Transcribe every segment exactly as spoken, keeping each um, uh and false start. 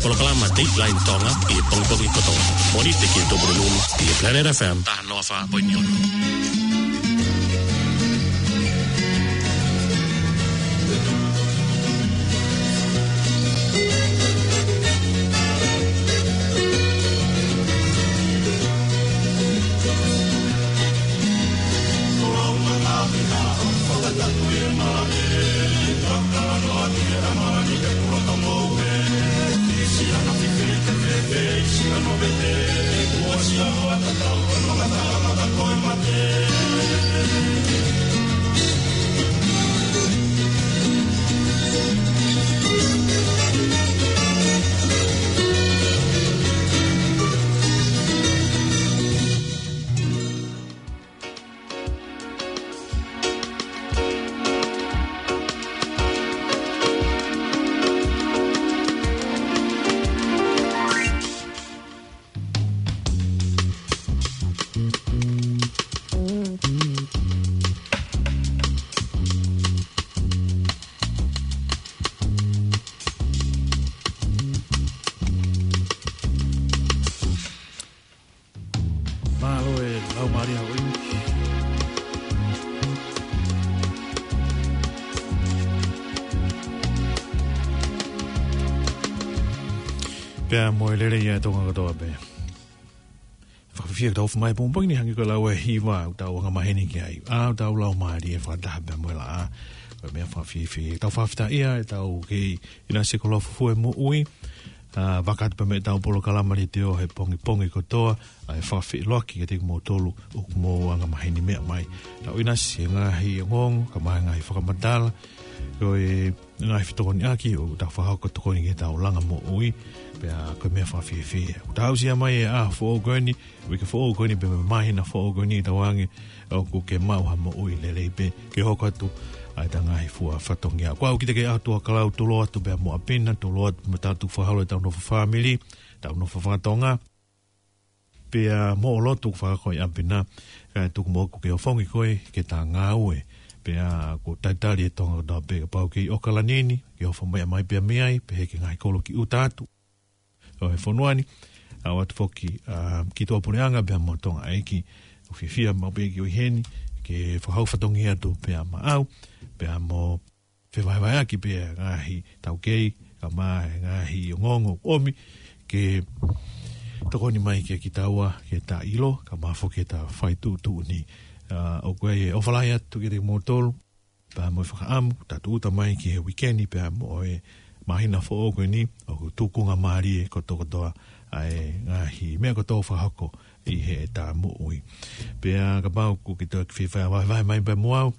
Polokalama Dateline Tonga ʻi he pongipongi kotoa. Mōnite ki he Tupuna Lulu ʻi he Planet F M taha noa fā poini ono. Mālō e lau Maria ʻo ʻIniki. Pea mo e lelei ʻa Tonga kotoa pē. Fakafiefia tau fumai pongipongi ni hangē ko e lau e hiva ʻoku tau angamaheni ki ai. ʻA ʻoku tau lau mālie fakataha pea mo e laʻā. Ko e meʻa fakafiefia. Tau fakafetaʻia ʻetau kei ʻinasi ko Lofufue Moʻui. ʻA, vakai atu pē mei heʻetau polokalama leitiō he pongipongi kotoa, ʻa e fakafeʻiloaki kiate kimoutolu ʻoku mou angamaheni meʻa mai. Tau ʻinasi he ngaahi ongoongo, kae ʻumaʻā e ngaahi fakamatala, ko e ngaahi fetokoniʻaki ʻoku tau fakahoko tokoni ki heʻetau langa moʻui, pea ko e meʻa fakafiefia. ʻOku tau aʻusia mai e ʻaho foʻou ko eni, uike foʻou ko eni pea mo e māhina foʻou ko eni ʻi Tonga ni, ʻoku ke maʻu ha moʻui lelei pē, ke hoko atu ʻa ʻeta ngaahi fua fatongia. Ko au kiate ke ʻatu a kalau tulo atu pea mo ʻapi na, tulo atu mo tatu fakaholo ʻetau nofo fāmili, tau nofo fakatonga, pea mo e lotu fakahoko ʻi ʻapi na, kae tuku muʻa ʻoku ke ofongi koe ke ta ngāue, pea ʻoku talitali e Tonga kotoa pē kapau ʻoku ke ʻi ʻAokalani ni, ke ofo mai mai pea mei ai, pehē ki he ngaahi kolo ki ʻuta atu ʻo e fonua ni, ʻa ʻoatu foki, ʻa, ki tuʻapuleʻanga pea mo Tonga ʻEiki, ʻoku fiefia maʻu pē ke ʻi heni, ke fakahoko fatongia atu pea maʻau, pea mo fevahevaheʻaki pē ngaahi taukei, kae ʻumaʻā e ngaahi ongoongo ʻomi, ke tokoni mai ke kitaua, ke ta ʻilo, kae ʻumaʻā foki ʻeta fai tuʻutuʻuni. ʻA, ʻoku ʻi ai e ʻofa lahi atu kiate kimoutolu, pea mo e fakaʻamu, ta tūʻuta mai ki he uike ni pea mo e māhina foʻou ko eni, ʻoku tukunga mālie kotoa kotoa ʻa e ngaahi meʻa kotoa fakahoko ʻi heʻeta moʻui. Pea kapau ʻoku ke toe fie vahevahe mai pea mo au,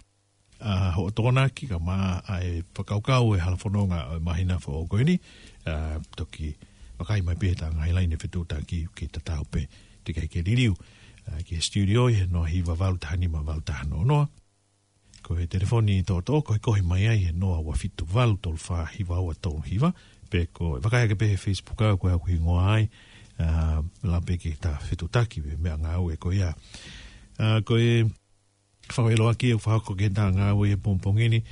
ʻa hoʻo tokonaki, kae ʻumaʻā e fakakaukau e hala fononga ʻo e māhina foʻou ko eni, ʻa, toki vakai mai pē heʻeta ngaahi laine fetuʻutaki ke tatau pē, teʻeki ai ke liliu, ʻa, ki he studio ʻi he noa hiva valu taha nima valu taha noa noa. Ko e telefoni toʻotoʻo, ko e kohi mai ai he noa ua fitu valu tolu fā hiva ua tolu hiva, pe ko e vakai ake pē he Facebook au ko e au hingoa ai, ʻa, lau pē ke ta fetuʻutaki pē meʻa ngāue ko ia. ʻA, ko e fakafeʻiloaki ʻoku fakahoko ki heʻeta ngāue he pongipongi ni,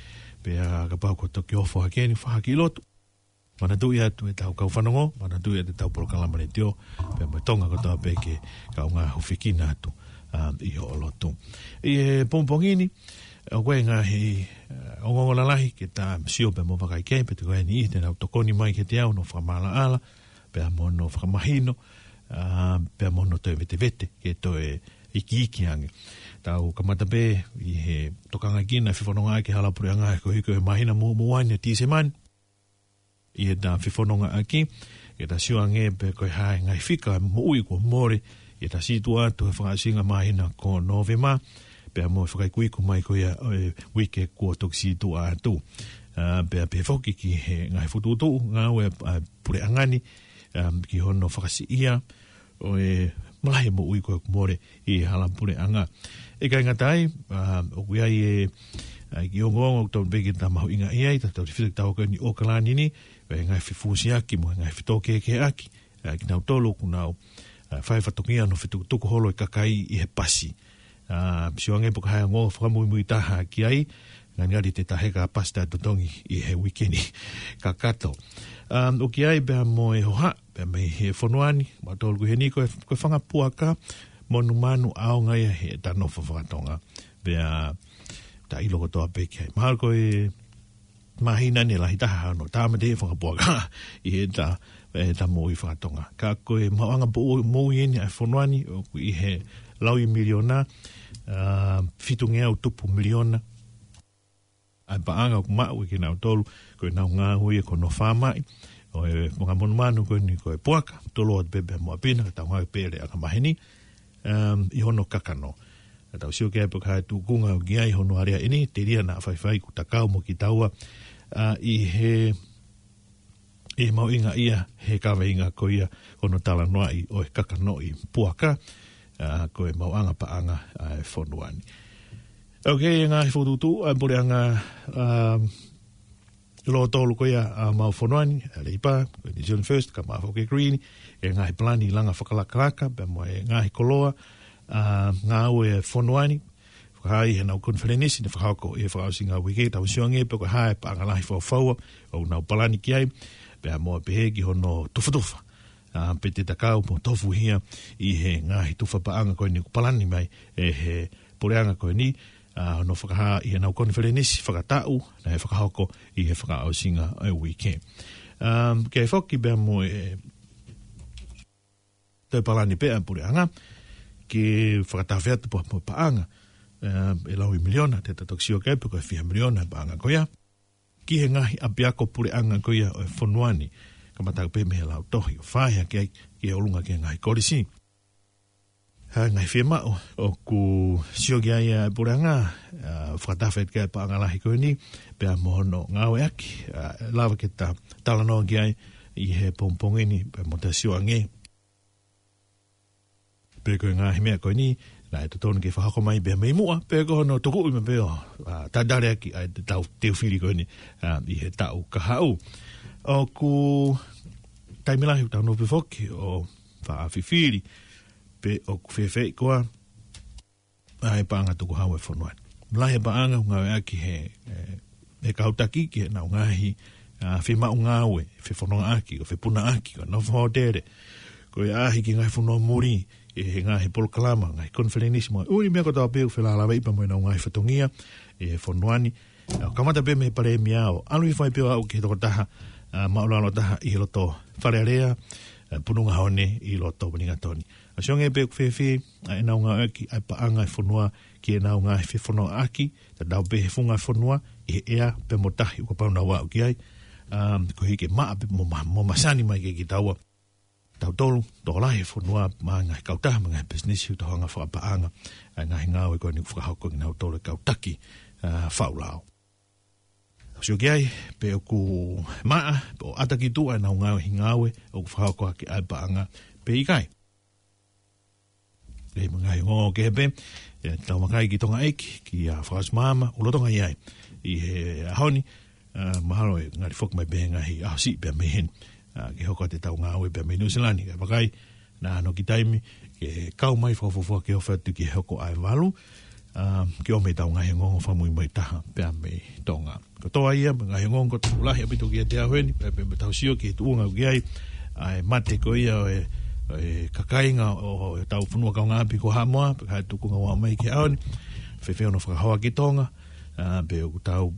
pea kapau ʻoku toki ofo hake eni, fakahoko e lotu. Manatuʻi atu ʻetau kau fanongo, manatuʻi atu ʻetau polokalama leitiō, pea mo e Tonga kotoa pē ke kaungā hūfekina atu, ʻa, ʻi hoʻo lotu. ʻI he pongipongi ni, ʻoku ʻi ai e ngaahi, ʻa, ongoongo lalahi ke ta sio pea mo vakai ki ai, pea te ko eni ʻi te nau tokoni mai kiate au, hono fakamaʻalaʻala, pea mo hono fakamahino, ʻa, pea mo hono toe vetevete, ke toe ikiiki ange. Tau kamata pē ʻi he tokanga ki he fefonongaʻaki hala puleʻanga he ko e hiko he māhina mo, mo ʻaneafi Tīsema ni. ʻI heʻeta fefonongaʻaki, ke ta sio ange pē ko e hā e ngaahi fika moʻui kuo mole, ʻi heʻeta situʻa atu he fakaʻosinga māhina ko Nōvema, pea mo e fakaikuiku mai ko ia ʻo e uike kuo toki situʻa atu. ʻA, pea pehē foki ki he ngaahi fokotuʻutuʻu ngāue ʻa e puleʻanga ni, ʻa, ki hono fakasiʻia ʻo e malahi moʻui ko ē kuo mole ʻi he hala puleʻanga. ʻIkai ngata ai, ʻa, ʻoku ʻi ai e, ʻa, kiʻi ongoongo ʻoku totonu pē ke ta mahuʻingaʻia ai, tautefito kitaua ko eni ʻi ʻAokalani ni, ʻa e ngaahi fefusiaki mo e ngaahi fetōkehekeheʻaki, ʻa, kinautolu ʻoku nau, ʻa, fai fatongia hono fetukutuku holo e kakai ʻi he pasi. ʻA, sio ange pē ko e hā e ongoongo fakamuimui taha ki ai, ngalingali te ta heka pasi ta totongi ʻi he uike ni kakato. Um, ʻoku ʻi ai pea mo e hohaʻa, pea mei he fonua ni, mautolu ko eni ko e, ko e fanga puaka, monumanu ʻaonga ia heʻeta nofo fakatonga. Pea ta ʻilo kotoa pē ki ai. Mahalo ko e māhina ni lahi taha hono tāmateʻi e fanga puaka ʻi heʻeta, heʻeta moʻui fakatonga. Ka ko e maʻuʻanga moʻui eni ʻa e fonua ni, ʻoku ʻi he laui miliona, uh, fitungeau tupu miliona ʻa e paʻanga ʻoku maʻu ʻe kinautolu, ko ʻenau ngāue ia ko hono fāmaʻi ʻo e fanga monumanu ko eni ko e puaka, tolo atu pē pea mo ʻapi na, ka tau ngāue pē lea ʻa e maheni, um, ʻi hono kakano. Ka tau sio ki ai pe ko e hā e tūkunga ʻoku ʻi ai hono aleaʻi eni, telia naʻa faifai kuo ta kau mo kitaua, uh, ʻi he ʻi he mahuʻinga ia he kaveinga ko ia ko hono talanoaʻi ʻo e kakanoʻi puaka, uh, ko e maʻuʻanga paʻanga ʻa e fonua ni. Ok, e ngaahi fokotuʻutuʻu ʻa e puleʻanga, um, lōtolu ko ia ʻa homau fonua ni, ʻa e Leipa, ko e New Zealand First, kae ʻumaʻā foki e Green, e ngaahi palani langa fakalakalaka, pea mo e ngaahi koloa, uh, ngāue ʻa e fonua ni, fakahā ʻi heʻenau konifelenisi naʻe fakahoko ʻi he fakaʻosinga uike, tau sio ange pe ko e hā e paʻanga lahi fakafaua ʻoku nau palani ki ai, pea mo pehē ki hono tufatufa, uh, pe te ta kau mo tofuhia ʻi he ngaahi tufa paʻanga ko eni ʻoku palani mai ʻe he puleʻanga ko eni, uh, hono fakahā ʻi heʻenau konifelenisi fakataʻu naʻe fakahoko ʻi he fakaʻosinga ʻo e uike. Um, ke foki pea mo e toe palani pē ʻa e puleʻanga ke fakatafe atu pea mo e paʻanga, eh, e laui miliona, te ta toki sio ki ai pe ko e fiha miliona e paʻanga ko ia ki he ngaahi ʻapiako puleʻanga ko ia ʻo e fonua ni, kamata pē mei he lautohi ʻo fai hake ai ki he ʻolunga ki he ngaahi kolisi. Ha ngaahi fiemaʻu ʻoku sio ki ai ʻa e puleʻanga, ah, fakatafe ki ai e paʻanga lahi ko eni, pea mo hono ngāueʻaki, ah, lava ke ta talanoa ki ai ʻi he pongipongi ni, pea mo ta sio ange pe ko e ngaahi meʻa ko eni naʻe totonu ke fakahoko mai pea mei muʻa, pe ko hono tukuʻi mai pē ʻo, ah, tataleaki ʻa e tau teu fili ko eni, ah, ʻi he taʻu kahaʻu. ʻOku taimi lahi ʻoku tau nofo pē foki ʻo faʻa fifili pe ʻoku fēfeʻi koā ʻa e paʻanga tukuhau ʻa e fonua ni. Lahi e paʻanga ʻoku ngāueʻaki he, eh, he kau taki ki heʻenau ngaahi, ah, fiemaʻu ngāue, fefonongaʻaki, ko e fepunaʻaki, ko e nofo hōtele, ko e ʻaʻahi ki he ngaahi fonua muli, ʻi he ngaahi polokalama, ngaahi konifelenisi mo e ʻū meʻa kotoa pē ʻoku felālāveʻi pea mo ʻenau ngaahi fatongia ʻi he fonua ni. ʻO kamata pē mei he palēmia ʻo ʻalu hifo ai pē ʻo aʻu ki he tokotaha, ah, māʻulalo taha ʻi he loto Fale Alea, eh, Pununga Hone ʻi loto Wellington. ʻA sio ange pe ʻoku fēfē ʻa ʻenau ngāueʻaki ʻa e paʻanga ʻa e fonua ki heʻenau ngaahi fefonongaʻaki, tatau pē he funga fonua, ʻi he ʻea pea mo tahi ʻoku pau nau aʻu ki ai, um, koeʻuhi ke maʻa pē mo ma-, mo masani mai kiate kitaua, tautolu, tokolahi e fonua, mo e ngaahi kautaha, mo e ngaahi pisinisi, ʻoku tau hanga fakapaʻanga ʻa e ngaahi ngāue ko eni ʻoku fakahoko ʻe kinautolu e kau taki, ah, faʻu lao. Tau sio ki ai pe ʻoku maʻa, pe ʻoku ʻata ki tuʻa ʻenau ngaahi ngāue ʻoku fakahoko ʻaki ʻa e paʻanga pe ʻikai. ʻI he ngaahi ongoongo kehe pē, ʻe, tau makai ki Tonga ʻEiki, kia Fakaʻosi Maama, ʻoku lolotonga ʻi ai ʻi he ʻaho ni, ah, mahalo ʻe ngali foki mai pē he ngaahi ʻaho siʻi pea mei heni, ah, ke hoko atu ʻetau ngāue pea mei Nuʻu Sila ni, kae vakai, naʻa nau ʻoange taimi ke kau mai fakafuofua ke ofi atu ki he hoko ʻa e valu, ah, ke ʻomai ʻetau ngaahi ongoongo fakamuimui taha pea mei Tonga. Kotoa ia, mo e ngaahi ongoongo kotoa lahi ʻaupito kiate au heni, pea, pea, pea tau sio ki he tuʻunga ʻoku ʻi ai ʻa e mate ko ia ʻo e, ʻo e kakainga ʻo, ʻo ʻetau fonua kaungāʻapi ko Haʻamoa, pe ko e hā e tuʻunga ʻoku aʻu mai ki he ʻaho ni, fēfē hono fakahoa ki Tonga, ah, pe ʻoku tau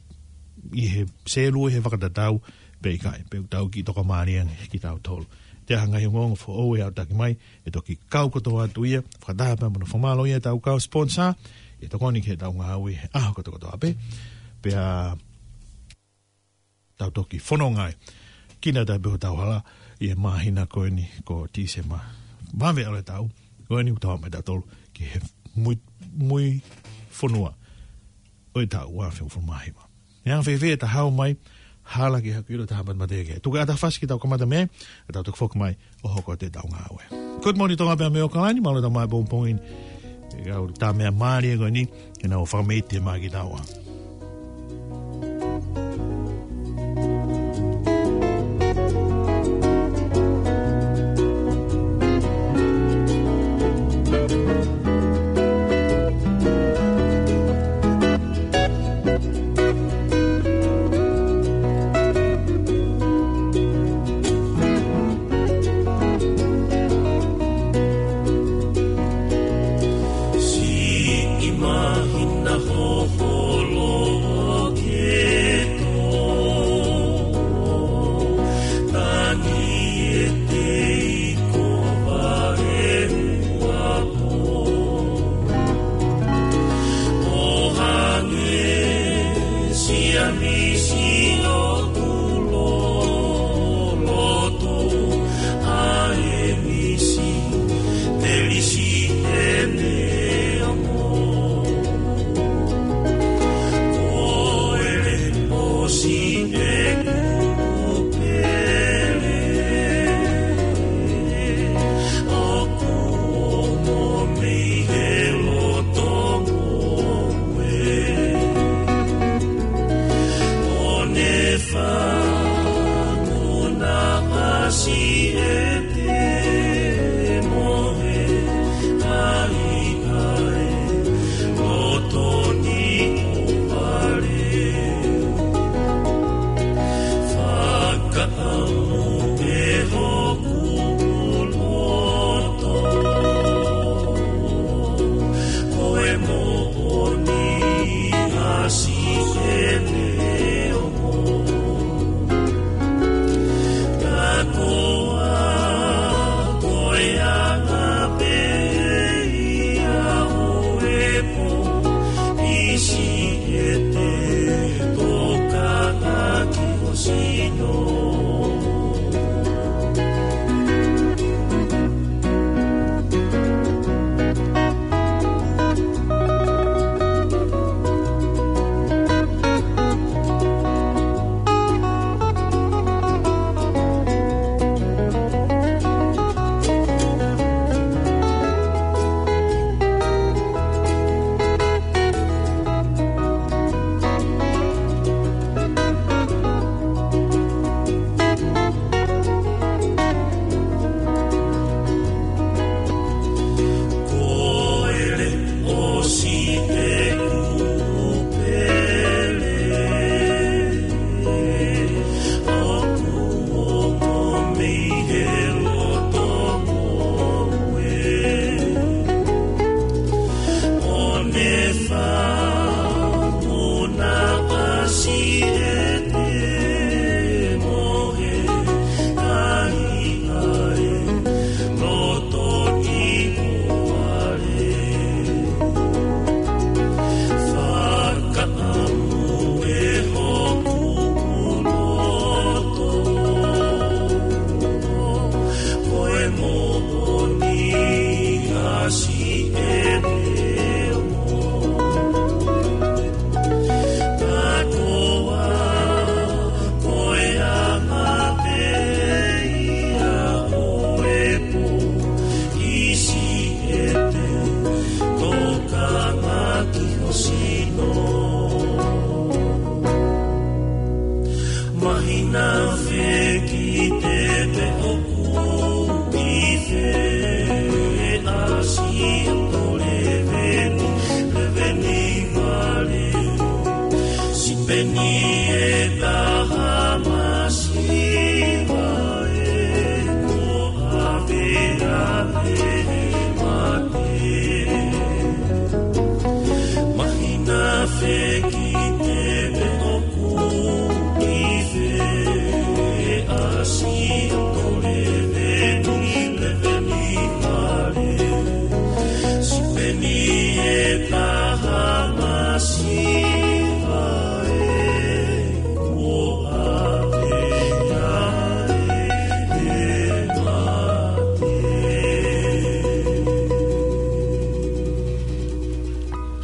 ʻi he sēlue he fakatatau, pe ʻikai, pe ʻoku tau kiʻi tokamālie ange kitautolu. Te ʻai ha ngaahi ongoongo foʻou ʻe aʻutaki mai, ʻe toki kau kotoa atu ia, fakataha pea mo hono fakamālō ia ʻetau kau sponsor, ʻe tokoni ki heʻetau ngāue he ʻaho kotokotoa pē. Pea tau toki fononga ai. Kinautolu pē ʻoku tau hala ʻi he māhina ko eni ko Tīsema. Vave ʻalu e taʻu, ko eni ʻoku tau mai tautolu ki he mui, mui fonua ʻo e taʻu ua afe hongofulu mā hiva. ʻE anga fēfē ʻeta haʻu mai, hala ki haku ʻilo taha matemate ke. Tuku ʻeta fasi ke tau kamata mei ai, ʻe tau toki foki mai ʻo hoko atu ʻetau ngāue. Good morning Tonga pea mei ʻAokalani, mālō ʻetau mai pongipongi ni. ʻE kau tā meʻa mālie ko eni, ke nau fakamite mai kitaua.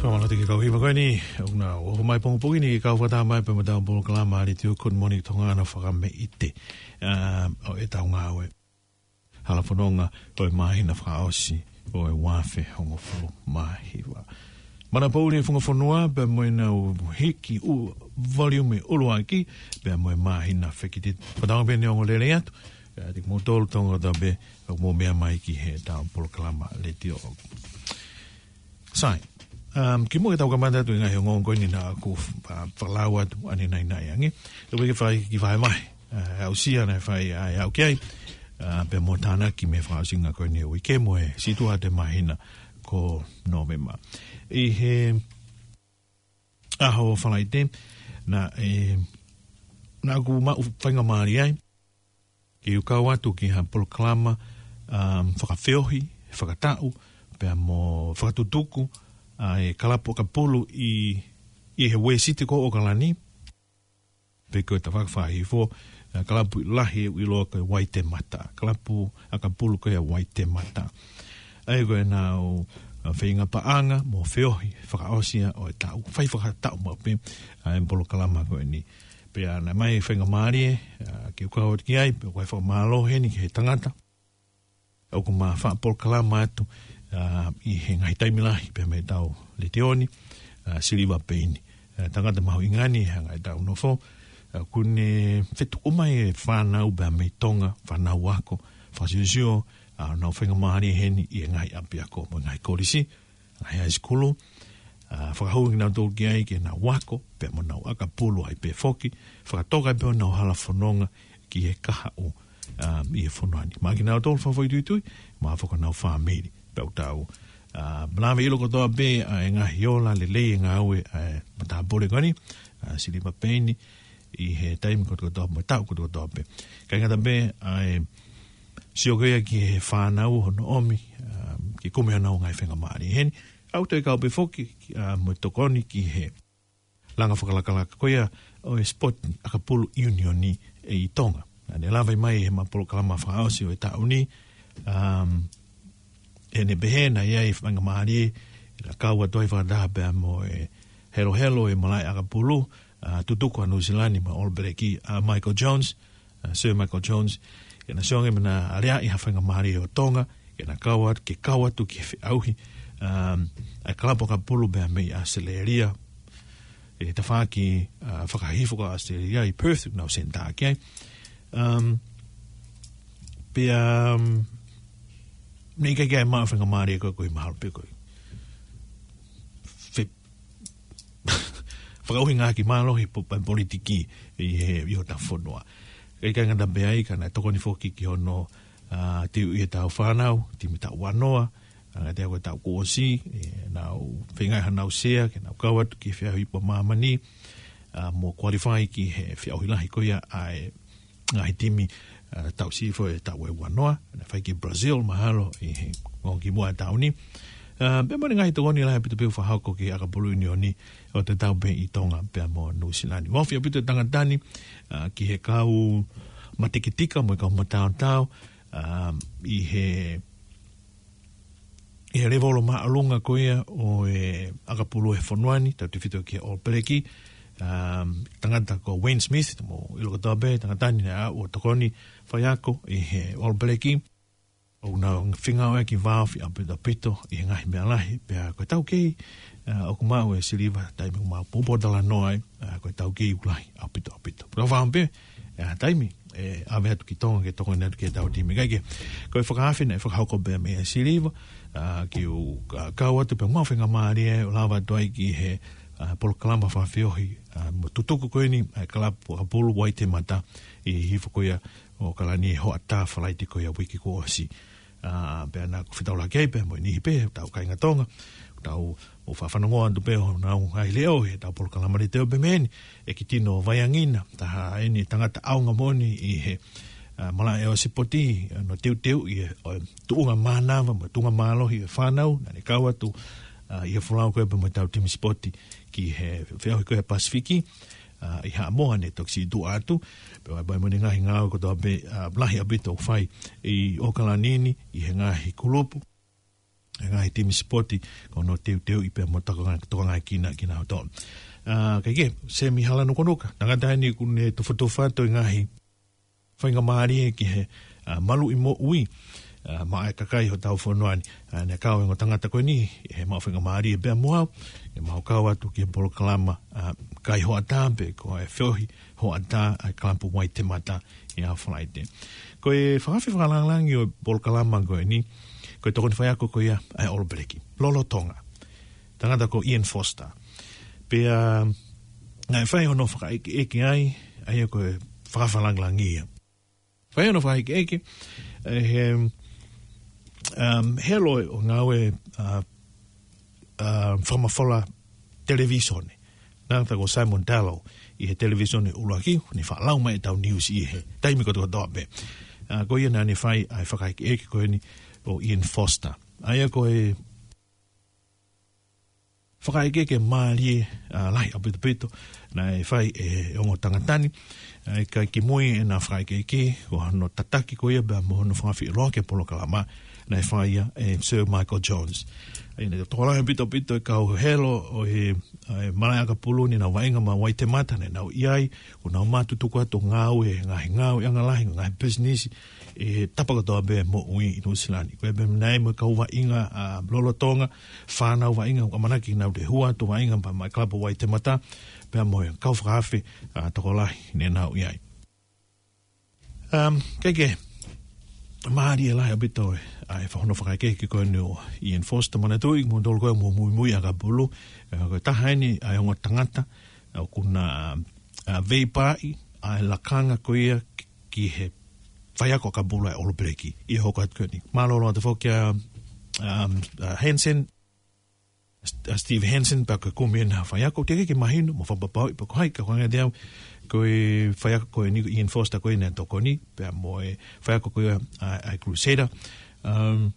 Fakamālō atu ki he kau hiva ko eni, ʻoku nau ō mai pongipongi ni ke kau fakataha mai pea mo ʻetau polokalama ʻa e letiō Good Morning Tonga ʻa e fakameʻite, ʻa, ʻo ʻetau ngāue. Hala fononga ʻo e māhina fakaʻosi ʻo e ua afe hongofulu mā hiva. Manapō ʻuli e funga fonua, pea mo ʻenau hiki ʻū voliume ʻuluaki, pea mo e māhina fekititi. Fakatauange pē ʻe ongo lelei atu, ʻa, ʻiate kimoutolu Tonga kotoa pē, ʻoku mou meʻa mai ki heʻetau polokalama letiō. Sai, um, kimuʻa ke tau kamata atu e ngaahi ongoongo ko eni naʻa ku, uh, fakalau atu ʻanenai ange. Tau ke fai ki vahevahe, uh, aʻusia naʻe fai ʻa e aʻu ki ai, uh, pea mo tānaki mei he fakaʻosinga ko eni ʻo e uike mo e situʻa ʻo e māhina ko Nōvema. ʻI he ʻaho Falaite, naʻe, naʻa ku maʻu faingamālie ai ke u kau atu ki ha polokalama, um, fakafeohi, fakataʻu, pea mo fakatutuku ʻa e kalapu ʻakapulu ʻi, ʻi he Uēsite ko ʻOkalani, pe ko e tafaʻaki fakahihifo, ʻa e kalapu lahi ʻoku ʻiloa ko e Waitemata. Kalapu ʻakapulu ko ia Waitemata. ʻA ia ko ʻenau, ʻa, feinga paʻanga mo feohi fakaʻosi ia ʻo e taʻu. Fai fakataʻu maʻu pē ʻa e polokalama ko eni. Pea naʻe ʻomai e faingamālie, ʻa, ke u kau atu ki ai, pea ʻoku ou fakamālō heni ki he tangata ʻoku ma faʻa polokalama atu, ʻa, ʻi he ngaahi taimi lahi pea mei heʻetau letiō ni, ʻa, Siliva Peini. ʻA, tangata mahuʻinga eni he anga ʻetau nofo, ʻOku ne fetuʻu mai e fānau pea mei Tonga, fānau ako, fakasiosio, ʻa, nau faingamālie heni ʻi he ngaahi ʻapiako mo e ngaahi kolisi, ngaahi high school, ʻa, fakahū kinautolu ki ai ke nau ako, pea mo nau ʻakapulu ai pē foki, fakatoka ai pē ʻenau hala fononga ki he kahaʻu, ʻa, ʻi he fonua ni. Maʻa kinautolu fakafoʻituitui, maʻa foki ʻenau fāmili, pea ʻoku tau, ʻa, lave ʻilo kotoa pē, ʻa, e ngaahi ola lelei e ngāue, ʻa, matāpule ko eni, ʻa, Siliva Peini, ʻi he taimi kotoa kotoa, mo e taʻu kotoa kotoa pē. ʻIkai ngata pē, ʻa e sio ko ia ki he fānau hono ʻomi, ʻa, ke kumi honau ngaahi faingamālie heni. ʻOku toe kau pē foki, ʻa, mo e tokoni ki he langa fakalakalaka ko ia ʻo e sipoti ʻakapulu ʻiunioni ʻi Tonga. Naʻa ne lave mai he maʻu polokalama fakaʻosi ʻo e taʻu ni, um, ʻene pehē naʻe ʻi ai e faingamālie, naʻe kau atu ai fakataha pea mo e helohelo e malaʻe ʻakapulu, ʻa, tutuku ʻa Nuʻu Sila ni mo e All Blacks, ʻa, Michael Jones, ʻa, Sir Michael Jones, ke na sio ange mo na aleaʻi ha faingamālie ʻo Tonga, ke na kau atu, ke kau atu ki he feʻauhi, um, ʻa e kalapu ʻakapulu pea mei ʻAositelēlia, ʻi he tafaʻaki, ʻa, fakahihifo ko ʻAositelēlia ʻi Perth, nau senitā ki ai. Um, pea, um, ne ʻikai ke maʻu faingamālie ko ē ko e mahalo pē ko e fe-, fakaʻuhinga ki mālohi po-, pa-, politiki ʻi he, ʻi hotau fonua. ʻIkai ngata pē ai ka naʻe tokoni foki ki hono, ʻa, teuʻi ʻetau fānau, timi taʻu ua noa, ʻa, ngata ai ko e taʻu kuo ʻosi, ʻe, nau feinga hanau sea, ke nau kau atu ki he feʻauhi ipu ʻa māmani, ʻa, mo qualify ki he feʻauhi lahi ko ia ʻa e ngaahi timi, ʻa, taʻu sifo e taʻu ʻe ua noa, naʻe fai ki Brazil, mahalo, ʻi he ongo kimuʻa taʻu ni. ʻA, pea mo e ngaahi tokoni lahi ʻaupito pē ʻoku fakahoko ki he ʻakapulu ʻiunioni ʻo tatau pē ʻi Tonga pea mo Nuʻu Sila ni. Ofi ʻaupito e tangata ni, ʻa, ki he kau matekitika mo e kau mataotao, ʻa, ʻi he ʻi he levolo māʻolunga ko ia ʻo e ʻakapulu he fonua ni, tautefito ki he All Blacks, um, tangata ko Wayne Smith, mou ʻilo kotoa pē, tangata ni naʻe aʻu ʻo tokoni faiako ʻi he All Blacks. ʻOku nau feinga ʻo ʻai ki vāofi ʻaupito ʻaupito ʻi he ngaahi meʻa lahi, pea ko e taukei, ʻa, ʻoku maʻu e Siliva, taimi ʻoku mau poupou talanoa ai, ʻa, ko e taukei ʻoku lahi ʻaupito ʻaupito. Pea ʻoku ou fakaʻamu pē, ʻa, taimi, ʻe ʻave atu ki Tonga, ke tokoni atu ki heʻetau timi. Kae kehe, ko e fakaafe naʻe fakahoko pē meia Siliva, ʻa, ke u, ʻa, kau atu pē maʻu faingamālie ʻo lava atu ai ki he, ʻa, polokalama fakafeohi, ʻa, mo e tutuku ko eni, ʻa, kalapu ʻakapulu Waitemata ʻi he hihifo ko ia ʻo ʻAokalani he hoʻatā Falaite ko ia uike kuo ʻosi. ʻA, pea naʻa ku fetaulaki ai pē mo e niʻihi pē, tau kāinga Tonga, tau ʻo fakafanongo atu pē honau ngaahi leʻo, heʻetau polokalama leitio pē mei heni, ʻEiki Tino Vaiangina, taha eni tangata ʻaonga moʻoni ʻi he, ʻa, malaʻe ʻo e sipoti, ʻa, hono teuteuʻi e, ʻo e tuʻunga mānava, mo e tuʻunga mālohi e fānau, naʻa ne kau atu, ʻa, ʻi he folau ko ē pea mo ʻetau timi sipoti ki he feʻauhi ko ē Pasifiki, ʻa, ʻi Haʻamoa ne toki siʻi tuʻu atu, pea ʻoku ʻi ai pē mo ʻene ngaahi ngāue kotoa pē, ʻa, lahi ʻaupito ʻoku fai ʻi ʻAokalani ni, ʻi he ngaahi kulupu, he ngaahi timi sipoti, ko hono teuteuʻi pea mo tokangaʻi, tokangaʻi kina, kinautolu. ʻA, kae kehe, Semi Halanukanuka, tangata eni ʻoku ne tufotufa atu e ngaahi faingamālie ki he, ʻa, maluʻi moʻui, ʻa, maʻa e kakai hotau fonua ni. ʻA, naʻe kau e ongo tangata ko eni, he maʻu faingamālie pea mo au, ke mau kau atu ki he polokalama, ʻa, kai hoʻatā pe ko e feʻauhi hoʻatā ʻa e kalapu Waitemata ʻi he ʻaho Falaite. Ko e fakaafe fakalāngilangi ʻo e polokalama ko eni, ko e tokoni faiako ko ia ʻa e All Blacks, lolotonga. Tangata ko Ian Foster. Pea, naʻe fai hono fakaʻekeʻeke ai, ʻa ia ko e fakaafe fakalāngilangi ia. Fai hono fakaʻekeʻeke, ʻe he, um, helo ʻo e ngāue, ʻa, ʻa, fakamafola televīsone. Tangata ko Simon Tallow ʻi he televīsone ʻuluaki, ne faʻa lau mai ʻetau news ʻi he taimi kotoa kotoa pē. ʻA, ko ia naʻa ne fai ʻa e fakaʻekeʻeke ko eni ʻo Ian Foster. ʻA ia ko e fakaʻekeʻeke mālie, ʻa, lahi ʻaupito ʻaupito, naʻe fai ʻe he ongo tangata ni, ʻa, ʻikai kimui ʻena fakaʻekeʻeke, ko hono tataki ko ia pea mo hono fakafeʻiloaki e polokalama, naʻe fai ia ʻe Sir Michael Jones. ʻA ia naʻe tokolahi ʻaupito ʻaupito e kau helo ʻo e, ʻa, e malaʻe ʻakapulu ni naʻa nau vaʻinga maʻa Waitemata, naʻa nau ʻi ai, ʻo nau mātuku atu ngāue, ngaahi ngāueʻanga lahi, ngaahi pisinisi, ʻi he tapa kotoa pē moʻui ʻi Nuʻu Sila ni. Ko e pehē naʻe ʻi ai mo e kau vaʻinga, ʻa, lolotonga, fānau vaʻinga, ʻoku ʻamanaki ke nau toe hū atu vaʻinga pea maʻa e kalapu Waitemata, pea mo e kau fakaafe, ā, tokolahi ne nau ʻi ai. Um, kae kehe, mālie lahi ʻaupito ʻa e, ʻa e hono fakaʻekeʻeke ko eni ʻo Ian Foster. Manatuʻi, mo tolu ko ē ʻoku mou muimui ʻakapulu, ē, ko e taha eni ʻa e ongo tangata ʻoku na, ā, veipaaʻi ʻa e lakanga ko ia ki, ki he faiako ʻakapulu ʻa e All Black ʻi he hoko atu ko eni. Mālō ʻaupito foki ʻa, um, ʻa Hansen, ʻa Steve Hansen, pea ko e kumi eni ha faiako, teʻeki ke mahino, mo fakapapauʻi pe ko hai, ka ko e anga ʻetau, ko e faiako ko eni, ko Ian Foster ko ē naʻe tokoni, pea mo e faiako ko ia ʻa, ʻa e Crusader. Um,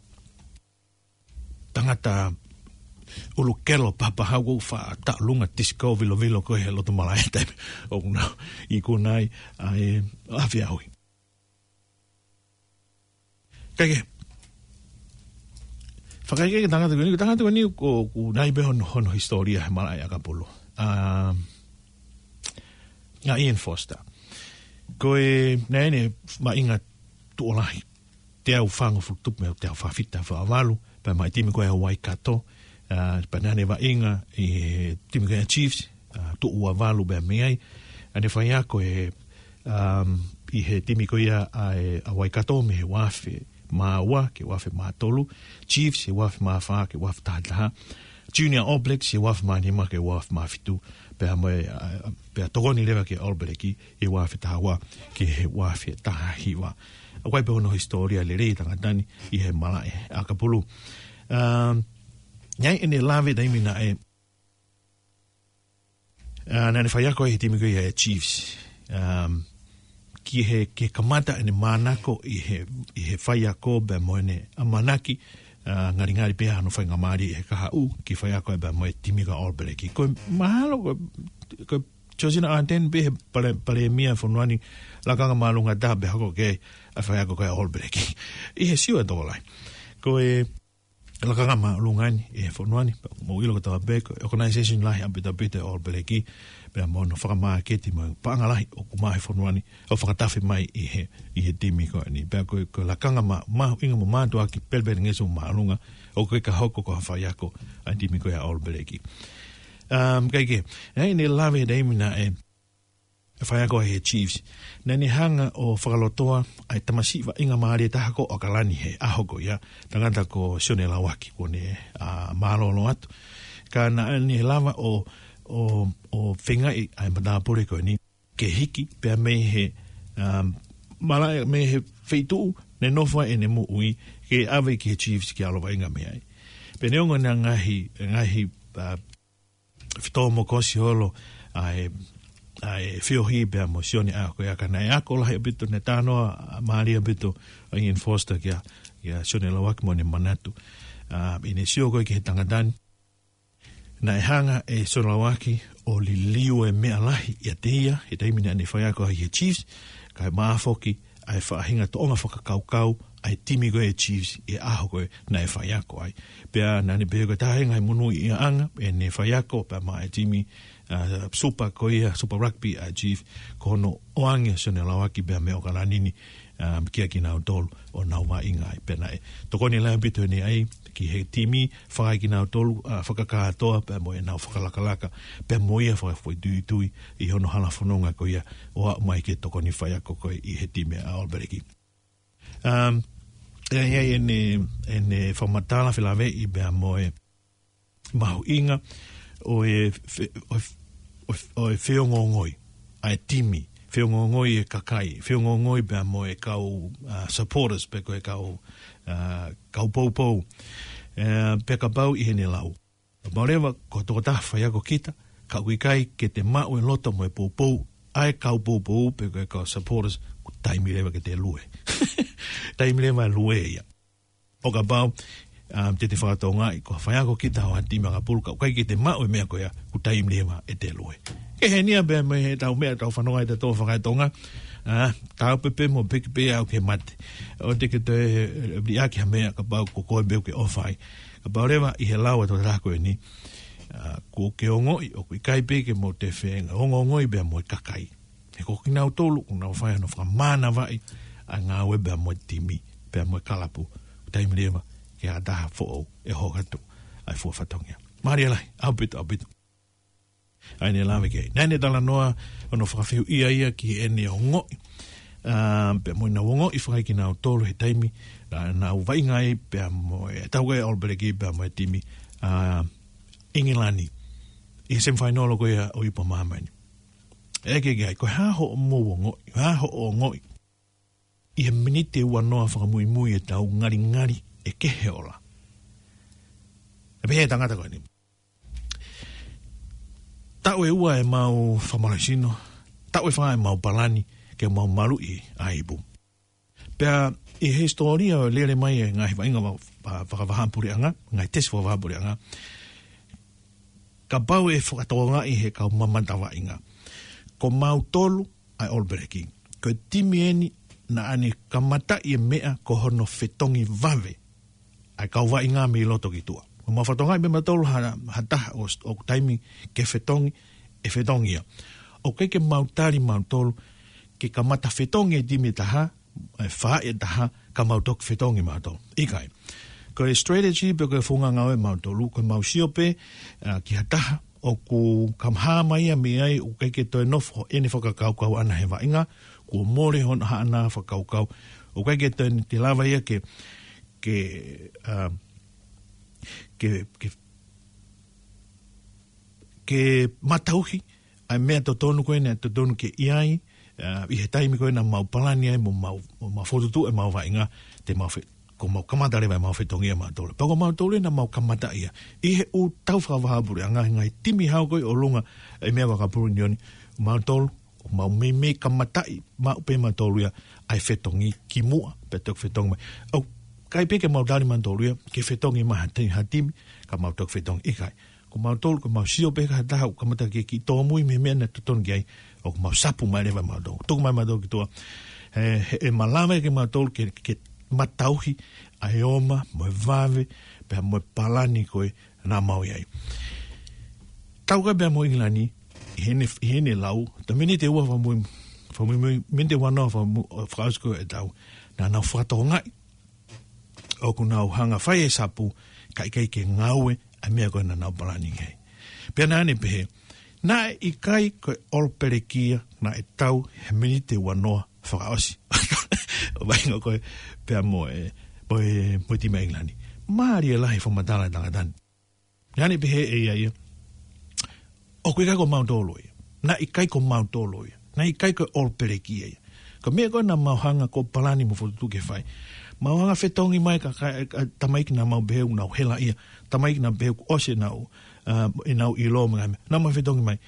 tangata ʻulu kelo pahapahau ʻoku faʻa taʻolunga tisiko vilovilo ko ē he loto malaʻe taimi ʻoku nau ikuna ai ʻa e afi ʻaui. Kae kehe, fakaʻekeʻeke tangata ko eni, tangata ko eni ʻoku, ʻoku nai pē hono, hono hisitōlia he malaʻe ʻakapulu. Um, ʻa Ian Foster. Ko e, naʻe ʻi ai ʻene vaʻinga tuʻo lahi, teau fāngofulu tupu mei he teau fā fitu, fā valu, pea maʻu e timi ko ia ʻa Waikato, ā, pea naʻa ne vaʻinga ʻi he timi ko ia ʻa Chiefs, ā, tuʻo ua valu pea mei ai. Naʻa ne faiako he, um, ʻi he timi ko ia ʻa e, ʻa Waikato mei he ua afe mā ua ki he ua afe mā tolu, Chiefs he ua afe mā fā ki he ua afe taha taha, Junior All Blacks he ua afe mā nima ki he ua afe mā fitu, pea mo e, ā, pea tokoni leva ki he All Black ʻi he ua afe taha ua ki he ua afe taha hiva. ʻOku ʻi ai pē hono hisitōlia lelei e tangata ni ʻi he malaʻe ʻakapulu. Um, ʻi ai ʻene lave taimi naʻe, ā, naʻa ne faiako ai he timi ko ia ʻa e Chiefs. Um, ki he, ki he kamata ʻene manako ʻi he, ʻi he faiako pea mo ʻene ʻamanaki, ā, ngalingali pē hano faingamālie he kahaʻu ke faiako ai pea mo e timi ko ia ʻa All Black. Ko e mahalo ko, ko Georgina Ardern pē he pale-, palēmia fonua ni, lakanga māʻolunga taha pē hoko ki ai ʻa e faiako ko ia ʻa All Black ʻi he Siua Tokolahi. Ko e lakanga māʻolunga eni ʻi he fonua ni, pea mou ʻilo kotoa pē ko e organization lahi ʻaupito ʻaupito ʻa e All Black, pea mo hono fakamāketi mo e paʻanga lahi ʻoku maʻu he fonua ni, ʻo fakatafe mai ʻi he, ʻi he timi ko eni. Pea ko e, ko e lakanga mā-, mahuʻinga mo mātuʻaki pelepelengesi mo māʻolunga, ʻoku ʻikai ke hoko ko ha faiako ʻa e timi ko ia ʻa All Black. Um, kae kehe, ʻi ai ʻene lave he taimi naʻe faiako ai he Chiefs, naʻa ne hanga ʻo fakalotoa ʻa e tamasiʻi vaʻinga mālie taha ko ʻAokalani he ʻaho ko ia, tangata ko Sione Lauaki, kuo ne, ā, mālōlō atu. Ka naʻa ne lava ʻo, ʻo, ʻo feingaʻi ʻa e matāpule ko eni ke hiki pea mei he, um, malaʻe, mei he feituʻu naʻe nofo ai ʻene moʻui, ke ʻave ki he Chiefs ke ʻalu ʻo vaʻinga mei ai. Pea neongo ʻena ngaahi, ngaahi, ā, fetōmokosi holo ʻa e, ʻa e feohi pea mo Sione ʻa ko ia, ka naʻe ako lahi ʻaupito, naʻe talanoa mālie ʻaupito ʻa Ian Foster kia, kia Sione Lauaki mo ʻene manatu. Ā, ʻi heʻene sio ko ē ki he tangata ni, naʻe hanga ʻe Sione Lauaki ʻo liliu e meʻa lahi ʻiate ia he taimi naʻa ne faiako ai he Chiefs, kae maʻu foki ʻa e faʻahinga tōʻonga fakakaukau ʻa e timi ko ē ʻa e Chiefs he ʻaho ko ē naʻe faiako ai. Pea naʻa ne pehē ko e taha e ngaahi monūʻiaʻanga ʻene faiako pea maʻa e timi, ā, Super ko ia, Super Rugby ʻa e Chiefs, ko hono ʻoange ʻa Sione Lauaki pea mei ʻAokalani ni, ā, kia kinautolu ʻo nau vaʻinga ai. Pea naʻe tokoni lahi ʻaupito ʻene ʻai ki he timi, fakaʻai kinautolu, ā, fakakātoa pea mo ʻenau fakalakalaka, pea mo ia fakafoʻituitui ʻi hono hala fononga ko ia ʻo aʻu mai ke tokoni faiako ko ē ʻi he timi ʻa All Black. Um, ʻi ai, ʻi ai ʻene, ʻene fakamatala felāveʻi pea mo e mahuʻinga ʻo e fe-, ʻo e, ʻo e, ʻo e feongoongoi ʻa e timi, feongoongoi e kakai, feongoongoi pea mo e kau, ā, supporters pe ko e kau, ā, kau poupou. Ē, pea kapau ʻi heʻene lau, kapau leva ko e tokotaha faiako kita, ka ʻoku ʻikai ke te maʻu e loto mo e poupou ʻa e kau poupou pe ko e kau supporters, ko e taimi leva ke te lue. Taimi leva lue ia. ʻO kapau, um, te te fakatokangaʻi ko e faiako kita ʻo ha timi ʻakapulu ka ʻoku ʻikai ke te maʻu e meʻa ko ia, ko e taimi leva ʻete lue. Ke heni ia pea mei heʻetau meʻa, tau fanongo ai ʻa e tō fakaetonga, ā, tau pē pē mo piki pē au ke mate. ʻOua te ke toe, ē, liʻaki ha meʻa kapau ko koe pē ʻoku ke ʻofa ai. Kapau leva ʻi he lau ʻa e tokotaha ko eni, ā, kuo ke ongoʻi ʻoku ʻikai pē ke mou toe feongoongoi pea mo e kakai. He ko kinautolu ʻoku nau fai hono fakamānavaʻi ʻa e ngāue pea mo e timi, pea mo e kalapu. Taimi leva ke ʻi ai ha taha foʻou ʻe hoko atu ʻa e fua fatongia. Mālie lahi, ʻaupito, ʻaupito. ʻA ia ne lave ki ai. Naʻa ne talanoa ʻo ne fakafehuʻia ia ki heʻene ongoʻi. ʻA, pea mo ʻenau ongoʻi fakaekinautolu he taimi naʻa nau vaʻinga ai pea mo e tau ko ē ʻOlopeleki pea mo e timi ʻa ʻIngilani ʻi he semifinal ko ia ʻo e Ipu Māmani. ʻEke ki ai, ko e hā hoʻomou ongoʻi, hā hoʻo ongoʻi ʻi he miniti ʻe uanoa fakamuimui e tau ngalingali ʻe kehe ola. ʻE pehē ʻe he tangata ko eni. Taʻu ʻe ua ʻemau fakamālohisino, taʻu ʻe fā ʻemau palani ke mau maluʻi ʻa e ipu. Pea ʻi he hisitōlia ʻo e lele mai e ngaahi vaʻinga va-, va-, fakavahaʻapuleʻanga, ngaahi tesi fakavahaʻapuleʻanga, kapau ʻe fakatokangaʻi he kau mamata vaʻinga, ko mautolu ʻa e ʻOlopeleki, ko e timi eni naʻa ne kamataʻi e meʻa ko hono fetongi vave ʻa e kau vaʻinga mei loto ki tuʻa. Ko mau fakatokangaʻi pē mautolu ha, ha taha ʻo, ʻoku taimi ke fetongi, ʻe fetongi ia. ʻOku ʻikai ke mau tali mautolu ke kamata fetongi e timi ʻe taha, ʻe fā ʻe taha, ka mau toki fetongi mautolu. ʻIkai. Ko e strategy pe ko e founga ngāue ʻa mautolu, ko e mau sio pē, ʻa, ki ha taha ʻoku kamata mai ia mei ai, ʻoku ʻikai ke toe nofo ʻene fakakaukau ʻana he vaʻinga, kuo mole hono haʻana fakakaukau. ʻOku ʻikai ke toe ne te lava ia ke, ke, ʻa, ke, ke, ke matauhi ʻa e meʻa totonu ko ē naʻe totonu ke ʻi ai, ʻa, ʻi he taimi ko ē naʻa mau palani ai mo mau, mo mau fokotuʻu ʻemau vaʻinga, te mau fe-, ko mau kamata leva ʻemau fetongi ʻa mautolu. Pea ko mautolu ē naʻa mau kamata ia. ʻI he ʻū tau fakavahaʻapuleʻanga, ngaahi timi hau ko ē ʻolunga e meʻa fakapulunioni, mautolu, ʻoku mau meimei kamataʻi maʻu pē mautolu ia ʻa e fetongi kimuʻa, pea toki fetongi mai. ʻOku ʻikai pē ke mau tali mautolu ia ke fetongi mai ha ti-, ha timi, ka mau toki fetongi, ʻikai. Ko mautolu, ko mau sio pē ka ha taha ʻoku kamata ke kiʻi tōmui mei he meʻa naʻe totonu ki ai, ʻoku mau sapu mai leva mautolu. Tuku mai mautolu ki tuʻa. He, he, ʻe malava ke mautolu ke, ke matauhi ʻa e oma, mo e vave, pea mo e palani ko ē naʻa mau ʻi ai. Tau ko ē pea mo ʻIngilani, ʻi heʻene, ʻi heʻene lau, ta miniti ʻe ua fakamui, fakamui, miniti ʻe uanoa fakamu-, fakaʻosi ko ē e tau, naʻa nau fakatokangaʻi ʻoku nau hanga fai e sapu, ka ʻikai ke ngāue ʻa e meʻa ko ē naʻa nau palani ki ai. Pea naʻa ne pehē, naʻe ʻikai ko e ʻOlopeleki ia naʻe tau he miniti ʻe uanoa fakaʻosi ʻo e vaʻinga ko ē pea mo e, mo e, mo e timi ʻa ʻIngilani. Mālie lahi e fakamatala ʻa e tangata ni. Naʻa ne pehē ʻe ia ia, ʻoku ʻikai ko mautolu ia. Naʻe ʻikai ko mautolu ia. Naʻe ʻikai ko e ʻOlopeleki ia. Ko e meʻa ko ē naʻa mau hanga ko ē palani mo fokotuʻu ke fai. Mau hanga fetongi mai ka, ka, ka tamaiki naʻa mau pehē ʻoku nau hela ia. Tamaiki naʻa pehē kuo ʻosi ʻenau, ʻa, ʻenau ʻilo mo e ngaahi meʻa. Naʻa mau fetongi mai.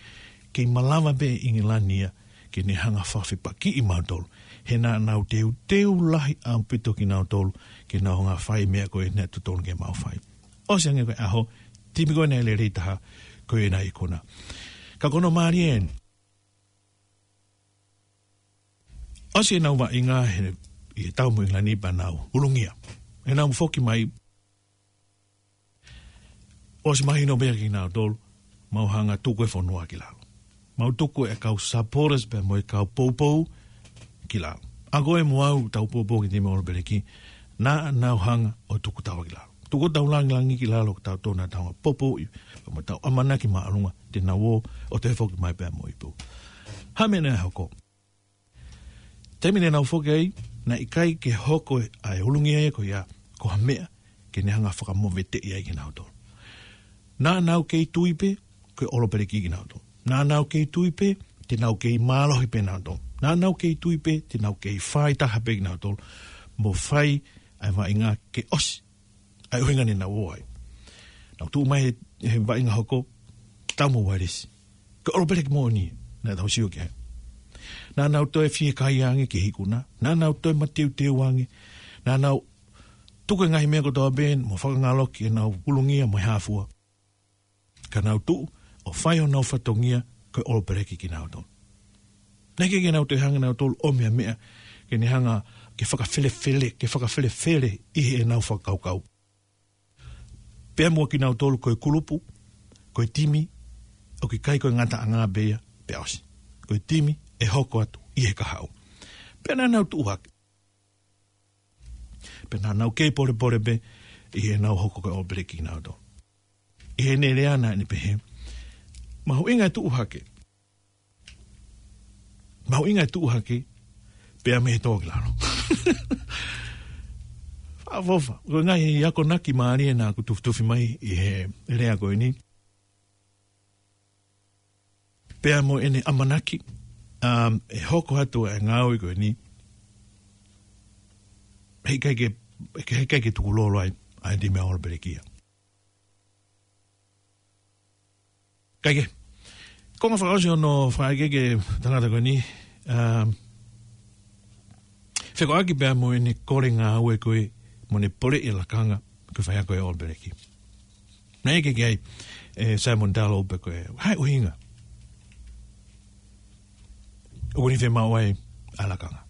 Kei malava pē ʻIngilani ia ke ne hanga fakafepakiʻi mautolu. He naʻa nau teuteu lahi ʻaupito kinautolu ke nau hanga fai e meʻa ko ē naʻe totonu ke mau fai. ʻOsi ange ko e ʻaho, timi ko ē naʻe lelei taha, ko ē naʻe ikuna. Ka ko hono mālie eni, ʻosi ʻenau vaʻinga he, ʻi he tau mo ʻIngilani pea nau ʻulungia. ʻEnau foki mai, ʻosi mahino pē ia kinautolu, mau hanga tuku e fonua ki lalo. Mau tuku e kau supporters pea mo e kau poupou ki lalo. ʻA koe mo au tau poupou ki he timi ʻa ʻOlopeleki, naʻa nau hanga ʻo tuku taua ki lalo. Tuku tau langilangi ki lalo, tau tona tau poupou ʻi, pea mo tau ʻamanaki māʻolunga, te nau ō ʻo toe foki mai pea mo e ipu. Hā e meʻa naʻe hoko? Taimi naʻa nau foki ai, naʻe ʻikai ke hoko ʻa e ʻulungia ia ko ia, ko ha meʻa ke ne hanga fakamoveteʻi ai kinautolu. Naʻa nau kei tui pē, ko e ʻOlopeleki kinautolu. Naʻa nau kei tui pē, te nau kei mālohi pē nautolu. Naʻa nau kei tui pē, te nau kei fai taha pē kinautolu. Mo fai ʻa e vaʻinga ke ʻosi ʻa e ʻuhinga naʻa nau ō ai. Nau tuʻu mai he, he vaʻinga hoko, tau mo Uēlisi. Ko e ʻOlopeleki moʻoni, naʻa tau sio ki ai. Naʻa nau toe fiekaia ange ki he ikuna. Naʻa nau toe mateuteu ange. Naʻa nau tuku e ngaahi meʻa kotoa pē, mo fakangaloki ʻenau ʻulungia mo e hā fua. Ka nau tuʻu, ʻo fai honau fatongia, ko e ʻOlopeleki kinautolu. Naʻe ʻikai ke nau toe hanga nautolu ʻo meʻa meʻa, ke ne hanga ke fakafelefele, ke fakafelefele ʻi heʻenau fakakaukau. Pea mo kinautolu ko e kulupu, ko e timi, ʻoku ʻikai ko e ngataʻanga pē ia, pea ʻosi. Ko e timi, ʻe hoko atu, ʻi he kahaʻu. Pea naʻa nau tuʻu hake. Pea naʻa nau kei polepole pē, ʻi heʻenau hoko ko e ʻOlopeleki kinautolu. ʻI heʻene lea naʻa ne pehē, Mahuʻinga e tuʻu hake. Mahuʻinga e tuʻu hake, pea mei he tō ki lalo. Faʻafofa. Ko e ngaahi akonaki mālie naʻa ku tufitufi mai ʻi he lea ko eni. Pea mo ʻene ʻamanaki, um, ʻe hoko atu e ngāue ko eni. Heʻikai ke, heʻikai ke tukulolo ai, ʻa e timi ʻa ʻOlo Pelekia. Kae kehe, konga fakaʻosi hono fakaʻekeʻeke tangata ko eni, um, fekauʻaki pea mo ʻene kole ngāue ko ē mo ʻene poleʻi e lakanga, ko e faiako ʻa ʻOlo Pelekia. Naʻe ʻeke ki ai ʻe Simon Tallow pe ko e hā e ʻuhinga ʻoku ne fiemaʻu ai ʻa e lakanga.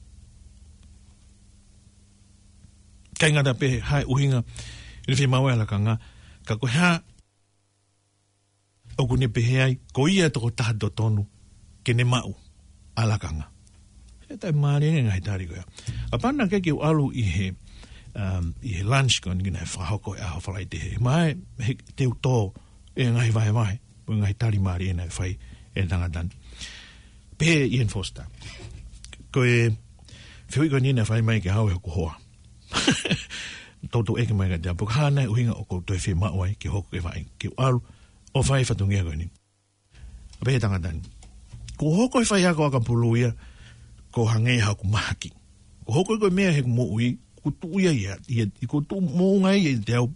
ʻIkai ngata pē hā e ʻuhinga ʻoku ne fiemaʻu ai ʻa e lakanga, ka ko e hā ʻoku ne pehē ai, ko ia e tokotaha totonu ke ne maʻu ʻa e lakanga. He taʻe mālie e ngaahi tali ko ia. Kapau naʻe ʻikai ke u ʻalu ʻi he, um, ʻi he lunch ko eni naʻe fakahoko he ʻaho Falaite, he mahalo te u tō e ngaahi vahevahe, mo e ngaahi tali mālie naʻe fai ʻe he tangata ni. Pehē ʻe Ian Foster, ko e fehuʻi ko eni naʻe fai mai kiate au ʻe hoku hoa. Toutou ʻeke mai kiate au, pe ko e hā nai e ʻuhinga ʻoku ou toe fiemaʻu ai ke hoko e vaʻinga, ke u ʻalu ʻo fai e fatongia ko eni. Pehē ʻe he tangata ni, kuo u hoko ʻi he faiako ʻakapulu ia, ʻo hangē haʻaku mahaki. Kuo u hoko ko e meʻa heʻeku moʻui, kuo u tuʻu ia ia, ia, kuo u tuʻu moʻunga ia ʻiate au,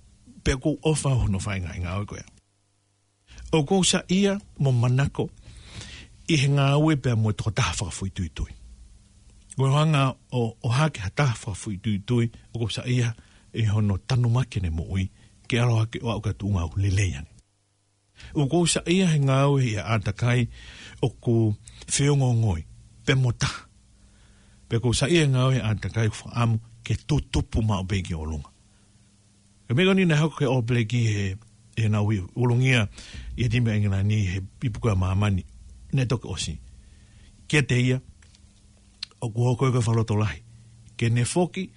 pea ʻoku ou ʻofa hono fai e ngaahi ngāue ko ia. ʻOku ou saiʻia mo manako ʻi he ngāue pea mo e tokotaha fakafoʻituitui. Ko e hanga ʻo, ʻo ʻohake ha taha fakafoʻituitui, ʻoku ou saiʻia ʻi hono tanumaki ʻene moʻui, ke ʻalu hake ʻo aʻu ki ha tuʻunga ʻoku lelei ange. ʻOku ou saiʻia he ngāue ʻi ha ʻātakai ʻoku feongoongoi, pea mo taha. Pea ʻoku ou saiʻia he ngāue ʻi ha ʻātakai ʻoku fakaʻamu ke tutupu maʻu pē ki ʻolunga. Ko e meʻa ko eni naʻe hoko ki he ʻOlo Pelekia he, he naʻa nau ulungia ʻi he timi ʻa ʻIngilani he ipu kau ʻa māmani, naʻe toki ʻosi. Kiate ia, ʻoku hoko ia ko e fakalotolahi ke ne foki,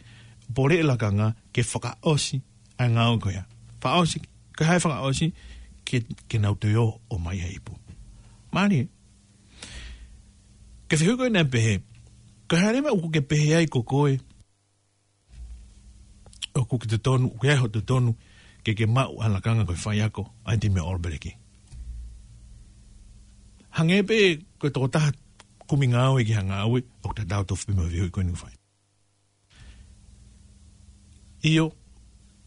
poleʻi e lakanga, ke fakaʻosi ʻa e ngāue ko ia. Fakaʻosi, ko e hā e fakaʻosi, ke, ke nau toe ō ʻo maʻu ha ipu. Mālie. Ko e fehuʻi ko ē naʻe pehē, ko e hā leva ʻoku ke pehē ai ko koe, ʻoku ke totonu, ʻoku ʻi ai hoʻo totonu ke ke maʻu ʻa e lakanga ko e faiako ʻa e timi ʻa ʻOlo Pelekia. Hangē pē ko e tokotaha kumi ngāue ki ha ngāue, ʻoku tatau tofu pē mo e fehuʻi ko eni ʻoku fai. ʻIo,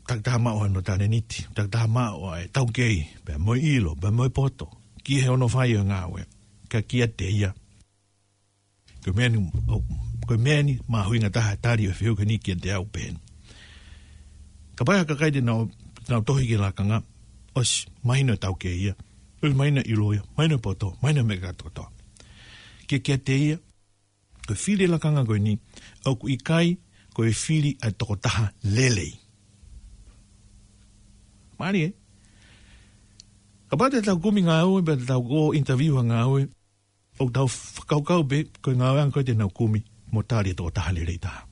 takitaha maʻu hono talēniti, takitaha maʻu ʻa e taukei, pea mo e ʻilo, pea mo e poto, ki hono fai ʻo e ngāue, ka kiate ia. Ko e meʻa ni, ʻo, ko e meʻa ni mahuʻinga taha e tali ʻo e fehuʻi ko eni kiate au pē. Kapau ʻe ha kakai te nau, te nau tohi ki he lakanga, ʻosi mahino e taukei ia, ʻosi mahino e ʻilo ia, mahino e poto, mahino e meʻa kātoa. Ke kiate ia, ko e fili e lakanga ko eni, ʻoku ʻikai ko e fili ʻa e tokotaha lelei. Mālie ē? Kapau te tau kumi ngāue, pea te tau ō interview ha ngāue, ʻoku tau fakakaukau pē, ko e ngāue ange ko ē te nau kumi, mo tali e tokotaha lelei taha.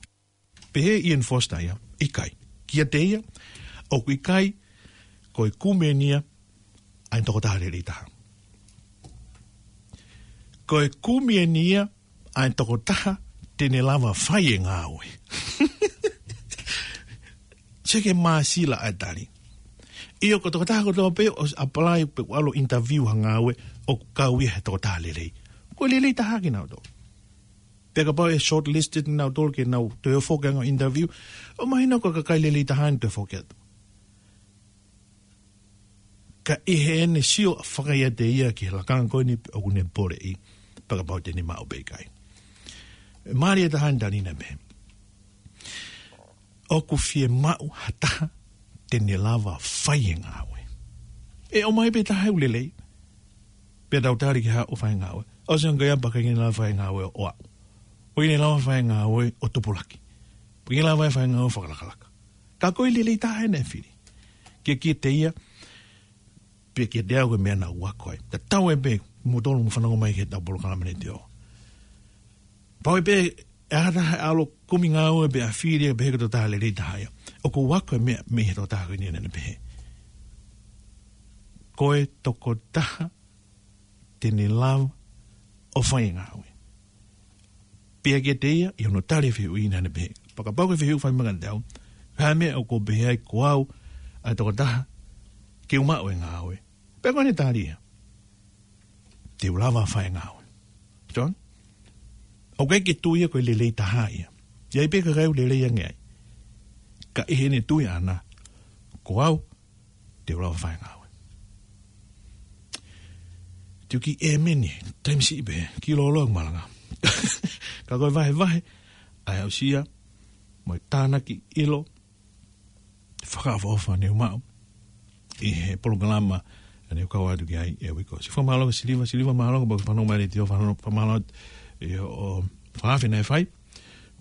Pehē ʻe Ian Foster ia, ʻikai. Kiate ia, ʻoku ʻikai ko e kumi eni ia ʻa e tokotaha lelei taha. Ko e kumi eni ia ʻa e tokotaha te ne lava fai e ngāue. Sio ki he māsila ʻa e tali. ʻIo, ko e tokotaha kotoa pē ʻoku apply pe ʻoku ʻalu ʻo interview ha ngāue, ʻoku kau ia he tokotaha lelei. Ko e lelei taha kinautolu. Pea kapau ʻe shortlisted kinautolu ke nau toe foki ange ʻo interview, ʻoku mahino ko e kakai lelei taha eni toe foki atu. Ka ʻi heʻene sio fakaiate ia ki he lakanga ko eni ʻoku ne poleʻi, pe kapau te ne maʻu pe ʻikai. Mālie taha eni e tali naʻe pehē, ʻoku fiemaʻu ha taha te ne lava fai e ngāue. ʻE ʻomai pē taha ʻoku lelei, pea tau tali ke haʻu ʻo fai e ngāue. ʻOsi ange ia pea ʻikai ke ne lava fai e ngāue ʻo aʻu. ʻOku ʻikai ke ne lava fai e ngāue ʻo tupulaki. ʻOku ʻikai ke ne lava fai e ngāue ʻo fakalakalaka. Ka ko e lelei taha eni naʻe fili. Ke kiate ia, pea kiate au ko e meʻa naʻa ku ako ai. Tatau ai pē, mou tolu mou fanongo mai ki heʻetau polokalama Neteō. Pau ai pē, ʻe ha taha ʻe ʻalu ʻo kumi ngāue pea fili ia pehē ko e tokotaha lelei taha ia. ʻOku ou ako e meʻa mei he tokotaha ko eni naʻa ne pehē, ko e tokotaha te ne lava ʻo fai e ngāue. Pea kiate ia, ʻi hono tali e fehuʻi naʻa ne pehē, kapau ko e fehuʻi ʻoku fai mai kiate au, ko e hā e meʻa ʻoku ou pehē ai ko au ʻa e tokotaha ke u maʻu e ngāue? Pea ko ʻene tali ia, te u lava fai e ngāue. John? ʻOku ʻikai ke tui ia ko e lelei taha ia. ʻI ai pē kakai ʻoku lelei ange ai. Ka ʻi heʻene tui ʻaʻana, ko au, te u lava fai e ngāue. Te u kiʻi ʻēmeni, taimi siʻi pē, kiʻi lōloa ʻeku malanga. Ka ko e vahevahe ʻa e aʻusia mo e tānaki ʻilo fakaʻofoʻofa ne u maʻu ʻi he polokalama naʻa ne kau atu ki ai e uike ko ē. Siʻi fakamālō kia Siliva, Siliva mālō, kapau ʻoku ke fanongo mai he letiō, fanongo, fakamālō ʻi hoʻo fakaafe naʻe fai.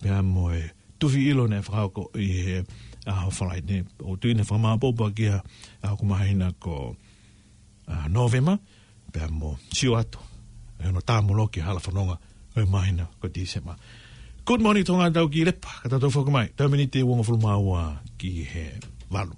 Pea mo e tufi ʻilo naʻe fakahoko ʻi he ʻaho Falaite. ʻOku ou tui naʻe fakamāʻopoʻopo ʻaki ia ʻa hoku māhina ko, ʻa, Nōvema, pea mo sio atu ʻi hono tāmoloki e hala fononga ʻo e māhina ko Tīsema. Good morning, Tonga, tau kiʻi lepa, ka tau toe foki mai. Tau miniti ʻe uongofulu mā ua ki he valu.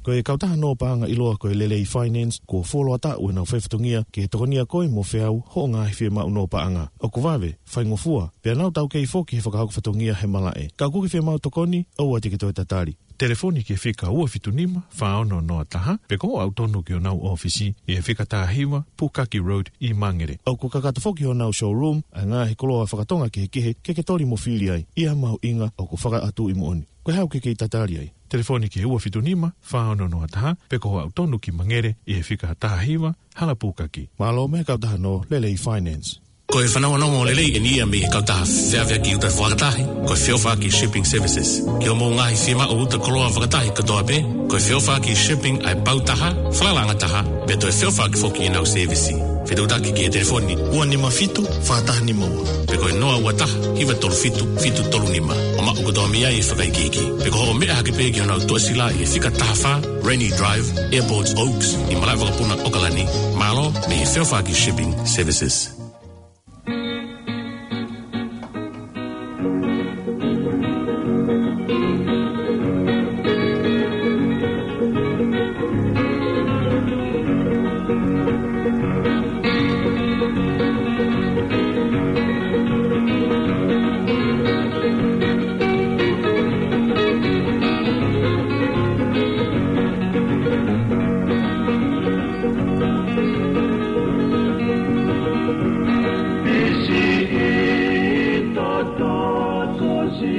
Ko e kautaha nō paʻanga ʻiloa ko e Lelei Finance, kuo fuoloa taʻu ʻenau faifatongia ke tokonia koe mo feau hoʻo ngaahi fiemaʻu nō paʻanga. ʻOku vave, faingofua, pea nau taukei foki he fakahoko fatongia he malaʻe. Ka ʻoku ke fiemaʻu tokoni, ʻoua te ke toe tatali. Telefoni ki he fika ua fitu nima, fā ono noa taha, pe ko hoʻo aʻu tonu ki honau ʻōfisi ʻi he fika taha hiva, Pukaki Road ʻi Mangere. ʻOku kakato foki honau showroom ʻa e ngaahi koloa fakatonga kehekehe ke ke toli mo fili ai, ʻi ha mahuʻinga ʻoku fakaʻatuʻi moʻoni. Ko e hā ʻoku ke kei tatali ai? Telefoni ki he ua fitu nima, fā ono noa taha, pe ko hoʻo aʻu tonu ki Mangere ʻi he fika taha hiva, Hala Pukaki. Mālō mo e kautaha nō Lelei Finance. Ko e fanongonongo lelei eni ia mei he kautaha feʻaveʻaki uta fakatahi, ko e Feʻofaʻaki Shipping Services. Ki hoʻomou ngaahi fiemaʻu uta koloa fakatahi kotoa pē, ko e Feʻofaʻaki Shipping ʻa e pau taha, falalaʻanga taha, pea toe feʻofaʻaki foki ʻenau sēvisi. Fetuʻutaki ki he telefoni ua nima fitu, fā taha nima ua, pe ko e noa ua taha, hiva tolu fitu, fitu tolu nima, ʻo maʻu kotoa mei ai e fakaikiiki. Pe ko hoʻo meʻa hake pē ki honau tuʻasila ʻi he fika taha fā, Rainy Drive, Airport Oaks, ʻi malaʻe vakapuna ʻOkalani, mālō mei he Feʻofaʻaki Shipping Services.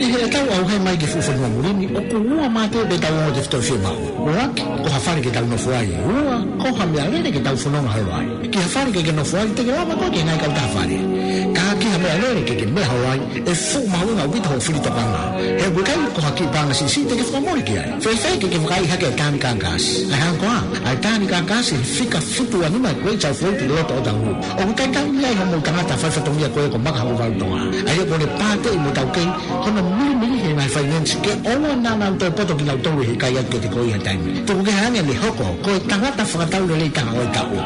ʻI heʻetau ʻauhē mai ki he fuʻu fonua muli ni, ʻoku ua mātē pē ʻetau ongo tefitoʻi fiemaʻu. ʻUluaki, ko ha fale ke tau nofo ai. Ua, ko ha meʻalele ke tau fononga holo ai. Ki ha fale ke ke nofo ai, te ke lava koe ke ngaahi kautaha fale. Ka ki ha meʻalele ke ke meʻa holo ai, ʻe fuʻu mahuʻinga ʻaupito hoʻo fili tokanga. He ʻoku ʻikai ko ha kiʻi paʻanga siʻisiʻi te ke fakamole ki ai. Fēfē ke ke vakaiʻi hake e Tānika Gas? ʻA e hā koā, ʻa e Tānika Gas ʻi he fika fitu ua nima Great South Road ʻi loto ʻOtahuhu. ʻOku taimi ai hoʻomou tangata faifatongia ko ē ko Maka Hokovalu Tonga. ʻA ia ko ʻene pāteʻi mo taukei hono milimili he ngaahi finance ke ʻoua naʻa nau toe poto kinautolu ʻi he ʻikai atu kiate koe ʻi ha taimi. Tuku kehe ange ʻene hoko ko e tangata fakatau lelei taha ʻo e taʻu.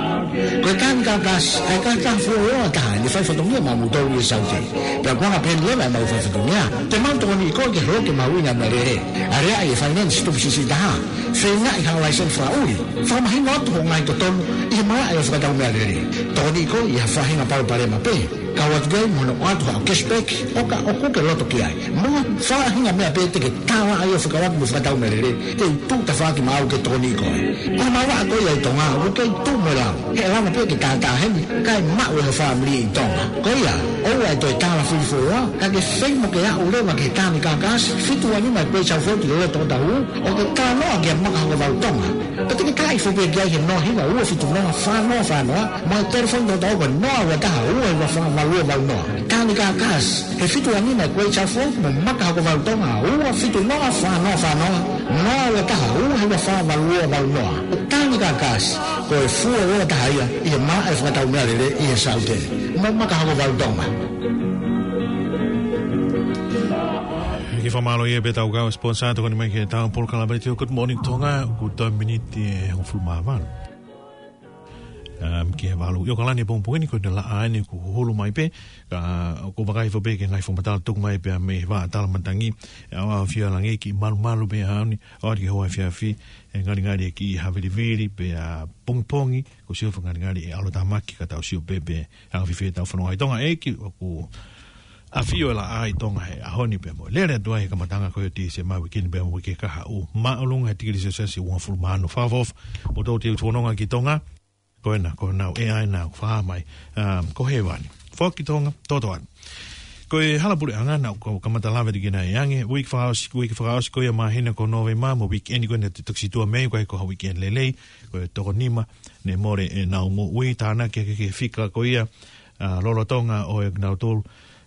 Ko e Tānika Gas, ʻa e kautaha fuoloa taha ʻene faifatongia maʻamoutolu ʻi he Saute. Pea ko e anga pē eni leva ʻemau faifatongia, te mau tokoniʻi koe ke holoki e mahuʻinga e meʻalele. Aleaʻi e finance tupu siʻisiʻi taha. Feingaʻi haʻo laiseni fakaʻuli. Fakamahino atu hoʻo ngaahi totonu ʻi he malaʻe ʻo e fakatau meʻalele. Tokoniʻi koe ʻi ha faʻahinga palopalema pē. Kau atu ki ai mo hono ʻoatu haʻo cashback, ʻo ka ʻoku ke loto ki ai. Mo ha faʻahinga meʻa pē te ke tālaʻa ai ʻo fekauʻaki mo e fakatau meʻalele, te u tuʻu tafaʻaki maʻau ke tokoniʻi koe. Ko e maʻu ʻa koe ʻi Tonga, ʻoku kei tuʻu mo e lau. He ʻe lava pē ke tātāheni, kae maʻu ʻe ho fāmili ʻi Tonga. Ko ia, ʻoua ʻe toe tālafili fuoloa, ka ke feinga ke aʻu leva ki he Tānika Gas, fitu ua nima Great South Road ʻi loto ʻOtahuhu, ʻo ke talanoa kia Maka Hokovalu Tonga. Pea te ke talaʻi foki pē ki ai he noa hiva ua fitu noa fā noa fā noa, mo e telefoni tautau ko e noa ua taha ua hiva fā valu ua valu noa. Tānika Gas, he fitu ua nima Great South Road mo Maka Hokovalu Tonga, ua fitu noa fā noa fā noa, noa ua taha ua hiva fā valu ua valu noa. Tānika Gas, ko e fuoloa taha ia ʻi he malaʻe fakatau meʻalele ʻi he Saute. Mo Maka Hokovalu Tonga. Kiʻi fakamālō ia pē ʻetau kau sponsor tokoni mai ki heʻetau polokalama letiō Good Morning Tonga, ʻoku tau miniti ʻe hongofulu mā valu. Um, ki he valu. ʻIo, ʻOkalani he pongipongi ni, ko e laʻā eni kuo hulu mai pē, ka, ʻoku vakai hifo pē ki he ngaahi fakamatala tuku mai pē mei he vā tala matangi, ʻe ʻaoʻaofia e langi, kiʻi malumalu pē ʻaho ni, ʻo ʻai ke hoa efiafi, ʻe ngalingali e kiʻi havilivili pē ʻapongipongi, ko e sio fakangalingali e ʻalotāmaki ka tau sio pē pe ʻe anga fēfē ʻetau fononga ʻi Tonga. ʻEiki, ʻoku ʻafio e laʻā ʻi Tonga he ʻaho ni pea mo e lele atu ai he kamataʻanga ko ē ʻo Tīsema, uike ni pea mo e uike kahaʻu, māʻolunga he tikili selesiasi ʻe uofulu mā ono, fakaʻofoʻofa. Mou toe fononga ki Tonga, ko ena, ko ena ʻe ʻai ʻenau fā mai, um, ko hēvani. Foki Tonga, toto atu. Ko e hala puleʻanga naʻa ku kamata lave atu ki ai ʻanenai, uike fakaʻosi, uike fakaʻosi ko ia māhina ko Nōvema mo e uike ni ko ena ʻe tokosiʻi atu mei ai, ko e, ko e uike lelei, ko e toko nima ne mole ʻenau moʻui, tānaki hake ki he fika ko ia, ʻa, lolotonga ʻo e kinautolu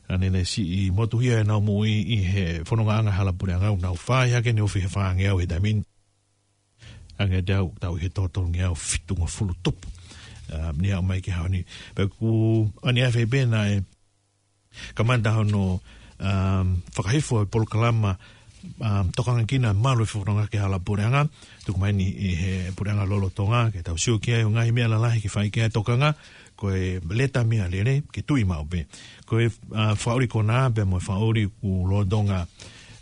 naʻa nau siʻi motuhia ʻenau moʻui ʻi he fonongaʻanga hala puleʻanga, ʻoku nau fai hake ne ofi he fāngeau he taimi ni. Hangē ʻoku tau ʻi he toko tolungeau fitungofulu tupu. ʻA, ne aʻu mai ki he ʻaho ni. Pea ʻoku ʻaneafi pē naʻe kamata hono, um, fakahifo e polokalama, um, tokanga ki he malu e fononga ki he hala puleʻanga, tuku mai eni ʻe he puleʻanga lolotonga, ke tau sio ki ai, ʻo ngaahi meʻa lalahi ke fai ki ai e tokanga, ko e leta meʻalele, ke tui maʻu pē. Ko e, uh, fakaʻuli konā, pea mo e fakaʻuli ʻoku lolotonga,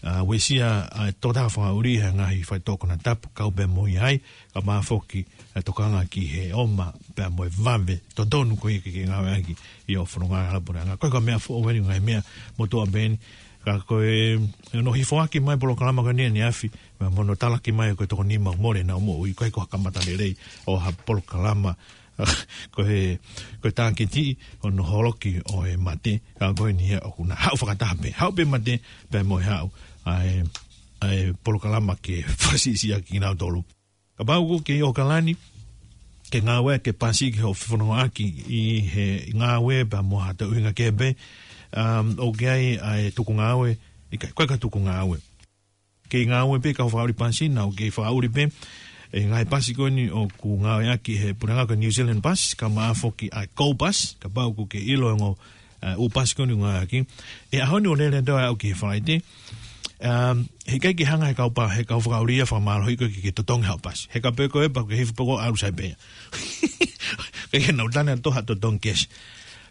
uh, uesia, uh, tokotaha fakaʻuli he ngaahi faitoʻo konatapu, kau pē mo ia ai, kae ʻumaʻā foki e tokanga ki he ʻoma pea mo e vave totonu ko ia ke, ke ngāueʻaki ʻi hoʻo fononga hala puleʻanga. Ko e ka meʻa foʻou eni, ngaahi meʻa motuʻa pē eni. Ka ko e, ʻi hono hifoaki mai e polokalama ko eni ʻaneafi, pea mo hono talaki mai ko e toko nima mole ʻenau moʻui, ko e ko e kamata lelei ʻo ha polokalama, ko e, ko e tākiti hono holoki ʻo e mate, ka ko eni ia ʻoku na haʻu fakataha pē, haʻu pē mate, pea mo e haʻu ʻa e, ʻa e polokalama ke fakasiʻisiʻi ʻaki kinautolu. Kapau ʻoku ke ʻi ʻOkalani, ke ngāueʻaki e pasi ke hoʻo fefonongaʻaki ʻi he ngāue pea mo ha toe ʻuhinga kehe pē, um, ʻoku ʻi ai ʻa e tuku ngāue, ʻikai, ko e ka tuku ngāue. Ke ngāue pē kau fakaʻuli pasi, naʻa ke fakaʻuli pē e ngaahi pasi ko eni ʻoku ngāueʻaki he puleʻanga ko e New Zealand Bus, kae ʻumaʻā foki ʻa e Go Bus, kapau ʻoku ke ʻilo e ongo ʻa, ʻū pasi ko eni ʻoku ngāueʻaki. ʻI he ʻaho ni ʻo lele atu ai ʻo aʻu ki he Falaite. Um, heʻikai ke hanga he kau pa-, he kau fakaʻuli ia ʻo fakamālohiʻi koe ke, ke totongi haʻo pasi. He kapau ko e pau ke hifo pē koe ʻo ʻalu sai pē ia. Ke, ke nau tane atu ha totongi cash.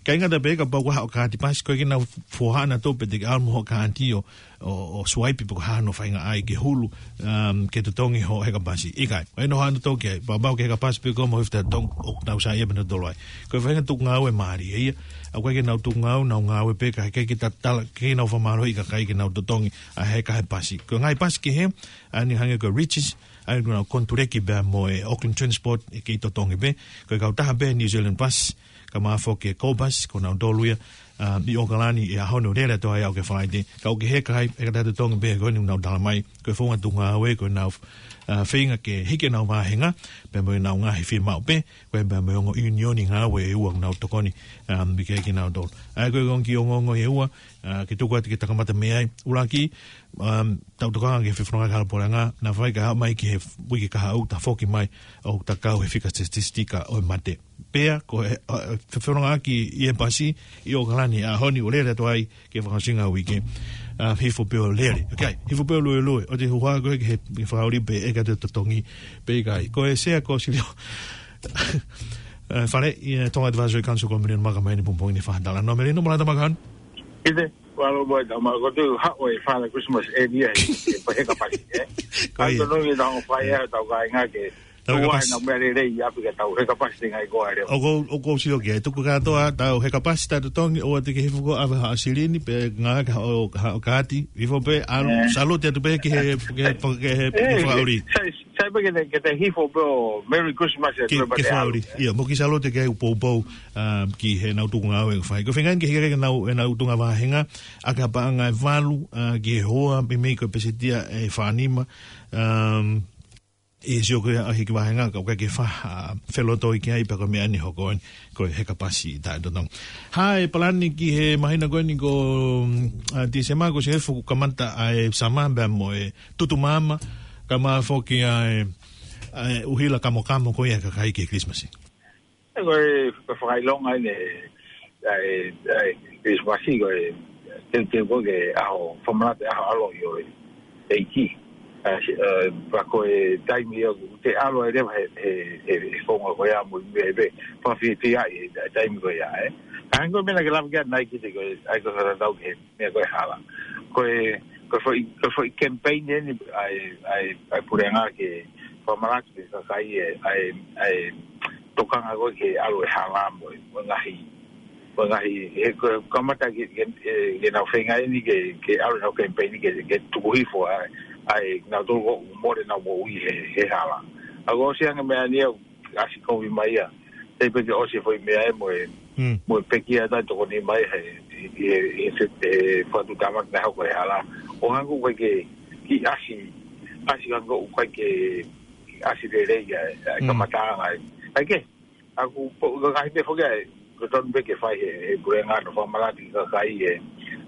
ʻIkai ngata pē, kapau ko haʻo kaati pasi, ko e ke nau foha ʻanautolu pē te ke ʻalu mo hoʻo kaati ʻo, ʻo, ʻo swipe pe ko e hā hono faingaʻi ke hulu, um, ke totongi hoʻo heka pasi. ʻIkai. ʻE noho ʻanautolu ki ai, pea mau ke heka pasi pē koe mo hifo ʻo totongi, ʻoku nau saiʻia pē nautolu ai. Ko e faʻahinga tuku ngāue mālie ia. ʻOku ʻikai ke nau tuku ngāue, nau ngāue pē ka ʻikai ke tatala, ke nau fakamālohiʻi e kakai ke nau totongi ʻa e heka he pasi. Ko e ngaahi pasi kehe, ʻa eni hangē ko e Regis, ʻa eni ʻoku nau konituleki pea mo e Auckland Transport, ʻe kei totongi pē. Ko e kautaha pē New Zealand Bus, kae ʻumaʻā foki e Go Bus, ko nautolu ia, um, ʻi ʻOkalani ʻi he ʻaho ni ʻo lele atu ai ʻo aʻu ki he Falaite. Ka ʻoku ke heka ai, heka atu totongi pē, ko eni ʻoku nau tala mai. Ko e founga tuku ngāue, ko ʻenau, uh, feinga ke hiki ʻenau vāhenga, pea mo ʻenau ngaahi fiemaʻu pē, ko e pea mo e ongo ʻiunioni ngāue ʻe ua ʻoku nau tokoni, um, ʻi he kinautolu. ʻA ia ko e ongo kiʻi ongoongo ʻe ua, uh, ke tuku atu ke ta kamata mei ai. ʻUluaki, um, tau tokanga ki he fefononga hala puleʻanga, naʻa faifai kae haʻu mai ki he uike kahaʻu, ta foki mai ʻo ta kau he fika statistika ʻo e mate. Pea, ko e, uh, fefonongaʻaki ʻi he pasi, ʻi ʻOkalani, ʻaho ni ʻo lele atu ai, ki he fakaʻosinga ʻo e uike. Uh, hifo pē ʻo lele. Okay, hifo pē ʻo luelue. ʻOua te ke huha koe ki he, ki he fakaʻuli pe ʻe ʻikai te totongi pe ʻikai. Ko e sea ko Silio. Uh, Fale, ʻi he Tonga Advisory Council ko Melino Maka mai eni pongipongi ni, fakatalanoa Melino, mo lata maka anu. ʻIte, ua lo boy, tama ko tu haʻu e Father Christmas area he, he heka pasi, eh? Ko ia. Tau tonu i tau fai e, tau kāinga ke Tau heka pasi. Ua ʻenau meʻa lelei ʻi ʻapi ka tau heka pasi te ngai ko ʻa e leo. ʻOku ou, ʻoku ou sio ki ai, tuku kātoa, tau heka pasi, tau totongi, ʻoua te ke hifo koe ʻo ʻave haʻo silini, pe ngāueʻaki haʻo, haʻo kaati, hifo pē, ʻalu, Eh. Salute atu pē ki he, ki he, ki he, ki he fakaʻuli. Sai, sai pē ke te, ke te hifo pē ʻo Merry Christmas e Ki, ki he fakaʻuli. Ia, mo kiʻi salute ki he ʻū poupou, um, ki heʻenau tuku ngāue ʻoku fai. Ko e feinga ke hiki ʻenau, ʻenau tuʻunga vāhenga, ʻaki ha paʻanga ʻe valu, uh, ki he hoa, meimei ko e pēseti ia ʻe fā nima, um, ʻe sio ko ia ʻa e hiki vāhenga, ka ʻoku ʻikai ke fa-, a, felotoi ki ai pea ko e meʻa eni hoko eni, ko e heka pasi taʻetotongi. Hā e palani ki he māhina ko eni ko, mm, a, Tīsema, ko e sio hifo kuo kamata ʻa e sama pea mo e tutu maama, kae ʻumaʻā foki ʻa e, ʻa e ʻuhila kamokamo ko ia ʻa e kakai ki he Kilisimasi. Ko e, ko e fakaʻilonga eni, ʻa e, ʻa e Kilisimasi ko e, teuteu ko e ʻaho fakamanatu, ʻaho ʻaloʻi ʻo e ʻEiki. ʻa, ʻa, pea ko e taimi ia ʻoku te ʻalu ai leva he, he, he, he konga ko ia mo e meʻa ʻe pē, fakafiefia ai he taimi ko ia, ē. Ka hangē ko e meʻa naʻa ke lave ki ai ʻanenai ki he ko e, ʻa ia ko e fakatatau ki he meʻa ko e hala. Ko e, ko e foʻi, ko e foʻi campaign eni ʻa e, ʻa e, ʻa e puleʻanga ke fakamalaki ki he kakai e, ʻa e, ʻa e tokanga ko ē ke ʻalu e hala mo e, mo e ngaahi, mo e ngaahi, he ko e kamata ke, ke, ke, ke nau feinga eni ke, ke ʻalu ʻenau campaign ke, ke tuku hifo ʻa, ʻa e, nautolu ʻoku mole ʻenau moʻui he, he hala. ʻA ia ko e ʻosi ange meʻa ni ʻa e ʻasi kovi mai ia. Tei pē ke ʻosi e foʻi meʻa ē mo e, Mm. mo e pekia ʻa e tokoni mai he, he, he, he, he fakatuʻutāmaki naʻe hoko he hala. ʻO hangē ʻoku ʻikai ke, ke ʻasi, ʻasi hangē ʻoku ʻikai ke, ke ʻasi lelei ia, ʻa e Mm. kamataʻanga ē. ʻA ia ke, ʻa ia ko e, ko e ngaahi meʻa foki ē, ko e tonu pē ke fai he, he puleʻanga ʻo fakamalaki ki he kakai ē.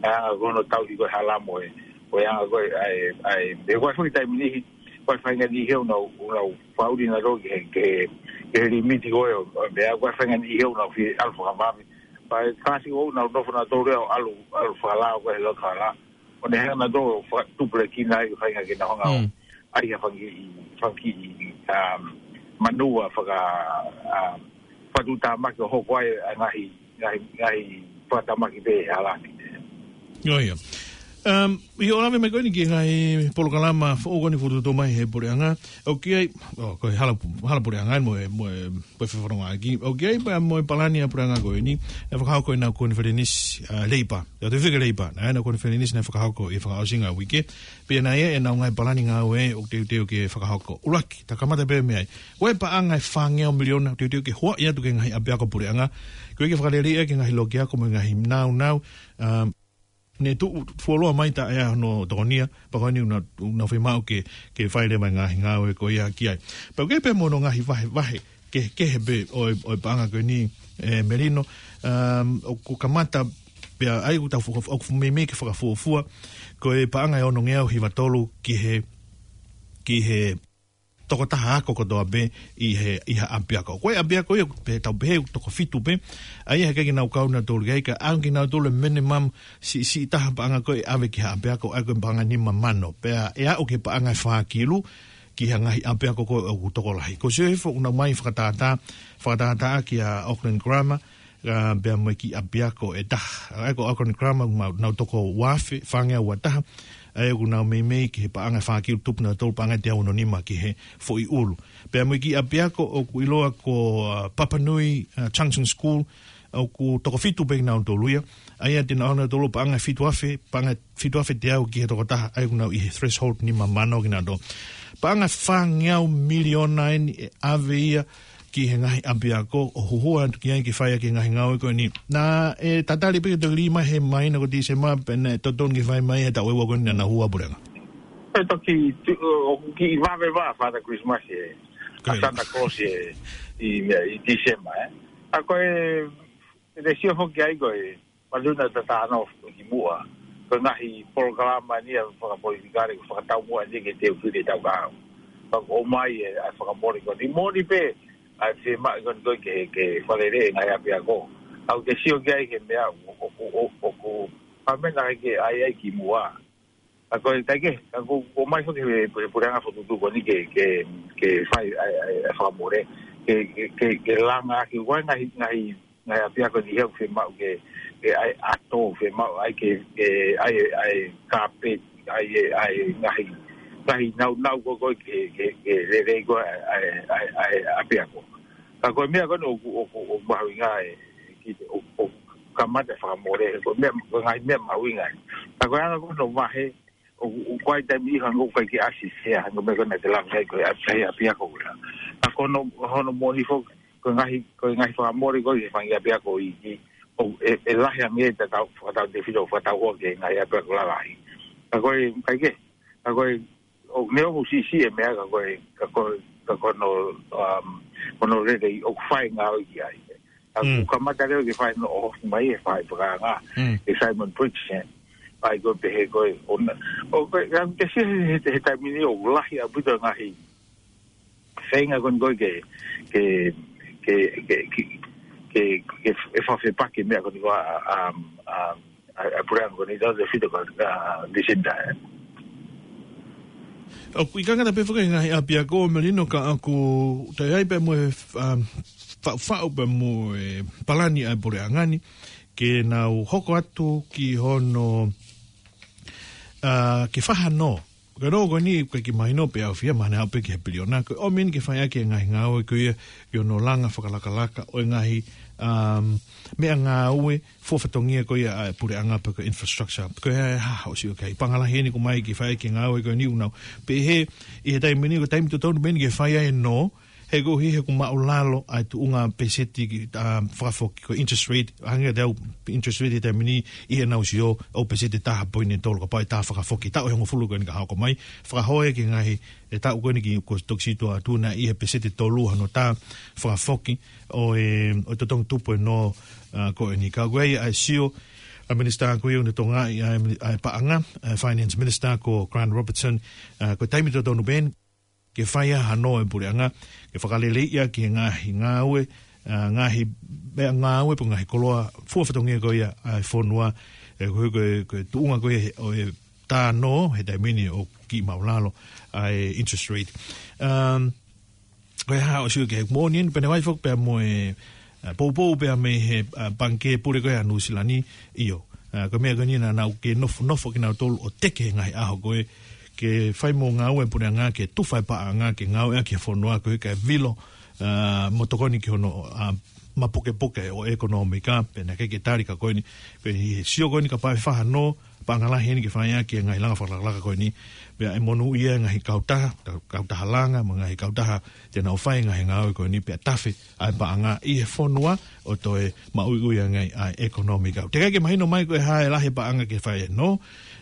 ʻA ia ko hono tauhi ko e hala mo e, ko e anga ko ē, ʻa e, ʻa e, he ko e foʻi taimi niʻihi, ko e faʻahinga niʻihi ʻoku nau, ʻoku nau fakaʻuli nautolu ki he, ki he, ki he limiti ko ē ʻo, ʻo e meʻa, ko e faʻahinga niʻihi ʻoku nau fie ʻalu fakavave. Pea ʻi he kasi ʻoku nau nofo nautolu ʻo ʻalu, ʻalu fakalao ko ē he loto hala. ʻO ne hanga nautolu ʻo fakatupulekina ai, faʻahinga ke nau hanga ʻo Mm. ʻai ha fanga kiʻi, fanga kiʻi, um, manuva faka, um, fakatuʻutāmaki ʻo hoko ai ʻa e ngaahi, ngaahi, ngaahi fakatamaki pē he hala ni. ʻIo, ʻio. Um, ʻio, ʻo lave mai ko eni ki he ngaahi polokalama foʻou ko eni ʻoku fokotuʻutuʻu mai he puleʻanga. ʻOku ʻi ai, ʻo, ko e hala, hala puleʻanga mo e, mo e, mo e fefonongaʻaki. ʻOku ʻi ai pea mo e palani ʻa e puleʻanga ko eni, ʻe fakahoko ʻenau konifelenisi, uh, Leipa. ʻIo, te fika Leipa, naʻe ʻenau konifelenisi naʻe fakahoko ʻi he fakaʻosinga ʻo e uike. Pea naʻe ʻi ai ʻenau ngaahi palani ngāue ʻoku teuteu ke fakahoko. ʻUluaki, ta kamata pē meʻa ai. Ko e paʻanga ʻe fāngeau miliona, teuteu ke huaʻi atu ki he ngaahi ʻapiako puleʻanga. Ko e ke fakaleleiʻi ki he ngaahi lokiako mo e ngaahi nāunau, um, ne tuʻu fuoloa mai taʻe ʻa hono tokonia, pea ko eni ʻoku nau, ʻoku nau fiemaʻu ke, ke fai leva e ngaahi ngāue ko ia ki ai. Pea ʻoku ʻi ai pē mo hono ngaahi vahevahe, kehekehe pē ʻo e, ʻo e paʻanga ko eni, ē, Melino, um, ʻoku kamata pea ʻa ia ʻoku tau fo-, ʻoku meimei ke fakafuofua, ko e paʻanga ʻe onongeau hiva tolu ki he, ki he tokotaha ako kotoa pē ʻi he, ʻi ha ʻapiako. Ko e ʻapiako ia, pea tau pehē ʻoku toko fitu pē, ʻa ia heʻikai ke nau kau nautolu ki ai, ka ʻoange kinautolu e minimum siʻisiʻi taha paʻanga ko ē ʻe ʻave ki ha ʻapiako, ʻa ia ko e paʻanga nima mano. Pea ʻe aʻu ki he paʻanga ʻe fā kilu, ki ha ngaahi ʻapiako ko ē ʻoku tokolahi. Ko Sio Hifo ʻoku nau ōmai fakatātā, fakatātā kia Auckland Grammar, ʻa, pea mo e kiʻi ʻapiako ʻe taha. ʻA ia ko Auckland Grammar, ʻoku nau, nau toko uaafe, fāngeau ua taha. ʻA ia ʻoku nau meimei ki he paʻanga ʻe fā kilu tupu nautolu paʻanga ʻe teau ono nima ki he foʻi ʻulu. Pea mo e kiʻi ʻapiako ʻoku ʻiloa ko, ʻa, Papanui, ʻa, Junction School, ʻoku toko fitu pē kinautolu ia. ʻA ia te nau ʻoange nautolu paʻanga ʻe fitu afe, paʻanga ʻe fitu afe teau ki he tokotaha, ʻa ia ʻoku nau ʻi he threshold nima mano kinautolu. Paʻanga ʻe fāngeau miliona eni ʻe ʻave ia ki he ngaahi ʻapiako ʻo huhua atu ki ai ke fai ʻaki e ngaahi ngāue ko eni. Naʻe tatali pē ke toki lī mai he māhina ko Tīsema, pea naʻe totonu ke fai mai he taʻu ʻe ua ko eni naʻa nau hū ʻa e puleʻanga. ʻE toki, tu-, ʻo, ʻoku kiʻi vave ʻa Father Christmas ē. Ko ia. ʻA Santa Claus ē, ʻi, ʻi Tīsema, ē. ʻA ko e, ʻe te sio foki ai ko e, Maluna tatano ki muʻa. Ko e ngaahi polokalama ni ʻa e fakapolitikale, ko e fakataumuʻa ni ke te ufile tau kau. Pea ʻoku ʻomai e, ʻa e fakamole ko eni. Mole pē, ʻa e fiemaʻu ko eni ko ē ke, ke fakalele e ngaahi ʻapiako. ʻOku te sio ki ai he meʻa, ʻoku, ʻoku, ʻoku, ʻa e meʻa naʻe ʻikai ke ʻai ai ki muʻa. ʻA ko e ʻikai ke, ʻa ko, ʻoku ʻomai foki he, he puleʻanga fokotuʻutuʻu ko eni ke, ke, ke fai ʻa e, ʻa e, ʻa e fakamole. Ke, ke, ke, ke langa ʻaki, ʻoku ʻi ai e ngaahi, ngaahi, ngaahi ʻapiako ni he ʻoku fiemaʻu ke, ke ʻai ʻato, fiemaʻu ai ke, ke ʻai, ʻai kāpeti, ʻai, ʻai ngaahi, ngaahi nāunau ko ē ko ē ke, ke, ke lelei ko ē ʻa e, ʻa e, ʻa e, ʻa e ʻapiako. Ka ko e meʻa ko eni ʻoku, ʻoku, ʻoku mahuʻinga ē, ki te, ʻoku, ʻoku kamata fakamole, ko e meʻa, ko e ngaahi meʻa mahuʻinga ē. Ka ko e anga ko ē hono vahe, ʻoku, ʻoku ʻi ai e taimi ʻe hangē ʻoku ʻikai ke ʻasi sea, hangē ko e meʻa ko ē naʻa te lave ki ai ko e ʻapi-, ʻapiako ko ē. Ka ko hono, hono moʻoni foki, ko e ngaahi, ko e ngaahi fakamole ko ē ki he fanga kiʻi ʻapiako iiki, ʻoku, ʻe, ʻe lahi ange ʻetau, fakatautefito, fakatauhoa ki he ngaahi ʻapiako lalahi. Ka ko e, ʻikai ke, ka ko e, ʻoku ne ʻoku siʻisiʻi e meʻa ka ko e, ka ko e, ka ko hono, um, hono lelei ʻoku fai ngāue ki ai. ʻA Mm. ʻoku kamata leva ke fai hono ʻohofi mai e fai fakaanga, Mm. ʻe Simon Briggs, ē. ʻA ia ko e pehē ko ē, ʻona. ʻOku, ʻa, ke sio he, he, he taimi ni ʻoku lahi ʻaupito ngaahi feinga ko eni ko ē ke, ke, ke, ke, ke, ke, ke, ke fakafepaki meʻa ko eni ko ē, um, um, ʻa, ʻa e puleʻanga ko eni, tautefito ko, ʻa, Lucinda, ē. ʻOku ʻikai ngata pē foki he ngaahi ʻapiako, Melino, ka ʻoku toe ʻi ai pē mo e, um, faʻufaʻu pē mo e palani ʻa e puleʻanga ni ke nau hoko atu ki hono, uh, ke fakahā nō. Ka nō ko eni ʻoku ʻikai ke mahino pe ʻe ʻafio mai ʻa e pē ki he piliona. Ko e ʻomi eni ke fai ʻaki e ngaahi ngāue ko ia ʻi hono langa fakalakalaka ʻo e ngaahi, um, meʻangāue fua fatongia ko ia ʻa e puleʻanga pe ko e infrastructure. Ko e hā haʻo sio ki ai? Paʻanga lahi eni ʻoku ʻomai ke fai ʻaki e ngāue ko eni ʻoku nau pehē ʻi he taimi ni, ko e taimi totonu pē eni ke fai ai e nō, he koeʻuhi he ʻoku māʻulalo ʻa e tuʻunga peseti ki, ʻa, fakafoki, ko e interest rate, hangē ko e interest rate he taimi ni ʻi heʻenau sio ʻoku peseti ʻe taha poini tolu kapau ʻe tā fakafoki. Taʻu ʻe hongofulu ko eni ka hoko mai, fakahoa ki he ngaahi, ʻe taʻu ko eni ki, kuo toki sītuʻa atu naʻe ʻi he peseti ʻe tolu hono tā fakafoki ʻo e, ʻo e totongi tupu e nō, ʻa, ko eni. Ka ko e ʻai ʻa e sio ʻa e Minisitā ko ia ʻoku ne tokangaʻi ʻa e, ʻa e paʻanga, ʻa e Finance Minister ko Grant Robertson, ʻa, ko e taimi totonu pē eni ke fai ai ha nō e puleʻanga, ke fakaleleiʻi ʻaki e ngaahi ngāue, ʻa, ngaahi meʻangāue pe ngaahi koloa fua fatongia ko ia ʻa e fonua, ʻe, ko e, ko e, ko e tuʻunga ko ia ʻo e tā nō he taimi ni ʻoku kiʻi māʻulalo ʻa e interest rate. Um, ko e hā haʻo sio ki ai? Moʻoni eni, pehē ʻoku ʻi ai foki pea mo e, ʻa, poupou pea mei he, ʻa, Pangikē Pule ko ia ʻa Nuʻusila ni, ʻio. ʻA, ko e meʻa ko eni naʻa nau kei nofo, nofo kinautolu ʻo teke he ngaahi ʻaho ko ē ke fai mo e ngāue e puleʻanga ke tufa e paʻanga ke ngāueʻaki e fonua ko e kae vilo, ʻa, mo tokoni ki hono, ʻa, mapukepuke ʻo e ʻekonōmika, pea naʻe ʻikai ke tali ka ko eni, pea ʻi he sio ko eni kapau ʻe fakahā nō, paʻanga lahi eni ke fai ʻaki e ngaahi langa fakalakalaka ko eni, pea ʻe monūʻia e ngaahi kautaha, kau-, kautaha langa, mo e ngaahi kautaha te nau fai e ngaahi ngāue ko eni, pea tafe ʻa e paʻanga ʻi he fonua ʻo toe maʻuiʻui ange ai ʻa e ʻekonōmika. Teʻeki ai ke mahino mai ko e hā e lahi e paʻanga ke fai e nō,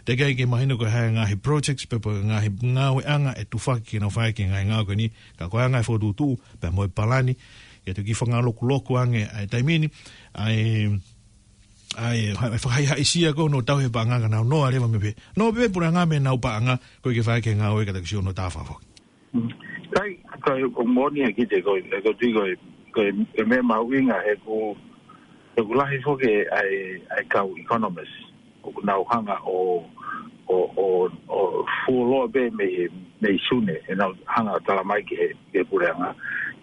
teʻeki ai ke mahino ko e hā e ngaahi projects pe ko e ngaahi ngāueʻanga ʻe tufaki ke nau fai ʻaki e ngaahi ngāue ko eni, ka ko e anga e fokotuʻutuʻu pea mo e palani, ʻe toki fakangalokuloku ange ʻa e taimi ni, ʻa e, ʻa e, ha-, fakahaihaʻisia ko hono tauhi e paʻanga ka nau nō ʻa leva mei pē. Nō pē puleʻanga mei heʻenau paʻanga, ko e ke fai ʻaki e ngāue ka toki sio hono tā fakafoki. Mm. Kai, kai, ʻoku moʻoni ʻa e kiʻi te ko, e ko tui ko e, ko e, ko e meʻa mahuʻinga he ʻoku, he ʻoku lahi foki ʻa e, ʻa e kau economist ʻoku nau hanga ʻo, ʻo, ʻo, ʻo fuoloa pē mei, mei Sune, ʻenau hanga ʻo tala mai ki he, ki he puleʻanga.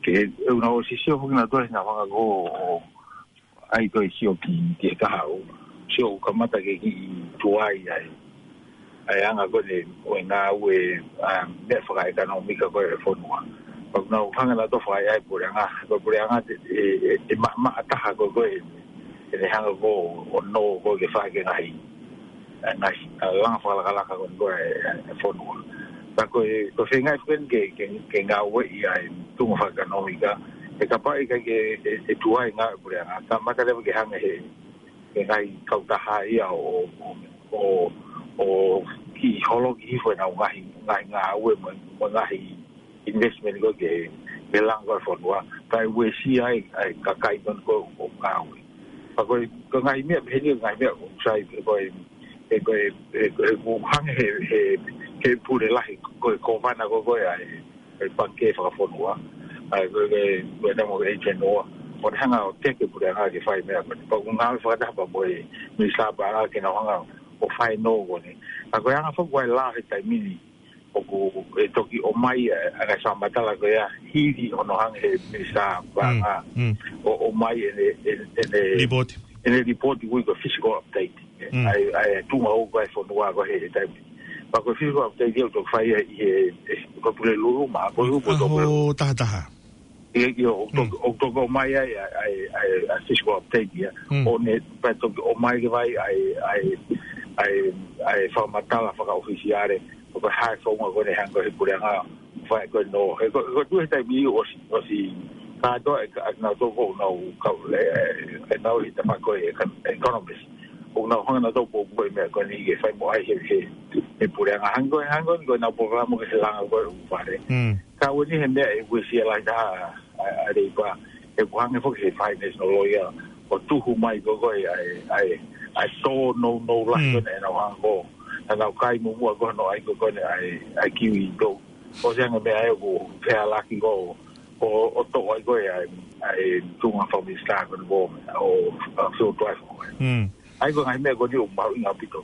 Ke, ʻe ʻoku nau ʻosi sio foki nautolu he nau hanga ko ʻo, ʻai ko e sio ki, ki he kahaʻu. Sio ʻoku kamata ke kiʻi tuai ai. ʻA e anga ko eni ʻo e ngāue, ʻa, meʻa fakaʻekonōmika ko e fonua. Pea ʻoku nau hanga nautolu ʻo fakaʻaiʻai e puleʻanga. Ko e puleʻanga te, ʻe, ʻe, ʻe ma-, maʻa taha ko e ko e, ʻe ne hanga ko ʻo nō ko e ke fai ʻaki e ngaahi, ʻa e ngaahi, ʻa e langa fakalakalaka ko eni ko e, ʻa e fonua. Ka ko e, ko e feinga foki eni ke, ke, ke ngāueʻi ʻa e tuʻunga fakaʻekonōmika, he kapau ʻe ʻikai ke, ʻe, ʻe tuai e ngāue e puleʻanga, kamata leva ke hanga he, he ngaahi kautaha ia ʻo, ʻo, ʻo, ʻo kiʻi holoki hifo ʻenau ngaahi, ngaahi ngāue mo, mo e ngaahi investment ko ē ke, ke langa ko e fonua, kae uesia ai ʻa e kakai ko eni ʻoku ngāue. Pea ko e, ko e ngaahi meʻa pehē ni, ngaahi meʻa ʻoku sai pē ko e, ʻe ko e, ʻe ko e, ʻoku hangē he, he, he pule lahi ko e kōvana ko ē ʻa e, ʻa e Pangikē Fakafonua, ʻa e ko e, ko e, ko e namo e Genoa, ʻoku ne hanga ʻo teke e puleʻanga ke fai e meʻa ko eni. Pea ʻoku ngāue fakataha pea mo e Minisitā Paʻanga ke nau hanga ʻo fai e nō ko eni. Ka ko e anga foki ʻa e lao he taimi ni, ʻoku ʻe toki ʻomai ʻa e, ʻa e ngaahi fakamatala ko ia hili hono hanga he Minisitā Paʻanga, mm, ʻo, ʻomai ʻene, ʻene, ʻene, lipoti, ʻene lipoti ʻoku ui ko e physical update. Mm. ʻA e, ʻa e tuʻunga ʻoku ʻi ai e fonua ko ē he taimi. Pea ko e physical update ia ʻoku toki fai ʻi he, ʻe, ko e Pulelulu ma, ko e upo ʻaho toko tahataha. ʻIo, ʻio, ʻoku toki, mm, ʻoku toki ʻomai ai ʻa e, ʻa e, ʻa e, ʻa e physical update ia. Mm. ʻO ne, pea toki ʻomai ke fai ʻa e, ʻa e, ʻa e, ʻa e fakamatala fakaʻofisiale, ʻo ka hā e founga ko ē ʻe hanga ko ē he puleʻanga ʻo fai ko ē e nō. He ko, ko e tuʻu he taimi ʻosi, ʻosi kātoa ʻe ka, ʻe nautolu ʻoku nau kau, ʻe, ʻe, ʻenau ʻi he tafaʻaki ko ē e ka, economist. ʻOku nau hanga nautolu ʻo poupou e meʻa ko eni ke fai mo ʻai he, he, he puleʻanga. Hangē ko e, hangē ko e, ko ʻenau polokalama ko ē he langa ko ē ʻū fale. Mm. Ka ʻoku ʻi ai e meʻa ʻe uesia lahi taha ʻa, ʻa, ʻa Leipa, ʻoku hangē foki he finance no lawyer, ʻo tuhu mai ko ē ʻa e, ʻa e, ʻa e tōnounou lahi, mm, ko ē ʻenau hanga ko ē, ʻenau kai muʻomuʻa ko ē hono ʻai ko ē ʻa e, ʻa e kiwi tou. ʻOsi ange e meʻa ʻoku fehālaaki ko ē, ʻo, ʻo toʻo ai ko ē ʻa e, ʻa e tuʻunga fakaminisitā ko eni ʻo, ʻo, ʻo Phil Twyford. Mm. ʻA ia ko e ngaahi meʻa ko eni ʻoku mahuʻinga ʻaupito.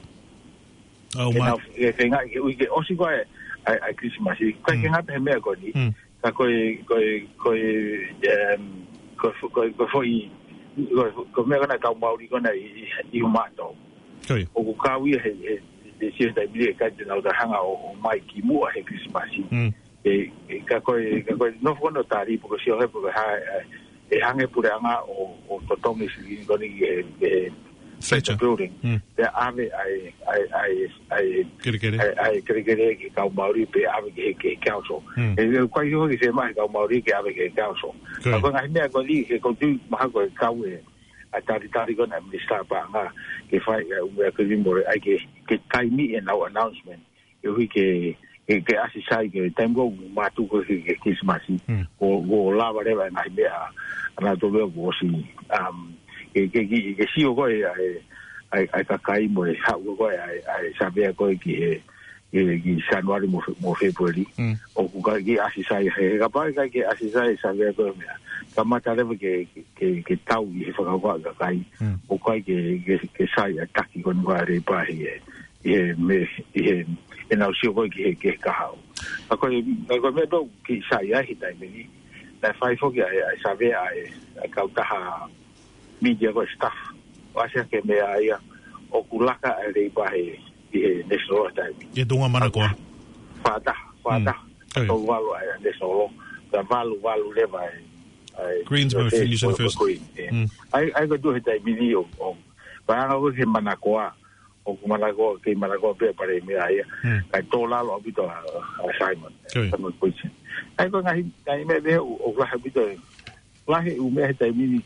ʻOku ma- nau, ke, ke ngaahi, ke ui ke ʻosi ko ē, ʻa e, ʻa e Christmas. Ka ke ngata he meʻa ko eni. Ka ko e, ko e, ko e, em, ko e fo-, ko e, ko e foʻi, ko e fo-, ko e meʻa ko ena kau Māori ko ena ʻi, ʻi, ʻi Humato. ʻOku kau ia he, he, he sio he taimi ni ʻe ʻikai te nau hanga ʻo, ʻo ʻomai ki muʻa he Christmas. E, e, ka ko e, ka ko e nofo ko ena ʻo tali pe ko e sio he pe ko e hā, e, e hanga he puleʻanga ʻo, ʻo totongi e silini ko eni ki he, he, he building. Pea ʻave ʻa e, ʻa e, ʻa e, ʻa e, ʻa e, ʻa e kelekele ki he kau Māori pe ʻave ki he, ki he council. E, e, ʻoku ʻikai ʻi ai ha fiemaʻu he kau Māori ke ʻave ki he council. Ka ko e ngaahi meʻa ko eni, he ʻoku ou tui mahalo ko e kau e, ʻa e talitali ko ena ʻa e minisitā paʻanga ke fai ʻa e ʻū meʻa ko eni mo e ʻai ke, ke taimi ʻenau announcement. ʻE ui ke, ke, ke ʻasi sai ke taimi ko ē ʻoku mātuku ke, ke Christmas. Ko, ko lava leva e ngaahi meʻa, ʻa nautolu ia kuo ʻosi, um, ke, ke, ke, ke sio ko ē ʻa e, ʻa e, ʻa e kakai mo e haʻu ko ē ʻa e, ʻa e savea ko ē ki he, ki, ki Sānuali mo Fe-, mo Fēpueli. ʻOku ʻikai ke ʻasi sai he, he kapau ʻe ʻikai ke ʻasi sai e savea ko ē meʻa. Kamata leva ke, ke, ke, ke tau ʻi he fakakaukau ʻa e kakai. ʻOku ʻikai ke, ke, ke sai ʻa e taki ko eni ʻa e Leipa he, ʻi he me, ʻi he, ʻenau sio ko ē ki he, ki he kahaʻu. Ka ko e, ka ko e meʻa pē ʻoku kiʻi sai ai he taimi ni. Naʻe fai foki ʻa e, ʻa e savea ʻa e, ʻa e kautaha media ko e Stuff. ʻOku ʻasi hake meʻa ia ʻoku laka ʻa e Leipa he, ʻi he National ʻa e taimi. ʻI he tuʻunga Manakoa. Fā taha, fā taha. Tolu valu ʻa e National. Ka valu valu leva ʻa e, ʻa e Greens mo e Fusion First. ʻAi, ʻai ko e tuʻu he taimi ni ʻo, ʻo, paʻanga ko ē he Manakoa. ʻOku Manakoa, kei Manakoa pē ʻa e palēmia ia. Kae tō lalo ʻaupito ʻa, ʻa Simon. Simon Queenston. ʻAi ko e ngaahi, ngaahi meʻa pē ʻoku, ʻoku lahi ʻaupito e, lahi e ʻū meʻa he taimi ni,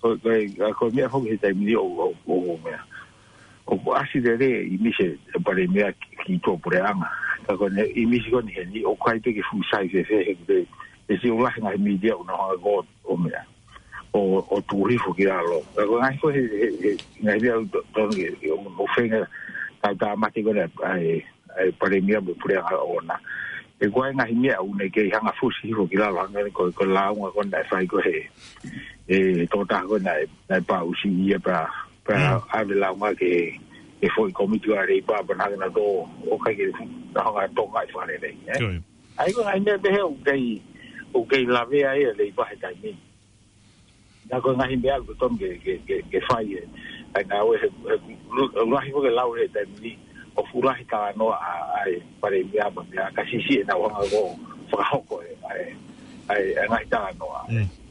ko, ko, ko e meʻa foki he taimi ni ʻo, ʻo, ʻo, ʻo meʻa. ʻOku ʻasi lelei e ʻīmisi ʻa e palēmia ki, ki tuʻapuleʻanga. Ka ko ʻene ʻīmisi ko eni heni, ʻoku ʻikai pē ke fuʻu sai fēfē he, he, he siʻi ʻoku lahi ngaahi media ʻoku nau hanga ko ē ʻo meʻa. ʻO, ʻo tuʻu hifo ki lalo. Ka ko e ngaahi ko ē he, he, he, ngaahi meʻa ʻoku to-, tonu ke, ke ʻo, ʻo feinga, tau tāmate ko ena, ʻa e, ʻa e palēmia mo e puleʻanga ʻoʻona. He ko e ngaahi meʻa ʻoku ne kei hanga fusi hifo ki lalo, hangē ko e, ko e lāunga ko ena naʻe fai ko ē he, he tokotaha ko ena naʻe, naʻe paʻusi ia pea, pea ʻave lāunga ki he, he foʻi kōmiti ʻa e Leipa pea naʻe hanga ʻo, ʻo ʻikai ke, naʻe hanga ʻo tokangaʻi fakalelei, ē? ʻAi ko e ngaahi meʻa pehē ʻoku kei, ʻoku kei lavea ai ʻa e Leipa he taimi ni. Ka ko e ngaahi meʻa ʻoku totonu ke, ke, ke, ke fai e. ʻAi ngāue he, he, lu-, lahi ko ē ke lau he taimi ni, ʻoku fuʻu lahi talanoa ʻa, ʻa e palēmia mo e meʻa ka siʻisiʻi ʻenau hanga ko ē ʻo fakahoko e, ʻa e, ʻa e, ʻa e ngaahi talanoa.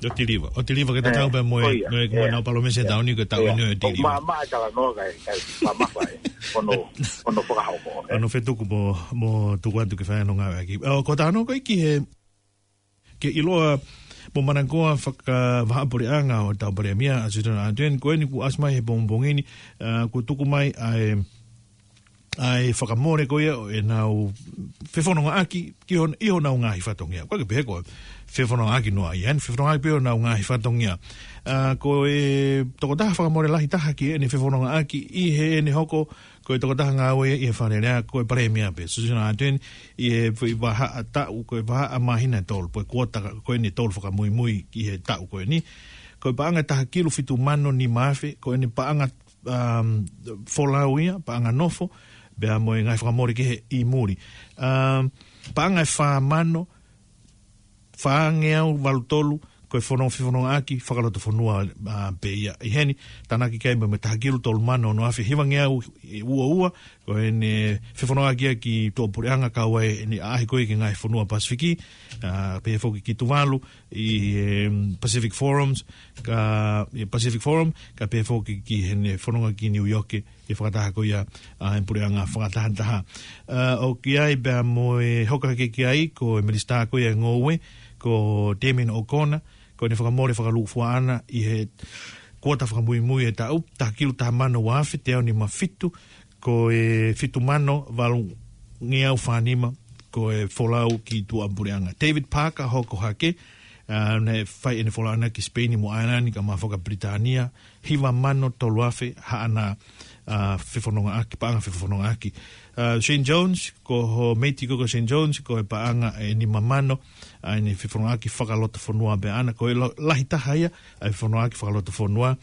ʻO tiliva, ʻo tiliva ke tatau pē mo e, mo e, mo ʻenau palōmesi he taʻu ni ke tau ʻi ai ʻo tiliva. Māmā e talanoa kae, kae mamafa e, ʻo nau, ʻo nau fakahoko e. ʻO nau fetuku mo, mo tuku atu ke fai hono ngāueʻaki. ʻO, ko e talanoa ko ē ki he ke ʻiloa mo Manakoa fakavahaʻapuleʻanga ʻo e tau palēmia, ʻa Susan Ardern, ko eni kuo ʻasi mai he pongipongi ni, ʻa, kuo tuku mai ʻa e, ʻa e fakamole ko ia ʻo ʻenau fefonongaʻaki ki hon-, ʻi honau ngaahi fatongia. ʻOku ʻikai ke pehē ko e fefonongaʻaki noa ia, ʻa eni fefonongaʻaki pē ʻi honau ngaahi fatongia. ʻA, ko e tokotaha fakamole lahi taha ki heʻene fefonongaʻaki ʻi heʻene hoko ko e tokotaha ngāue ʻi he Fale Alea, ko e palēmia pē, Susan Ardern, ʻi he foʻi vahaʻa taʻu, ko e vahaʻa māhina ʻe tolu, pe ko e kuota ko eni ʻe tolu fakamuimui ki he taʻu ko eni. Ko e paʻanga ʻe taha kilu fitu mano nima afe, ko ʻene paʻanga, um, folau ia, paʻanga nofo, pea mo e ngaahi fakamole kehe ʻi muli. Um, paʻanga ʻe fā mano, fāngeau valu tolu, ko e fono-, fefonongaʻaki fakalotofonua, ʻa, pē ia. ʻI heni, tānaki ki ai mo e taha kilu tolu mano ono afe hivangeau ua ua, ko ʻene fefonongaʻaki ia ki tuʻapuleʻanga kau ai ʻene ʻaʻahi ko ē ki he ngaahi fonua Pasifiki, ʻa, pehē foki ki Tuvalu, ʻi, em, Pacific Forums, ka, ʻi Pacific Forum, ka pehē foki ki heʻene fononga ki New York, ʻi he fakataha ko ia ʻa e puleʻanga fakatahataha. ʻA, ʻoku ʻi ai pea mo e hoko hake ki ai, ko e minisitā ko ia ʻo e ngoue, ko Damien O'Connor, ko ʻene fakamole fakalūkufua ʻana ʻi he kuota fakamuimui ʻo e taʻu, taha kilu taha mano ua afe teau nima fitu, ko e fitu mano valungeau fā nima, ko e folau ki tuʻapuleʻanga. David Parker hoko hake, ʻa, naʻe fai ʻene folau ʻana ki Sipeini mo ʻAelani kae ʻumaʻā foki ʻa Pilitānia, hiva mano tolu afe haʻana, ʻa, fefonongaʻaki, paʻanga fefonongaʻaki. ʻA, Shane Jones, ko ho meiti ko ē ko Shane Jones, ko e paʻanga ʻe nima mano, ʻa, ʻene fefonongaʻaki fakalotofonua pē ʻana, ko e lo-, lahi taha ia ʻa e fefonongaʻaki fakalotofonua.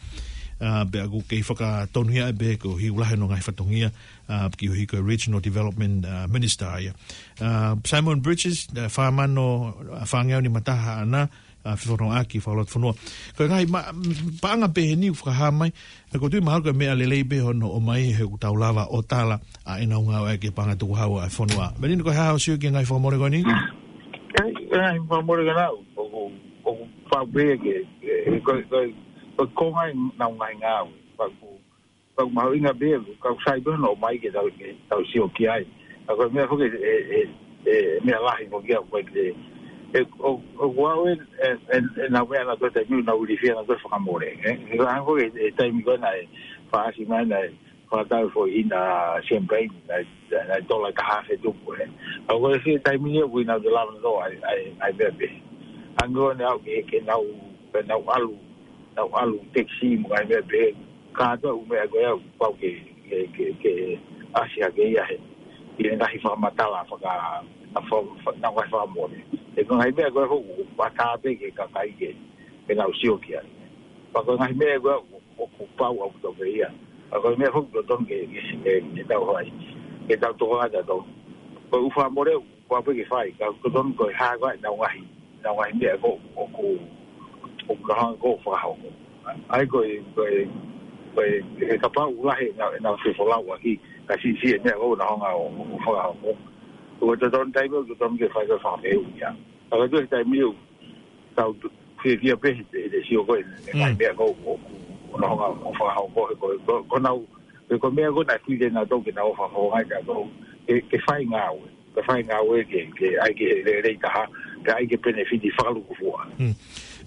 ʻA, pea ʻoku kei fakatonuhiaʻi pē ko e hiu lahi hono ngaahi fatongia, ʻa, ki he ko e Regional Development, ʻa, Minister ia. ʻA, Simon Bridges, ʻa, fā mano, ʻa, fāngeau nima taha ʻaʻana, ʻa, fefonongaʻaki fakalotofonua. Ko e ngaahi ma-, paʻanga pehē ni ʻoku fakahā mai, ʻa, ʻoku ou tui mahalo ko e meʻa lelei pē hono ʻomai he ʻoku tau lava ʻo tala, ʻa, ʻenau ngāueʻaki e paʻanga tukuhau ʻa e fonua. Melino, ko e hā hoʻo sio ki he ngaahi fakamole ko eni? ʻIo, ʻa e ngaahi fakamole ko ena, ʻoku, ʻoku pau pē ke, ke, ko, ko, ko, ko e ngaahi nau ngaahi ngāue. Pau, pau mahuʻinga pē, ka ʻoku sai pē hono ʻomai ke tau, ke tau sio ki ai. ʻA ko e meʻa foki ʻe, ʻe, ʻe, meʻa lahi foki ʻa ko e, ʻe, ʻo, ʻoku ʻi ai e, e, e, ʻenau meʻa naʻa nau toe taimi, nau ilifia naʻa nau toe fakamole, ē? He ko e hangē foki e, e taimi ko ena ʻe fakaʻasi mai naʻe fakatau foʻi ʻina champagne, naʻe, naʻe tola ka hafe tupu, ē? ʻA ko e fie taimi ni ʻoku ʻi ai nau te lava naʻa nau ʻai, ʻai, ʻai meʻa pē. Hangē ko ena ʻoku ke, ke nau, ke nau ʻalu, nau ʻalu taxi mo e ngaahi meʻa pehē, kātoa e ʻū meʻa ko ia ʻoku pau ke, ke, ke, ke ʻasi hake ia he, ʻi he ngaahi fakamatala faka-, na fa-, fa-, na ngaahi fakamole. He ko e ngaahi meʻa ko ia ʻoku, ʻoku ʻatā pē ki he kakai ke, ke nau sio ki ai. Pea ko e ngaahi meʻa ko ia ʻoku, ʻoku pau ʻaupito pē ia. Pea ko e meʻa ʻoku totonu ke, ke, ke, ke tau fai, ke tau tokanga tautolu. Ko e ʻū fakamole ʻoku pau pē ke fai, ka ʻoku totonu ko e hā ko ē ʻenau ngaahi, ʻenau ngaahi meʻa ko ē ʻoku, ʻoku nau hanga ko ē ʻo fakahoko. ʻA ia ko e, ko e, ko e, he kapau ʻoku lahi ʻenau, ʻenau fefolauʻaki, ka siʻisiʻi e meʻa ko ē ʻoku nau hanga ʻo, ʻo fakahoko. Ko e totonu taimi ʻoku totonu ke fai ko e fakamole ia. Ka ko e taimi ʻoku tau tu-, fiefia pē he, he, he sio ko ē, he ngaahi Mm. meʻa ko ē ʻoku, ʻoku nau hanga ʻo fakahoko, he ko e, ko, ko ʻenau, he ko e meʻa ko ē naʻe fili naʻa nau ke nau fakahoko ai ka ko e, ke, ke fai ngāue. Ke fai ngāue ke, ke ʻai ke lelei taha, ke ʻai ke penefiti fakalukufua. Hmm.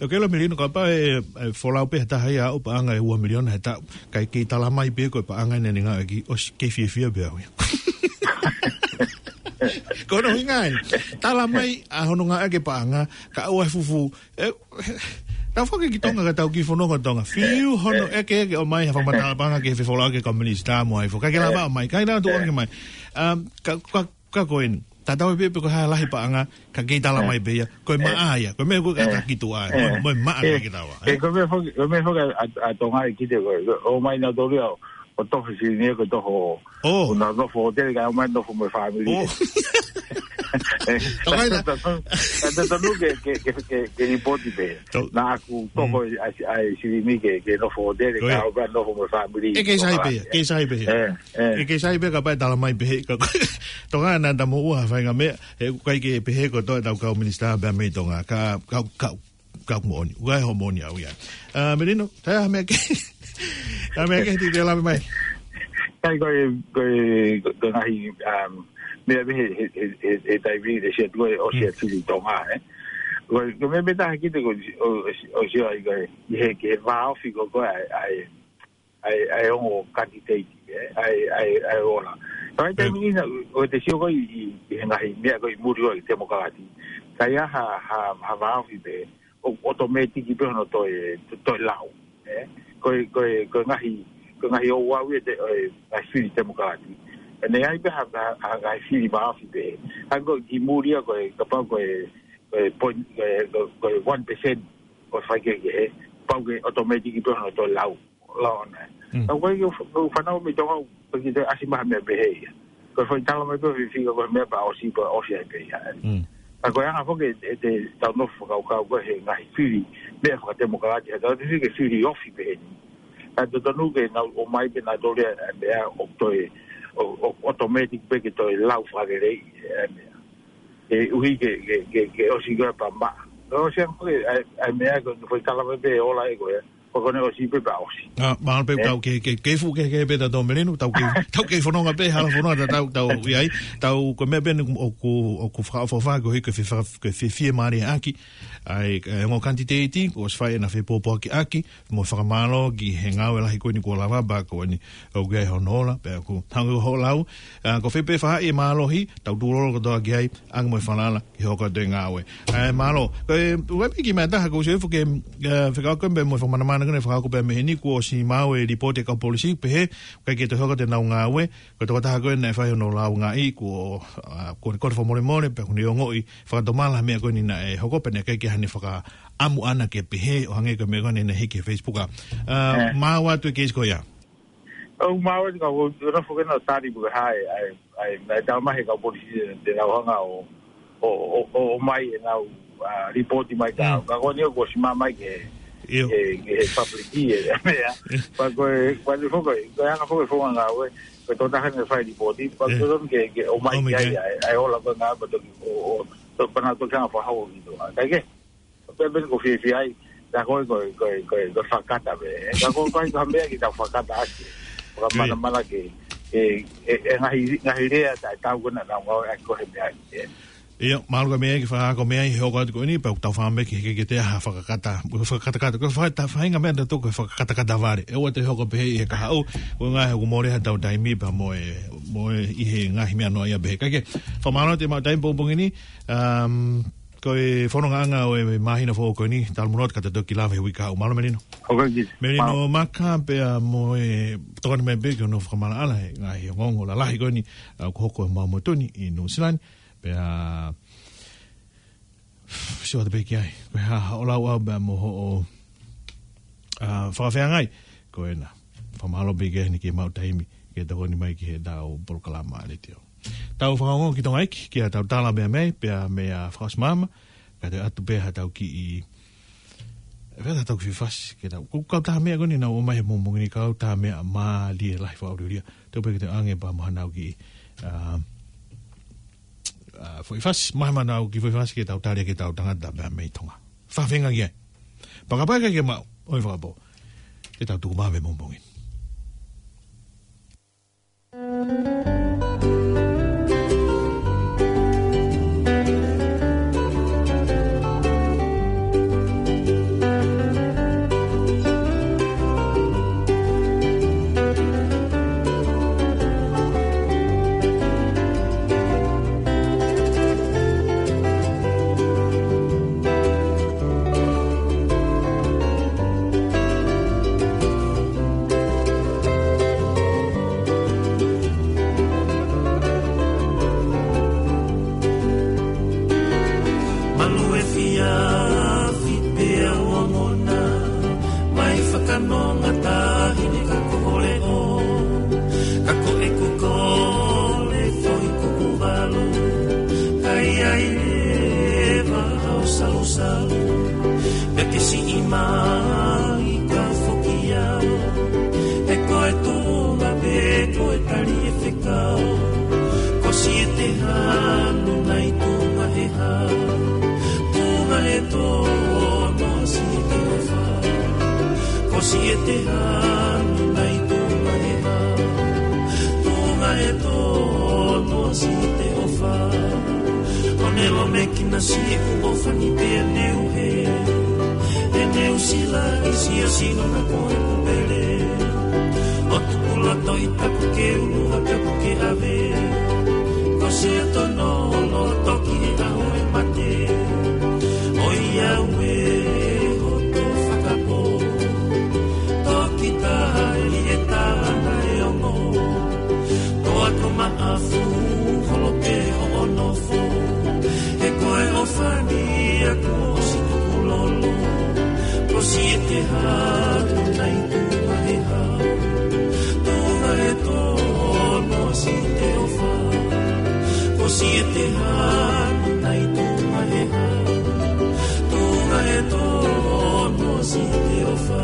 ʻOku ke ʻilo Melino, kapau ʻe, ʻe folau pē ha taha ia ʻo paʻanga ʻe ua miliona he taʻu, kae kei tala mai pē ko e paʻanga ʻeni naʻe ngāueʻaki, ʻosi kei fiefia pē au ia. Ko hono ʻuhinga ē, tala mai ʻa hono ngāueʻaki e paʻanga, kae ʻoua ʻe fufu, ē, tau foki ki Tonga ka tau kiʻi fononga Tonga. Fiu hono ʻeke ʻeke ʻomai ha fakamatala paʻanga ki he fefolauʻaki e kau minisitā mo e hā fua. Kae kei lava ʻomai, kae kei lava tuʻu ʻaki mai. Um, ka, ka, ka ko eni. Tatau ai pē pe ko e hā e lahi paʻanga, ka kei tala mai pē ia. Ko e maʻa ia, ko e meʻa ko ē ka taki tuʻa ai. Mo, mo e maʻa ka ke tawa. Ē, ko e meʻa foki, ko e meʻa foki ʻa, ʻa Tonga ʻi kite ko e, ʻomai nautolu ia ʻo, ʻo toho silini ko e toho, ʻo nau nofo hōtele kae ʻomai nofo mo e fāmili. ʻO. Ē, Tonga ia. Ka totonu ke, ke, ke, ke, ke lipoti pē. Naʻa ku toho ʻa, ʻa e silini ke, ke nofo hōtele kae ʻomai nofo mo e fāmili. Ē, kei sai pē ia, kei sai pē ia. Ē, ē. Ē, kei sai pē ia kapau ʻe tala mai pē ia. Ka, Tonga naʻa ta moʻua ha faʻahinga meʻa, he ʻoku ʻikai ke pehē ko e tō ʻetau kau minisitā pea mei Tonga. Ka, ka, ka, ka moʻoni. ʻOku ʻikai hoʻo moʻoni au ia. ʻA, Melino, tā ha meʻa ke, tā ha meʻa ke te te lave mai. Kai ko e, ko e, ko e ngaahi, um, meʻa pē he, he, he, he, he taimi te sia tuʻu ʻo ʻosi ʻa Fili Tonga, ē. Ko e, ko e meʻa pē taha ki te ko, ʻo, ʻo, ʻosi ʻai ko e, ʻi he, ki he vāofi ko, ko e, ʻa e, ʻa e, ʻa e ongo kanititeiti, ē, ʻa e, ʻa e, ʻa e ola. Ka ʻi he taimi ni naʻa, ʻoku te sio ko ē ʻi, ʻi, ʻi he ngaahi meʻa ko ē ʻi muli ʻo e temokalati. Ka ʻi ai ha, ha, ha vāofi pē, ʻo, ʻotomētiki pē hono toe, to-, toe lau, ē. Ko e, ko e, ko e ngaahi, ko e ngaahi ouau ia ʻo e, ʻo e ngaahi fili temokalati. ʻE ʻi ai pē ha, ha, ha ngaahi fili vāofi pē. Ka ko e ki muli ia ko e, kapau ko e, ko e point, ko e, ko e, ko e one percent, ko e faikehekehe, pau ke ʻotomētiki pē hono toe lau. Lao ana. Mm. Ka ko e, ko e fānau mei Tonga, ko e ki te ʻasi mai ha meʻa pehē ia. Ko e foʻi tala mai pē ʻo e fika ko e meʻa pea ʻosi, pea ʻosi ai pē ia. Mm. Ka ko e anga foki ʻe, ʻe te tau nofo fakakaukau ko e he ngaahi fili, meʻa fakatemokalati, he tau te fili ke fili ofi pē ni. Ka totonu ke nau ʻomai pē nautolu e meʻa ʻo toe, ʻo, ʻo, ʻotomētiki pē ke toe lau fakalelei e meʻa. ʻE ʻuhi ke, ke, ke, ke ʻosi ko e pea maʻa. Ka ʻosi ange ko e, ʻa e, ʻa e meʻa ko e foʻi tala mai pē ʻe ola ʻe ko e, ko e ko ʻene ʻosi pē pea ʻosi. ʻA, mahalo pē tau ke, ke, ke fuʻu kehekehe pē tautolu Melino, tau ke, tau ke fononga pē, hala fononga ta tau, tau ʻi ai, tau ko e meʻa pē ʻeni ʻoku, ʻoku fakaʻofoʻofa ko e hiki ke fe-, ke fe-, fiemālie ʻaki, ʻa e, ʻa e ongo kanititeiti, kuo ʻosi fai ʻena fepōpoaki ʻaki, mo fakamālō ki he ngāue lahi ko eni kuo lava pea ko eni ʻoku ʻi ai hono ola, pea ʻoku hangē ko hoʻo lau, ʻa, ko fē pē faʻahi ʻe mālohi, tau tūlolo kotoa ki ai, ʻange mo e falala, ke hoko atu e ngāue. ʻA e mālō, ko e, ua piki mea taha, ko e sio ifo ke, ʻa, fekauʻaki pē mo e fakamanamana Naʻa ne fakahoko pē mei heni kuo ʻosi maʻu e lipooti ʻa e kau polisi, pehē, ʻikai ke toe hoko atu ʻenau ngāue, ko e tokotaha ko ē naʻe fai hono lāungaʻi, kuo, ʻa, kuo ne kole fakamolemole, pea kuo ne ongoʻi fakatomala e meʻa ko eni naʻe hoko, pea naʻe ʻikai ke ʻi ai haʻane fakaʻamu ʻaʻana ke pehē, ʻo hangē ko e meʻa ko eni naʻe hiki he Facebook ʻa. ʻA, ʻE. Maʻu atu e keisi ko ia. ʻOku maʻu atu ka ʻoku, ʻoku nofo ke nau tali mo e hā e, ʻa e, ʻa e, ʻa e tau mai he kau polisi te nau hanga ʻo, ʻo, ʻo, ʻo, ʻo mai ʻenau, ʻa, lipooti mai ka, Mm. ka ko eni ʻoku ʻosi maʻu mai ke, ʻIo. ke, ke public ʻi he meʻa. ʻIo. Pea ko e, pea ko e foʻi, ko e anga foʻi founga ngāue, ko e tokotaha naʻe fai lipooti, pea ʻIo. ko e ke, ke ʻomai ʻOmai ki ai, ki ai. ʻa e, ʻa e ola ko ē ngāue pea toki, ʻo, ʻo, to, pea nau toki hanga fakahoko ki tuʻa. Ka ke, pea pea ko e fiefia ai, ka ko e, ko e, ko e, ko e, ko e fakakata pē. Ka ko e, ko e, ko e meʻa ke tau fakakata ʻaki. Fakamanamana ke, e, e, e ngaahi, ngaahi lea taʻe tau ko ena naʻa ngāue ʻaki ko e he meʻa ke. ʻIo, mālō ka meʻa ke fakahoko meʻa ʻi he hoko atu ko eni, pea ʻoku tau fakaʻamu ke, ke, ke te ha fakakata, fakakatakata, ko e faka-, ta faʻahinga meʻa naʻa tau ko e fakakatakata vale. ʻE ʻoua te hoko pehē ʻi he kahaʻu, ko e ngaahi ʻoku mole ha tau taimi pea mo e, mo e ʻi he ngaahi meʻa noa ia pehē. Ka ke, fakamālō atu e maʻu taimi pongipongi ni, um, ko e fonongaʻanga ʻo e māhina foʻou ko eni, talu muʻa ka te toki lave he uike kahaʻu. Mālō Melino. ʻOku ʻikai ke. Melino Mālō. Maka pea mo e tokoni mai pē ki hono fakamaʻalaʻala he ngaahi ongoongo lalahi ko eni, ʻa, ʻoku hoko ʻi homau motu ni ʻi Nuʻusila ni. Pea, sio atu pē ki ai. Ko e hā haʻo lau ʻau pea mo hoʻo, ʻa, fakafeangai. Ko ena. Fakamālō pē ki ai ni ke maʻu taimi ke tokoni mai ki heʻetau polokalama letiō. Tau fakaongo ki Tonga ʻEiki, ki heʻetau tala meʻa mai, pea meʻa fakaʻosi māmani, ka te ʻoatu pē haʻatau kiʻi, ʻe fēfē haʻatau kiʻi fasi, ke tau, ko e kau taha meʻa ko eni naʻa nau ʻomai he pongipongi ni, kau taha meʻa mālie lahi fakaʻuliʻulia. Tau pē ke tau ʻange pea mo haʻanau kiʻi, ʻa, ʻa, foʻi fasi, mai haʻanau kiʻi foʻi fasi ke tau tali ki heʻetau tangata meʻa mei Tonga. Fakafeangai ki ai. Pea kapau ʻe ʻikai ke maʻu, ʻoi fakapō. Ke tau tuku mai he pongipongi ni. Malu e fia, fipe a wangona, mai fakanonga tahi ni ka ko holeʻo, ka ko ʻeku kole foʻi kuku valu, ka ʻi ai leva hao salusalu, pea ke siʻi mai ka foki au, he ko e tuʻunga pē ko e tali e fekau, ko siʻi e te hanu nai tuʻunga he hā, tuʻunga he tō, ko siʻi e te ʻofa, ko siʻi e te hanu nai tuʻunga he hā, tuʻunga he tō, ko siʻi e te ʻofa. ʻO ne lomekina siʻeku ʻofa ni pea neu he, he neu sila ʻi siasino na ko ʻeku pele. ʻO tuku loto ʻi tapu ke ulu ʻa tapu ke ʻave. Ko siʻa tono loto ki he ʻaho e mate. ʻOiauē hoto fakapō. Toki taha ʻi he tāna e ongo. Toa ko maʻafu holo pē hoʻo nofo. He ko e ʻofa ni ʻaku ʻosi tukulolo. Ko siʻi e te hanu nai tuʻunga he hā. Tuʻunga he tō, ko siʻi e te ʻofa. Ko siʻi e te hanu nai tuʻunga he hā. Tuʻunga he tō, ko siʻi e te ʻofa.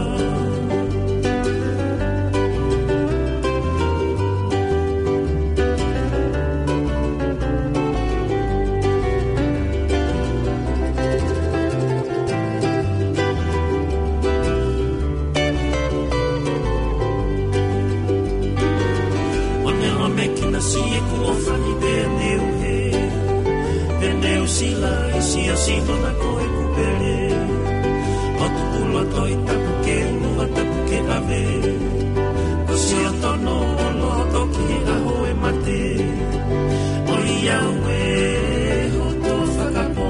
ʻO ne lomekina siʻeku ʻofa ni pea neu he, pea neu sila ʻi siasino na ko ʻeku pele. ʻO tuku loto ʻi tapu ke ulu ʻa tapu ke ʻave. Ko siʻa tono loto ki he ʻaho e mate. ʻOiauē hoto fakapō.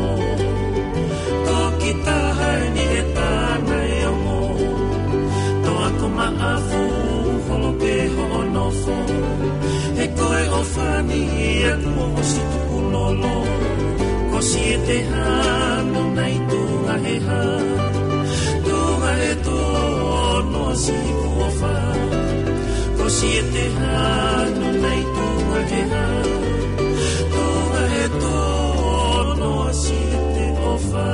Toki taha eni he tāna e ongo. Ko siete hano nai tunga he ha, tunga he tono si kuofa. Ko siete hano nai tunga he ha, tunga he tono si te ofa.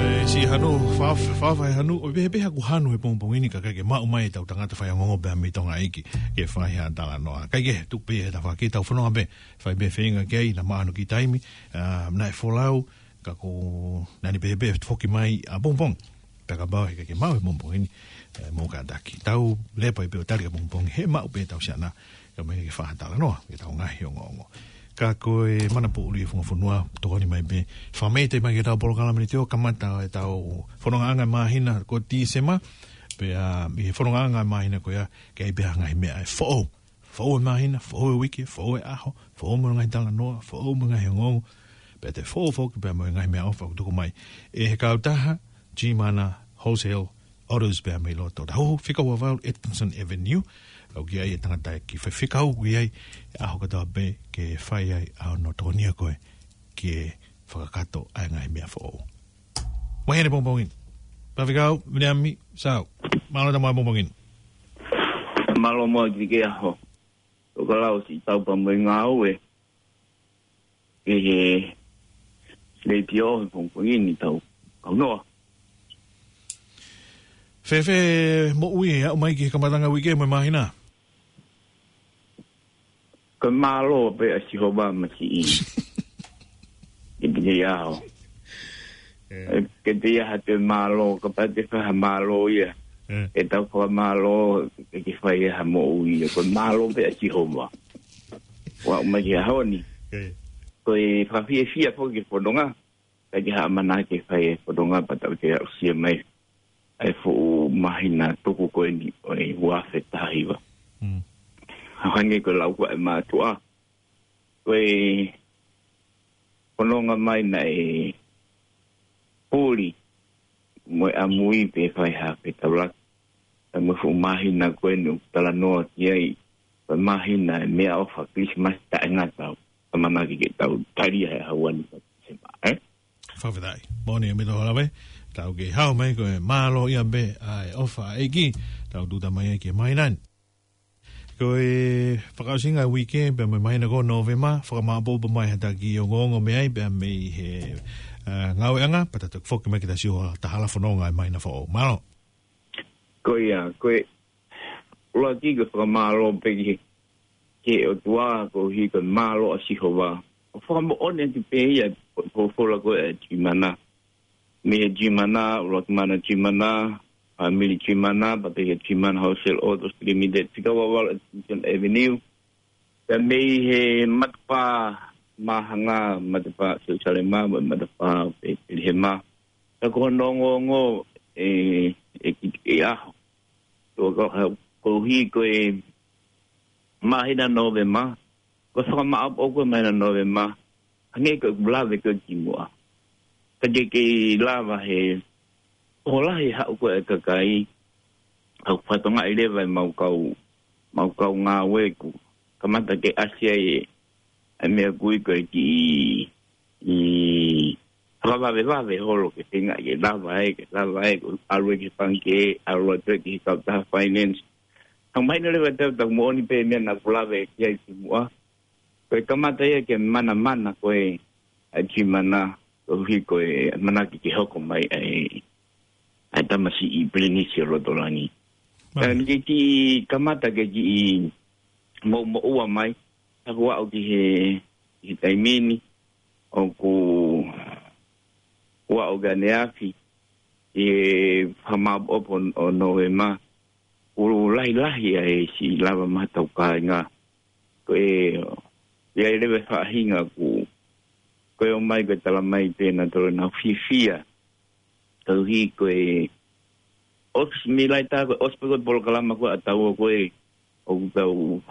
E, si hanu, fa, fa, fa hanu, ʻo pehē pē haku hanu he pongipongi ni ka ʻikai ke maʻu mai ʻetau tangata faiongoongo pea mei Tonga ʻEiki ke fai ha talanoa. Kae kehe, tuku pē he tafaʻaki tau fononga pē, fai pē feinga ki ai, naʻa maʻu hano kiʻi taimi, ʻa, naʻe folau, ka ko, naʻa ne pehē pē foki mai ʻapongipongi. Pea kapau he ʻikai ke maʻu he pongipongi ni, e, mou kātaki. Tau lea pē pē ʻo tali ʻapongipongi, he maʻu pē ʻetau siana, kae ʻumaʻā ke fai ha talanoa, ke tau ngaahi ongoongo. Ka ko e mana poʻuli e funga fonua, tokoni mai pē, fakameʻite mai ki heʻetau polokalama ni te o kamata ʻetau fonongaʻanga māhina ko Tīsema, pea, ʻi he fonongaʻanga māhina ko ia, ke ʻi ai pē ha ngaahi meʻa ʻe foʻou. Foʻou e māhina, foʻou e uike, foʻou e ʻaho, foʻou mo e ngaahi talanoa, foʻou mo e ngaahi ongoongo. Pea toe foʻou foki pea mo e ngaahi meʻaʻofa ʻoku tuku mai ʻe he kautaha G Mana Wholesale Autos pea mei loto. Taha fika ua valu Atkinson Avenue. ʻOku ʻi ai e tangata ʻe fai fekau ki ai he ʻaho kotoa pē ke fai ai ʻa hono tokonia koe ke fakakakato ʻa e ngaahi meʻa foʻou. Mai heni pongipongi ni. Faifekau Viliami Sau. Mālō e tau mai pongipongi ni. Mālō mo e kiʻi ʻaho. Tokalau siʻi tau pea mo e ngāue ki he letiō he pongipongi ni, tau kaunoa. Fēfē moʻui ʻo aʻu mai ki he kamatanga uike mo e māhina? Ko e mālō pē ʻa Sihova masiʻi. Ke te ia ho. E. E, ke te ia ha te mālō, kapau te fai ha mālō ia. E. ʻE tau fakamālō, ke ke fai ha moʻui ia. Ko e mālō pē ʻa Sihova. ʻO aʻu mai ki he ʻaho ni. E. Ko e fakafiefia foki ki he fononga. Kae ʻikai ke ha ʻamanaki ke fai e fononga pea tau toe aʻusia mai ʻa e fuʻu māhina tuku ko eni ʻo e ua afe taha hiva. Mm. Hangē ko e lau ko ē ʻa e mātuʻa. Ko e fononga mai naʻe puli mo e ʻamui pē fai ha fetaulaki. Pea mo e fuʻu māhina ko eni ʻoku talanoa ki ai, ko e māhina e meʻaʻofa Kilisimasi taʻengata, ʻamanaki ke tau tali ʻa e ʻaho ni ko Tīsema, ē? Fakafetaʻi. Moʻoni ʻaupito Hala Vai, tau kei hao mai ko e mālō ia pē ʻa e ʻofa ʻa e ʻEiki, tau tūʻuta mai ai ki he māhina ni. Ko e fakaʻosinga e uike, pea mo e māhina ko Nōvema, fakamāʻopoʻopo mai ha taki ongoongo mei ai, pea mei he, ā, ngāueʻanga, pea tau toki foki mai ke tau sio ha hala fononga ʻi he māhina foʻou. Mālō. Ko ia, ko e ʻuluaki ko e fakamālō pē ki he, ki he ʻOtua, koeʻuhi ko e mālō ʻa Sihova. ʻO fakamoʻoni atu pē ia, fo-, folofola ko ē ʻa G Mana. Mei he G Mana, ʻuluaki mana G Mana, fāmili G Mana, pea pehē ki he G Mana Wholesale Autos Limited, fika ua valu Atkinson Avenue. Pea mei he matapā Māhanga, matapā Selusalema, mo e matapā Petelihema. Ka ko hono ongoongo ʻe, ʻe kiʻi, kiʻi ʻaho. Ko, ko, koeʻuhi ko e māhina Nōvema, ko e fakamāʻopoʻopo ko e māhina Nōvema, hangē ko e lave ko ē kimuʻa. Ka ke kei lava he, ʻoku lahi haʻu ko ē e kakai, ʻoku fakatokangaʻi leva ʻe mau kau, mau kau ngāue ʻoku kamata ke ʻasi ai e, e meʻa ko ē ko e kiʻi, ʻi, fakavavevave holo ke tenga ke lava ai, ke lava ai, ko e ʻalu ki he pangikē, ʻalu atu ki he kautaha finance. Ka mahino leva tau, tau moʻoni pē meʻa naʻa ku lave ki ai kimuʻa. Ko e kamata ia ke manamana ko ē ʻa e G Mana, koeʻuhi ko e ʻamanaki ke hoko mai ʻa e, ʻa e tamasiʻi pilinisi ʻo loto langi. Mai. Ka ke kiʻi kamata ke kiʻi moʻumoʻua mai, ka kuo aʻu ki he, ki he taimi ni, ʻoku, kuo aʻu ki ʻaneafi, ʻi he fakamāʻopoʻopo ʻo Nōvema, ʻoku lahilahi ʻa e siʻi lava maʻa hotau kāinga. Ko e, ʻi ai leva e faʻahinga ʻoku, ko e ʻomai ko e tala mai pē naʻa tolo naʻa fiefia. Koeʻuhi ko e ʻosi mei laʻi tā ko e ʻosi pē ko e polokalama ko ē ʻa taua ko ē ʻoku tau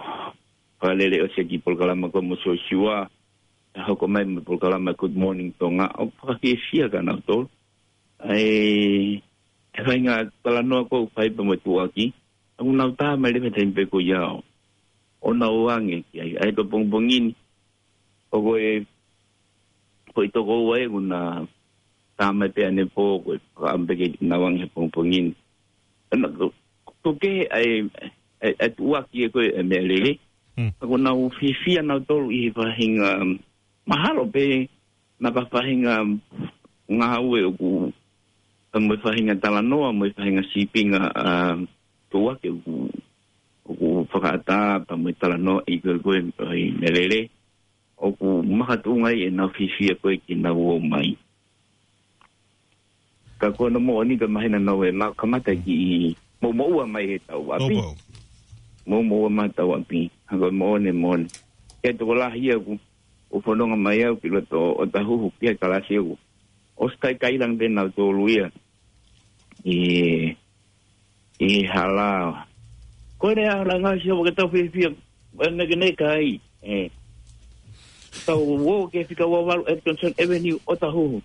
fakalele ʻosi e kiʻi polokalama ko ē mo Siosiua. Ka hoko mai mo e polokalama Good Morning Tonga. ʻOku fakafiefia kia nautolu. ʻA e, e faʻahinga talanoa ko ē ʻoku fai pea mo e tuʻuaki. ʻOku nau tā mai leva he taimi pē ko ia ʻo, ʻo nau ō ange ki ai. ʻA ia ko e pongipongi ni. ʻOku ʻi ai e foʻi toko ua ʻoku na tā mai pē ʻanepō, ko e fakaʻamu pē ke nau ange he pongipongi ni. Ana, ko, ko e kehe ʻa e, ʻa e, ʻa e tuʻuaki ē ko e, ʻa e meʻalele. Hmm. Ka ʻoku nau fiefia nautolu ʻi he faʻahinga, mahalo pē, naʻa faʻahinga ngāue ʻoku, pea mo e faʻahinga talanoa, mo e faʻahinga sīpinga, ʻa, tuʻuaki ʻoku, ʻoku fakaʻatā, pea mo e talanoa ʻi ko e, ko e, ʻa e meʻalele. ʻOku makatuʻunga ai ʻenau fiefia ko ē ke nau ō mai. Ka ko hono moʻoni ka mahino naʻa nau ō mai kamata ki he moʻumoʻua mai he tau ʻapi. Moʻumoʻua mai tau ʻapi. Hangē ko e moʻoni, moʻoni. Ko e tokolahi ia ʻoku, ʻoku fononga mai au ki loto ʻo ʻOtahuhu ki he kalasi ʻoku ʻosi kaikaila pē nautolu ia. ʻI, ʻi he hala. Ko e lea hala ngā si o ke tau fiefia, ʻe meʻa ke ne kai, ʻe. Tau ō ki he fika ua valu Atkinson Avenue ʻOtahuhu.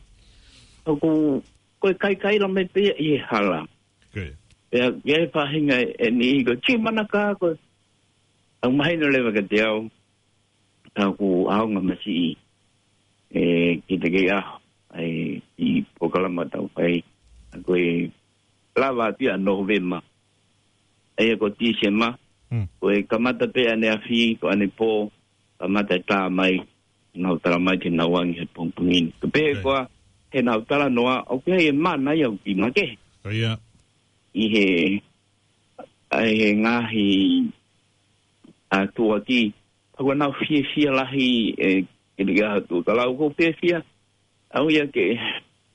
ʻOku, ko e kaikaila mai pē ia ʻi he hala. Pea, ʻi he faʻahinga ʻe niʻihi ko Chief Manaka ko. ʻOku mahino leva kiate au. Ka ʻoku ʻaonga masiʻi, ʻe, ki he taha ʻi he ʻaho, ʻa e, ʻi he polokalama tau fai, ʻa ko e lava atu ia Nōvema. ʻA ia ko Tīsema, Hmm. ko e kamata pē ʻaneafi, ko ʻanepō, kamata e tā mai, nau tala mai ke nau ange he pongipongi ni. Ko e pehē Right. ko ā, he nau talanoa, ʻoku ʻi ai e mana ia ʻoku ʻi makehe. Ko ia. ʻI he, ʻa e he ngaahi ʻa e tuʻuaki, ʻoku nau fiefia lahi, ʻe, ke liʻa atu. Ka lau ko e fiefia, ʻa ia ke,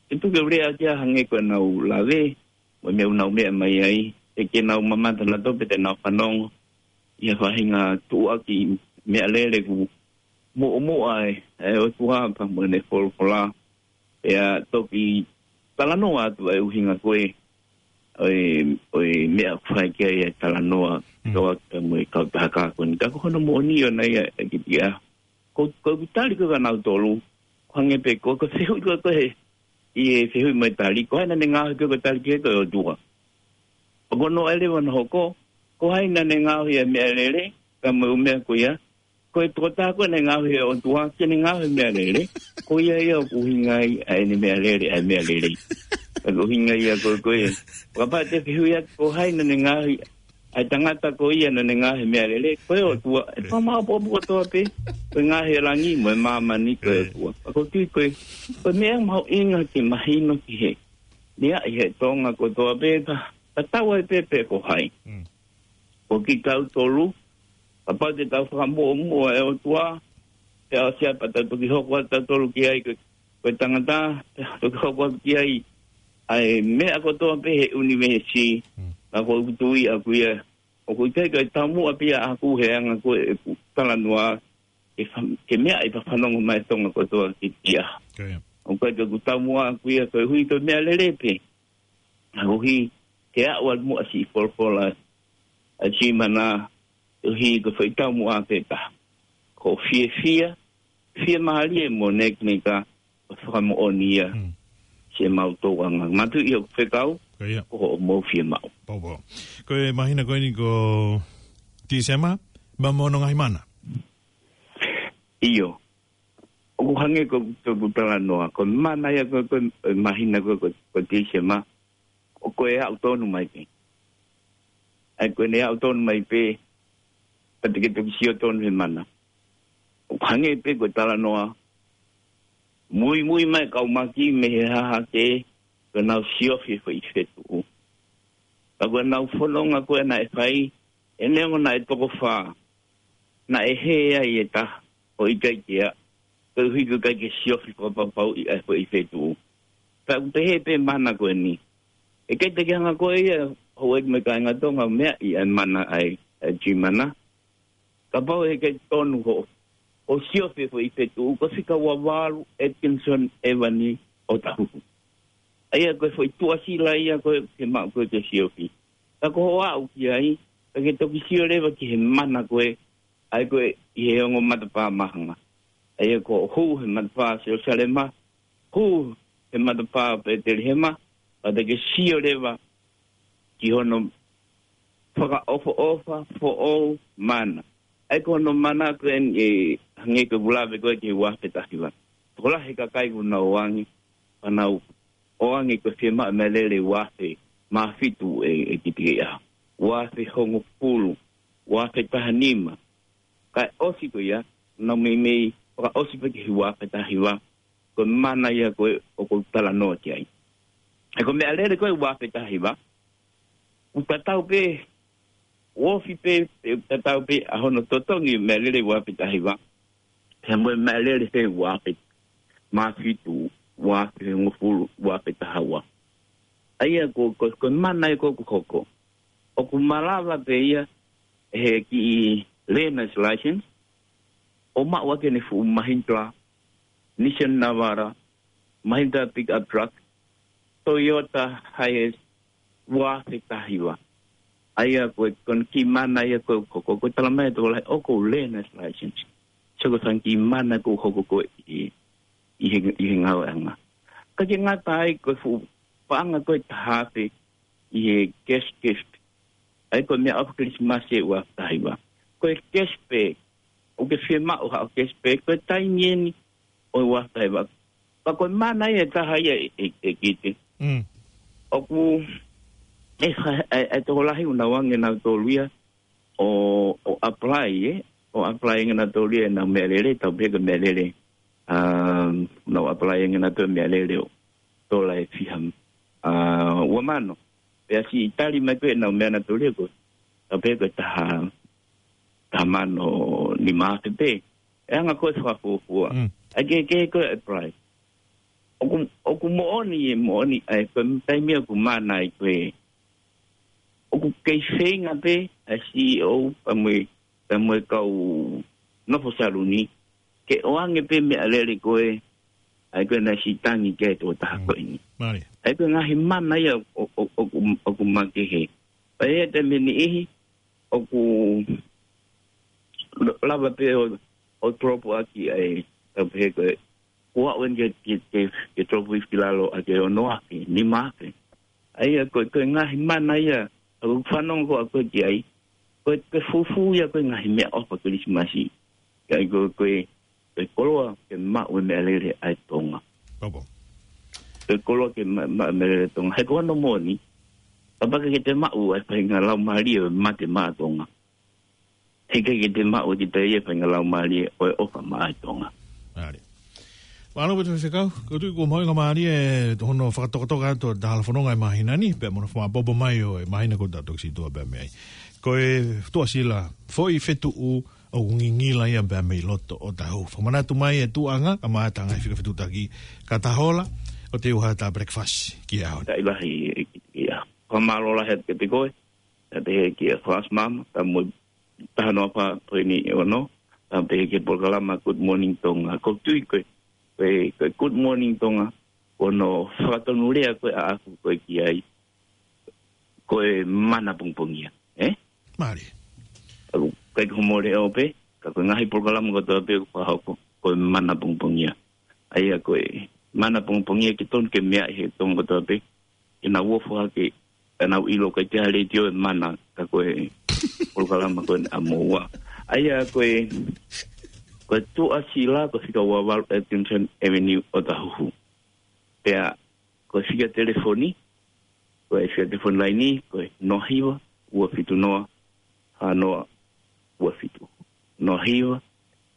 ke tuku e lea ki ai hangē ko ʻenau lave, mo e meʻa ʻoku nau meʻa mai ai, ʻe ke nau mamata nautolu pē te nau fanongo, ʻi he faʻahinga tuʻuaki meʻalele ʻoku muʻomuʻa ʻe, ʻe ʻOtua pea mo ʻene folofola, pea toki talanoa atu ʻa e ʻuhinga ko ē, ʻo e, ʻo e meʻa ʻoku fai ki ai e talanoa, Hmm. tau atu mo e kautaha ko eni. Ka ko hono moʻoni ʻoʻona ia ʻe kitia. Ko, ko e tali ko ē kia nautolu, ko e hangē pē ko, ko e fehuʻi ko ē ko ē he, ʻi he fehuʻi mo e tali, ko hai naʻa ne ngaohi pē ko e tali ki he ko e ʻOtua. ʻOku ou noaʻa leva hono hoko, ko hai naʻa ne ngaohi e meʻalele, pea mo e ʻū meʻa ko ia, ko e tokotaha ko ē naʻe ngaohi ʻe he ʻOtua, ke ne ngaohi e meʻalele, ko ia ia ʻoku ʻuhinga ai ʻa ʻene meʻalele, ʻa e meʻalele. Ka ko e ʻuhinga ia ko, ko e. Kapau te ke fehuʻi atu ko hai naʻa ne ngaohi ʻa e tangata ko ia naʻa ne ngaohi e meʻalele, ko e ʻOtua, ʻe fakamāʻopoʻopo kotoa pē, ko e ngaohi e langi mo e māmani ko e ʻOtua. Ka ko e tui ko e, ko e meʻa mahuʻinga ke mahino ki he meʻa ʻi he Tonga kotoa pē, ka, ka tau ai pē pe ko hai. Mm. Ko kitautolu, kapau te tau fakamuʻomuʻa e ʻOtua, pea ʻosi ia pea tau toki hoko atu tautolu ki ai ko, ko e tangata, pea toki hoko atu ki ai, ʻa e meʻa kotoa pē he ʻunivēsi, Mm. ka ko ʻeku tui ʻaʻaku ia, ʻoku ʻikai ko e taumuʻa pē ia ʻaʻaku he anga ko ē ʻeku talanoa, ke fa-, ke meʻa ʻi he fanongo mai Tonga kotoa ki tia. Ko ia. ʻOku ʻikai ko ʻeku taumuʻa ʻaʻaku ia koeʻuhi ko e meʻalele pē. Koeʻuhi ke aʻu atu muʻa siʻi folofola ʻa Tīmana, koeʻuhi ko e foʻi taumuʻa pē taha. Ko e fiefia, fiemālie mo nekineka, ko e fakamoʻoni ia, Hmm. siʻemau tōʻonga. Mātuʻaki ʻoku fekau, Ko ia. ko hoʻomou fiemaʻu. Pau, pau. Ko e māhina ko eni ko Tīsema, ma mono ngaahi mana. ʻIo. ʻOku hangē ko, ko, ko talanoa. Ko e mana ia ko, ko e māhina ko, ko, ko Tīsema. ʻOku ʻe aʻu tonu mai pē. ʻA ia ko ʻene aʻu tonu mai pē, pea te ke toki sio tonu he mana. ʻOku hangē pē ko e talanoa. Muimui mai kau maki mei he hahake, ko ʻenau siofi e foʻi fetuʻu. Ka ko ʻenau fononga ko ē naʻe fai, ʻe neongo naʻe toko fā. Naʻe hē ai e taha, ʻo ʻikai ke aʻu. Koeʻuhi ko e ʻikai ke siofi fakapapauʻi ʻa e foʻi fetuʻu. Pea ʻoku pehē pē mana ko eni. ʻE ʻikai te ke hanga ko ē ia, houʻeiki mo e kāinga Tonga meaʻi ʻa e mana ʻa e, ʻa e Tīmana. Kapau ʻe ʻikai tonu hoʻo, ʻo siofi e foʻi fetuʻu, ko e fika ua valu Atkinson Avenue ʻOtahuhu. ʻA ia ko e foʻi tuʻasila ia ko ē ke maʻu ko ē ke siofi. Ka ko hoʻo aʻu ki ai, ka ke toki sio leva ki he mana ko ē, ʻa ia ko ē ʻi he ongo matapā māhanga. ʻA ia ko e hū he matapā Selusalema, hū he matapā Petelihema, pea te ke sio leva ki hono fakaʻofoʻofa foʻou mana. ʻA ia ko hono mana ko eni ʻe hangē ko e ʻuluaki ko ē ki he ua afe taha hiva. Tokolahi e kakai kuo nau ʻoange, pea nau ʻoange ko e fiemaʻu meʻalele ua afe mā fitu ʻe, ʻe Kitikiʻaho. Ua afe hongofulu, ua afe taha nima. Kae ʻosi ko ia, nau meimei fakaʻosi pē ki he ua afe taha hiva, ko e mana ia ko ē ʻoku ou talanoa ki ai. ʻA ia ko e meʻalele ko ē ua afe taha hiva, ʻoku tatau pē, ofi pē, ʻoku tatau pē ʻa hono totongi meʻalele ua afe taha hiva, pea mo e meʻalele he ua afe mā fitu, ua afe hongofulu, ua afe taha ua. ʻA ia ko, ko, ko e mana ia ko ē ʻoku hoko, ʻoku malava pē ia he kiʻi learner's license, ʻo maʻu ʻaki ʻene fuʻu Mahindra, Nissan Navara, Mahindra pickup truck, Toyota Hiace, ua afe taha hiva. ʻA ia ko e, ko hono kiʻi mana ia ko ē ʻoku hoko, ko e talamai ʻe he tokolahi ʻoku ou learner's license. So ko e fanga kiʻi mana ʻoku hoko ko ē ʻi, ʻi he, ʻi he ngāueʻanga. Ka ke ngata ai ko e fuʻu paʻanga ko ē ʻe taha afe ʻi he cash gift. ʻA ia ko e meʻaʻofa Kilisimasi ʻe ua afe taha hiva. Ko e cash pē, ʻoku ke fiemaʻu haʻo cash pē, ko e taimi eni ʻo e ua afe taha hiva. Pea ko e mana ia ʻe taha ia ʻe, ʻe, ʻe Kiti. Mm. ʻOku, ʻe, ʻe, ʻe tokolahi ʻoku nau ʻoange ʻenautolu ia ʻo, ʻo apply, ē? ʻO apply ange ʻenautolu ia ʻenau meʻalele, tau pehē ko e meʻalele. Um, nau apply ange ʻenautolu meʻalele ʻo tola ʻe fiha, uh, ua mano. Pea siʻi tali mai ko ē ʻenau meʻa ʻenautolu ia ko, tau pehē ko e taha, taha mano nima afe pē. ʻE anga ko ē fakafuofua. Mm. ʻA ia ke, ke ko e apply. ʻOku, ʻoku moʻoni ē, moʻoni, ʻa ia ko e taimi ʻoku mana ai ko ē, ʻoku kei feinga pē ʻa e C E O pea mo e, pea mo e kau nofo saluni ke ʻoange pē meʻalele ko ē, ʻa ia ko ē naʻe siʻi tangi ki ai e tokotaha ko eni. Mālie. ʻA ia ko e ngaahi mana ia ʻo, ʻo, ʻo, ʻoku, ʻoku makehe. Pea ʻi he taimi ʻe niʻihi, ʻoku lava pē ʻo, ʻo drop ʻaki ʻa e, tau pehē ko e, ʻoku aʻu eni ke, ke, ke, ke drop hifo ki lalo ʻa e ono afe, nima afe. ʻA ia ko e, ko e ngaahi mana ia, ʻoku fanongo ko ē ʻa koe ki ai, ko e, ko e fufū ia ko e ngaahi meʻaʻofa Kilisimasi. ʻA ia ko e, ko e, ko e koloa ke maʻu e meʻalele ʻa e Tonga. Ko e koloa ke ma-, maʻu e meʻalele Tonga. He ko hono moʻoni, kapau ʻikai ke te maʻu ʻa e faʻahinga laumālie ʻo e mate maʻa Tonga, heʻikai ke te maʻu ʻe kita ia e faʻahinga laumālie ʻo e ʻofa maʻa Tonga. Mālie. Mālō pē Faifekau, ʻoku ou tui kuo mahuʻinga mālie ʻa hono fakatokatoka atu ʻo e talafononga ʻo e māhina ni, pea mo hono fakamaʻopoʻopo mai ʻo e māhina kuo tau toki situʻa pē mei ai. Ko e tuʻasila, foʻi fetuʻu ʻoku ngingila ia pē mei loto ʻo Otahuhu. Fakamanatu mai e tuʻuʻanga, kae ʻumaʻā e ngaahi fika fetuʻutaki, ka ta hola, ʻo teu ha ta breakfast ki he ʻaho ni. Taʻi lahi e ki, ki a. Fakamālō lahi atu kiate koe, ʻa pehē kia Fast Mama, pea mo e taha noa fā poini ono, pea pehē ki he polokalama Good Morning Tonga. ʻOku ou tui ko e, ko e, ko e Good Morning Tonga, ko hono fakatonulea ko ē ʻaʻaku ko ē ki ai, ko e mana pongipongia, ē? Mālie. ʻOku ʻikai ko hoʻomo leʻo pē, ka ko e ngaahi polokalama kotoa pē ʻoku fakahoko, ko e mana pongipongia. ʻA ia ko e mana pongipongia ke tonu ke meaʻi ʻe he Tonga kotoa pē, ke nau ofo hake ʻenau ʻilo ʻoku ʻikai ke ʻi ai ha letiō ʻe mana ka ko e polokalama ko eni ʻa moua. ʻA ia ko e, ko e tuʻasila ko e fika ua valu Atkinson Avenue Otahuhu. Pea ko e fika telefoni, ko e fika telefoni laini, ko e noa hiva, ua fitu noa, fā noa, ua fitu. Noa hiva,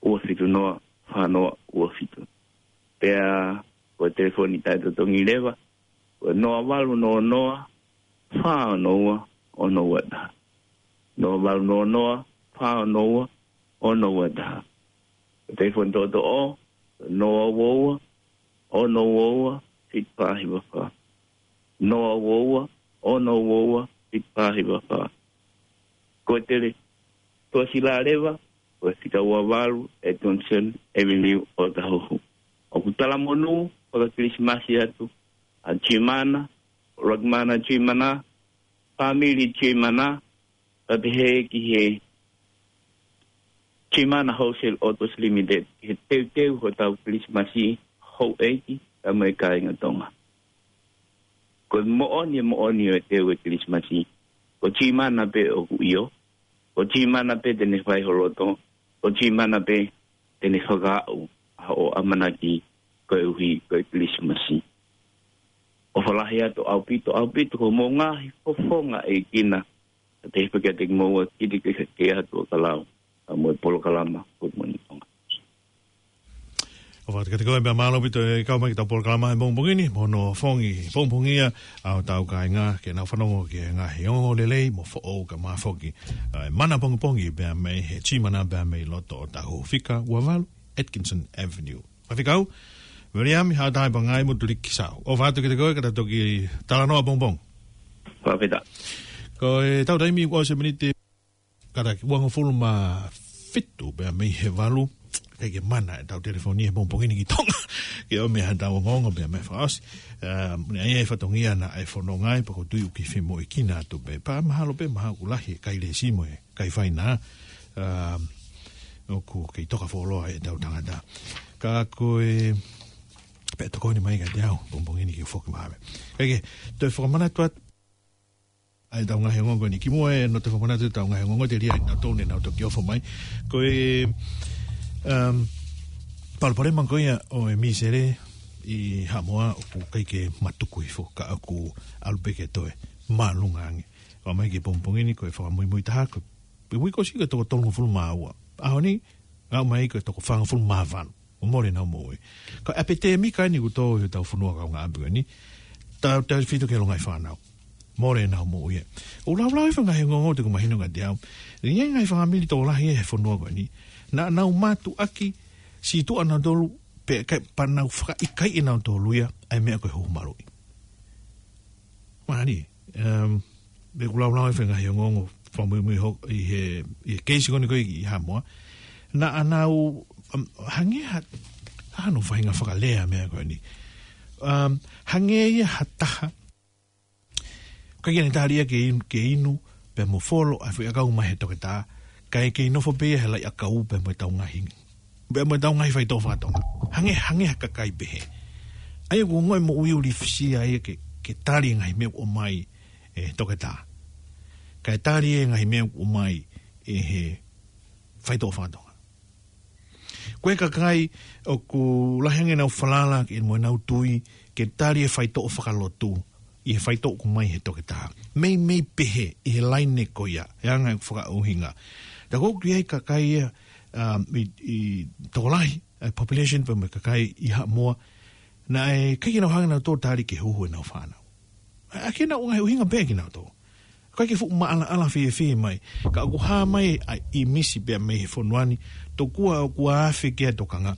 ua fitu noa, fā noa, ua fitu. Pea ko e telefoni taʻetotongi leva, ko e noa valu noa noa, fā ono ua, ono ua taha. Noa valu noa noa, fā ono ua, ono ua taha. Ko e telefoni toʻotoʻo, noa ua ua, ono ua ua, fitu fā hiva fā. Noa ua ua, ono ua ua, fitu fā hiva fā. Ko e tele, tuʻasila leva, ko e fika ua valu Atkinson Avenue Otahuhu. ʻOku talamonū faka-Kilisimasi atu ʻa Jimana, Rockmana Jimana, fāmili Jimana, pea pehē ki he Jimana Wholesale Autos Limited, ki he teuteu hotau Kilisimasi houʻeiki, pea mo e kāinga Tonga. Ko e moʻoni, moʻoni ʻo e teu e Kilisimasi, ko Jimana pē ʻoku ʻio, ko Jimana pē te ne fai ho loto, ʻo Timana pē te ne fakaaʻu ʻa hoʻo ʻamanaki koeʻuhi ko e Kilisimasi. ʻOfa lahi atu ʻaupito, ʻaupito ko hoʻomou ngaahi fofonga ʻEiki na, ʻa te hipa kiate kimoua kili ke ke atu ʻo ka lau, ʻa mo e polokalama ko moni ʻonga. ʻOfa atu kiate koe pea mālō ʻaupito e kau mai ki heʻetau polokalama he pongipongi ni, mo hono fongi pongipongia ʻa hotau kāinga ke nau fanongo ki he ngaahi ongo lelei mo foʻou ka mafoki. ʻA e mana pongipongi pea mei he Timana pea mei loto ʻo Tahufika ua valu Atkinson Avenue. Faifekau Viliami Haʻatai Pangai mo Tuliki Sau. ʻOfa atu kiate koe ka ta toki talanoa pongipongi. Fakafetaʻi. Ko ʻetau taimi ʻoku ʻosi e miniti kātaki uangofulu mā fitu pea mei he valu. ʻIkai ke mana ʻetau telefoni he pongipongi ni ki Tonga ke ʻomi haʻatau ongoongo pea mei he fakaʻosi. ʻA, ne ʻai e fatongia naʻe fononga ai pea ko e tui ʻoku ke femoʻuekina atu pē. Pea mahalo pē mahalo ʻoku lahi e kai lēsimo e kai faina. ʻA, ʻoku kei toka fuoloa ʻetau tangata. Ka ko e, pea tokoni mai kiate au pongipongi ni ke foki mai. ʻIkai ke, toe fakamanatu atu ʻa ʻetau ngaahi ongoongo ni kimuʻa ʻe no te fakamanatu ʻetau ngaahi ongoongo te lia ina tau ne nau toki ʻofa mai. Ko e, um, palopalema ko ia ʻo e mīsele ʻi Haʻamoa ʻoku ʻikai ke matuku hifo ka ʻoku ʻalu pē ke toe māʻolunga ange. ʻOmai ki he pongipongi ni ko e fakamuimui taha ko e uike ʻosi ko e toko tolungofulu mā ua. ʻAho ni, ʻomai ko e toko fāngofulu mā valu. ʻO mole ʻenau moʻui. Ko e ʻapitēmika ni ʻoku tō ʻi hotau fonua kaungāʻapi ko eni. Tautautefito ki he longaʻi fānau. Mole ʻenau moʻui ē. ʻOku laulau e faʻahinga ongoongo te ku mahino kiate au. ʻI ai e ngaahi fāmili tokolahi he fonua ko eni. Naʻa nau mātuʻaki situʻa nautolu pea ʻikai pē nau fakaʻikaiʻi ʻe nautolu ia ʻa e meʻa ko e huhu maluʻi. Mālie, um, ʻoku laulau e faʻahinga ongoongo fakamuimui hoko ʻi he, ʻi he keisi ko eni ko ē ʻi Haʻamoa. Naʻa nau, um, hangē ha, ha no faʻahinga fakalea meʻa ko eni. Um, hangē ia ha taha ʻoku ʻikai ke ne tali ia ke inu, ke inu pea mo folo ʻa e foʻi ʻakau mai he toketā, kae kei nofo pē ia he laʻi ʻakau pea mo ʻetau ngaahi, pea mo ʻetau ngaahi faitoʻo faka-Tonga. Hangē, hangē ha kakai pehē. ʻA ia ʻoku ongoʻi moʻui ʻuli fisia ia ke, ke tali e ngaahi meʻa ʻoku ʻomai ʻe he toketā, kae tali e ngaahi meʻa ʻoku ʻomai ʻe he faitoʻo faka-Tonga. Ko e kakai ʻoku lahi ange ʻenau falala ke mo ʻenau tui ke tali e faitoʻo fakalotu ʻi he faitoʻo ʻoku ʻomai he toketā. Meimei pehē ʻi he laine ko ia, he anga e fakaʻuhinga. Ta ko ʻoku ʻi ai e kakai ia, um, ʻi, ʻi tokolahi, e population pea mo e kakai ʻi Haʻamoa, naʻe ʻikai ke nau hanga ʻe nautolu ʻo tali ke huhu ʻenau fānau. ʻA, ʻa ke nau ngaahi ʻuhinga pē kinautolu. ʻIkai ke fuʻu maʻalaʻala fiefia mai. Ka ʻoku hā mai ʻa e ʻīmisi pea mei he fonua ni, tokua ʻoku afe ki ai e tokanga.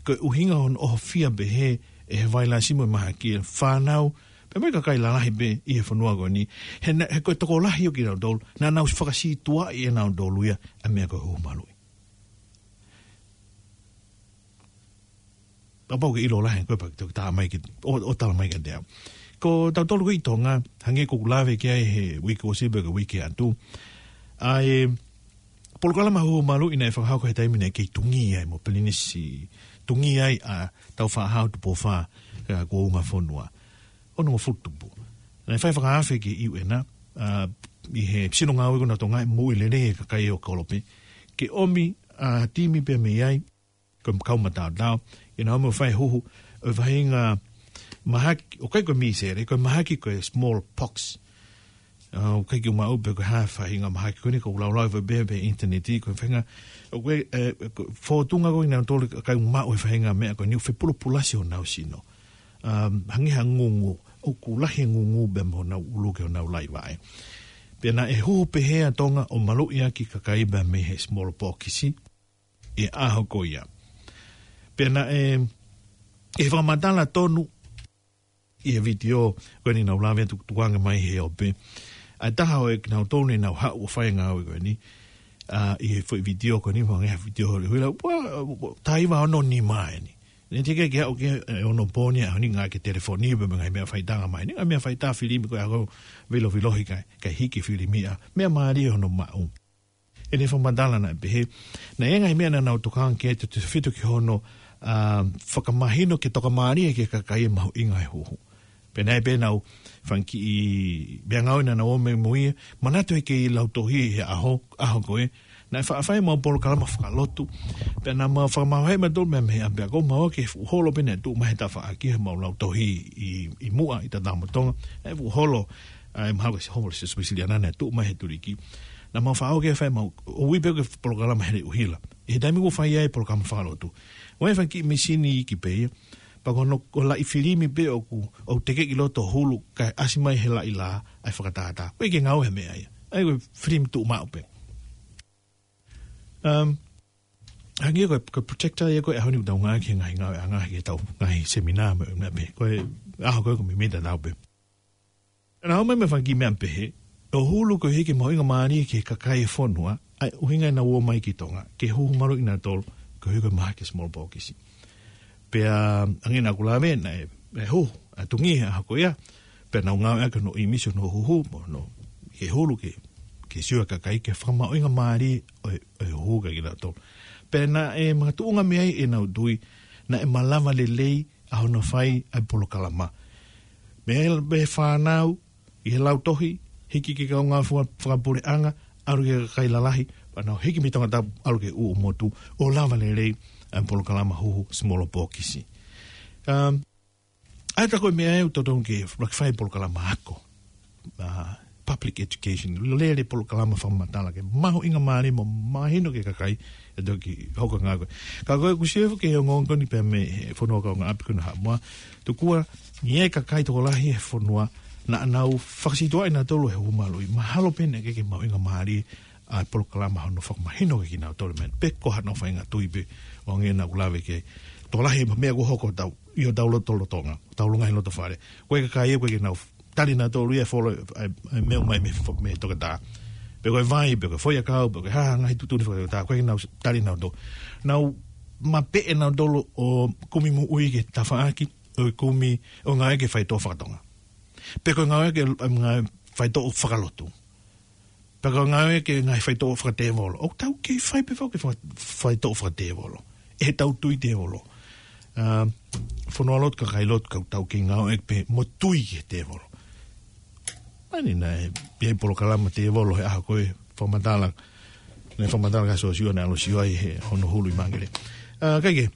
Ko e ʻuhinga hono ʻohofia pehē ʻe he vailasi mo e mahaki e fānau, pea mo e kakai lalahi pē ʻi he fonua ko eni. He na, he ko e tokolahi ʻo kinautolu, naʻa nau fakasītuʻaʻi ʻe nautolu ia ʻa e meʻa ko e huhu maluʻi. Kapau ke ʻilo lahi ko e paki toki tā mai ke, ʻo, ʻo tala mai kiate au. Ko tautolu ko ē ʻi Tonga, hangē ko ʻeku lave ki ai he uike ʻosi pea ko e uike atu. ʻA e polokalama huhu maluʻi naʻe fakahoko he taimi naʻe kei tungi ai mo Pilinisi, tungi ai ʻa Tāufaʻāhau Tupou Fā, ʻa, ko Ungafonua. Onongofulu tupu. Naʻe fai fakaafe ki he U N, ʻa, ʻi he sino ngāue ko ena ʻa Tonga ʻi he moʻui lelei e kakai ʻo Kolope. Ke ʻomi, ʻa, timi pea mei ai, ko e kau mataotao, ʻi heʻenau ō mai ʻo fai e huhu ʻo e faʻahinga mahaki, ʻoku ʻikai ko e mīsele, ko e mahaki ko e smallpox. ʻA, ʻoku ʻikai ke u maʻu pe ko e hā e faʻahinga mahaki ko eni, ʻoku laulau ʻi he pē, pē ʻinitaneti, ko e faʻahinga, ʻoku ʻi ai, ʻe, ko e fōtunga ko ē ʻi heʻenau tolu kakai ʻoku maʻu e faʻahinga meʻa ko eni, ʻoku fepulopula siʻonau sino. Um, hangē ha ngungu, ʻoku lahi e ngungu pea mo honau ʻulu ki honau laivaʻe. Pea naʻe huhu pehē ʻa Tonga ʻo maluʻi ʻaki e kakai pea mei he smallpox ʻi he ʻaho ko ia. Pea naʻe, ʻi he fakamatala tonu ʻi he vitiō ko eni naʻa ku lave atu tukuange mai he ope, ʻa e taha ʻo e kinautolu naʻa nau haʻu ʻo fai e ngāue ko eni, ʻa, ʻi he foʻi vitiō ko eni, hangē ha vitiō holi, huila, ua, ua, taha hiva ono nima eni. Naʻe teʻeki ke haʻu ki he, ʻe, onopō ni, ʻa, ʻaho ni ngāueʻaki e telefoni, pea mo e ngaahi meʻa faitanga mai eni, ngaahi meʻa faitā filimi ko ē ʻa ko e vilovilohi kae, kae hiki e filimi ʻa, meʻa mālie hono maʻu. ʻI heʻene fakamatala naʻe pehē, naʻe ʻi ai e ngaahi meʻa naʻa nau tokanga ki ai tautautefito ki hono, ʻa, fakamahino ke tokamālie ki he kakai e mahuʻinga e huhu. Pea naʻe pehē ʻenau fanga kiʻi meʻangāue naʻa nau ō mai mo ia, manatu he kei lautohi he ʻaho, ʻaho ko ē, Naʻe faʻa fai ʻemau polokalama fakalotu. Pea naʻa mau fakamavaheʻi mautolu mei he ʻapiako, mau ō ki he fuʻu holo pē naʻe tuʻu mai he tafaʻaki, he mau lautohi ʻi, ʻi Muʻa, ʻi Tatamo Tonga. ʻA e fuʻu holo, ʻa e mahalo ko e holo Siasi Uēsiliana naʻe tuʻu mai he tuliki. Naʻa mau faʻa ō ki ai ʻo fai ʻemau, ʻo ui pē ko e polokalama Heleʻuhila. ʻI he taimi ʻoku fai ai e polokalama fakalotu, ʻoku ʻi ai e fanga kiʻi mīsini iiki pē ia. Pea ko hono, ko e laʻi filimi pē ʻoku, ʻoku tekeʻi ʻi loto hulu, kae ʻasi mai he laʻi lā ʻa e fakatātā. ʻOku ʻikai ke ngāue ha meʻa ia. ʻA ia ko e filimi tuʻumaʻu pē. Um, hangē ko e, ko e projector ia ko ē ʻaho ni ʻoku tau ngāueʻaki he ngaahi ngāueʻanga ki heʻetau ngaahi seminā mo e meʻa pē. Ko e ʻaho ko ē ʻoku meimei tatau pē. Naʻa nau ō mai mo e fanga kiʻi meʻa pehē, ʻo hulu koeʻuhi ke mahuʻingamālie ki he kakai e fonua, ʻa e ʻuhinga ʻenau ō mai ki Tonga, ke huhu maluʻi kinautolu, koeʻuhi ko e mahaki e smallpox. Pea, hangē naʻa ku lave, naʻe, naʻe huhu, ʻa e tungi he ʻaho ko ia, pea nau ngāueʻaki hono ʻīmisi hono huhu, mo hono, ke hulu ke, ke sio e kakai, ke fakamahuʻingamālie ʻo e, ʻo e huhu kiate kinautolu. Pea naʻe makatuʻunga mei ai ʻenau tui, naʻe malava lelei ʻa hono fai ʻa e polokalama. Mei he, mei he fānau, ʻi he lautohi, hiki ki he kaungā fua-, fakapuleʻanga, ʻalu ki he kakai lalahi, pea nau hiki mei Tongatapu, ʻalu ki he ʻū motu, ʻo lava lelei ʻa e polokalama huhu smallpox. Um, ʻa ia ko e meʻa ʻoku totonu ke fai e polokalama ako. Ah, public education. Lele polokalama fakamatala ke mahuʻingamālie mo mahino ki he kakai ʻe toki hoko e ngāue ko ē. Ka ko e kusiefo ke ongoongo ni pea mei he fonua kaungāʻapi ko ena Haʻamoa. Tokua, ʻi ai e kakai tokolahi he fonua, naʻa nau fakasītuʻaʻi nautolu he huhu maluʻi. Mahalo pē naʻe ʻikai ke mahuʻingamālie ʻa e polokalama hono fakamahino kiate kinautolu e meʻa. Pe ko haʻanau faʻahinga tui pē ʻo hangē naʻa ku lave ki ai. Tokolahi e meʻa ʻoku hoko ʻi hotau, ʻi hotau lotolotonga, hotau longaʻi loto fale. Ko e kakai ʻoku ʻikai ke nau tali nautolu ia e folo, ʻa e, ʻa e meʻa mai mei he fo-, mei he toketā. Pe ko e vai, pe ko e foʻiʻakau, pe ko e hā ha ngaahi tuʻutuʻuni fakatoketā, ʻoku ʻikai ke nau tali nautolu. Nau mapeʻe nautolu ʻo kumi moʻui ki he tafaʻaki, ʻo kumi, ʻo ngāueʻaki e faitoʻo fakatonga. Pe ko e ngāueʻaki e, ʻa e ngaahi faitoʻo fakalotu. Pe ko e ngāueʻaki e ngaahi faitoʻo fakatēvolo. ʻOku tau kei fai pē foki e faka-, faitoʻo fakatēvolo. ʻE tau tui tēvolo. Ah, fonualotu, kakai lotu, ka tau kei ngāueʻaki pē mo tui ki he tēvolo. Mahino naʻe, ʻi ai e polokalama tēvolo he ʻaho ko ē fakamatala, naʻe fakamatala kia Siosiua naʻe ʻalu ʻo sio ai he hono hulu ʻi Mangere. Ah, kae kehe,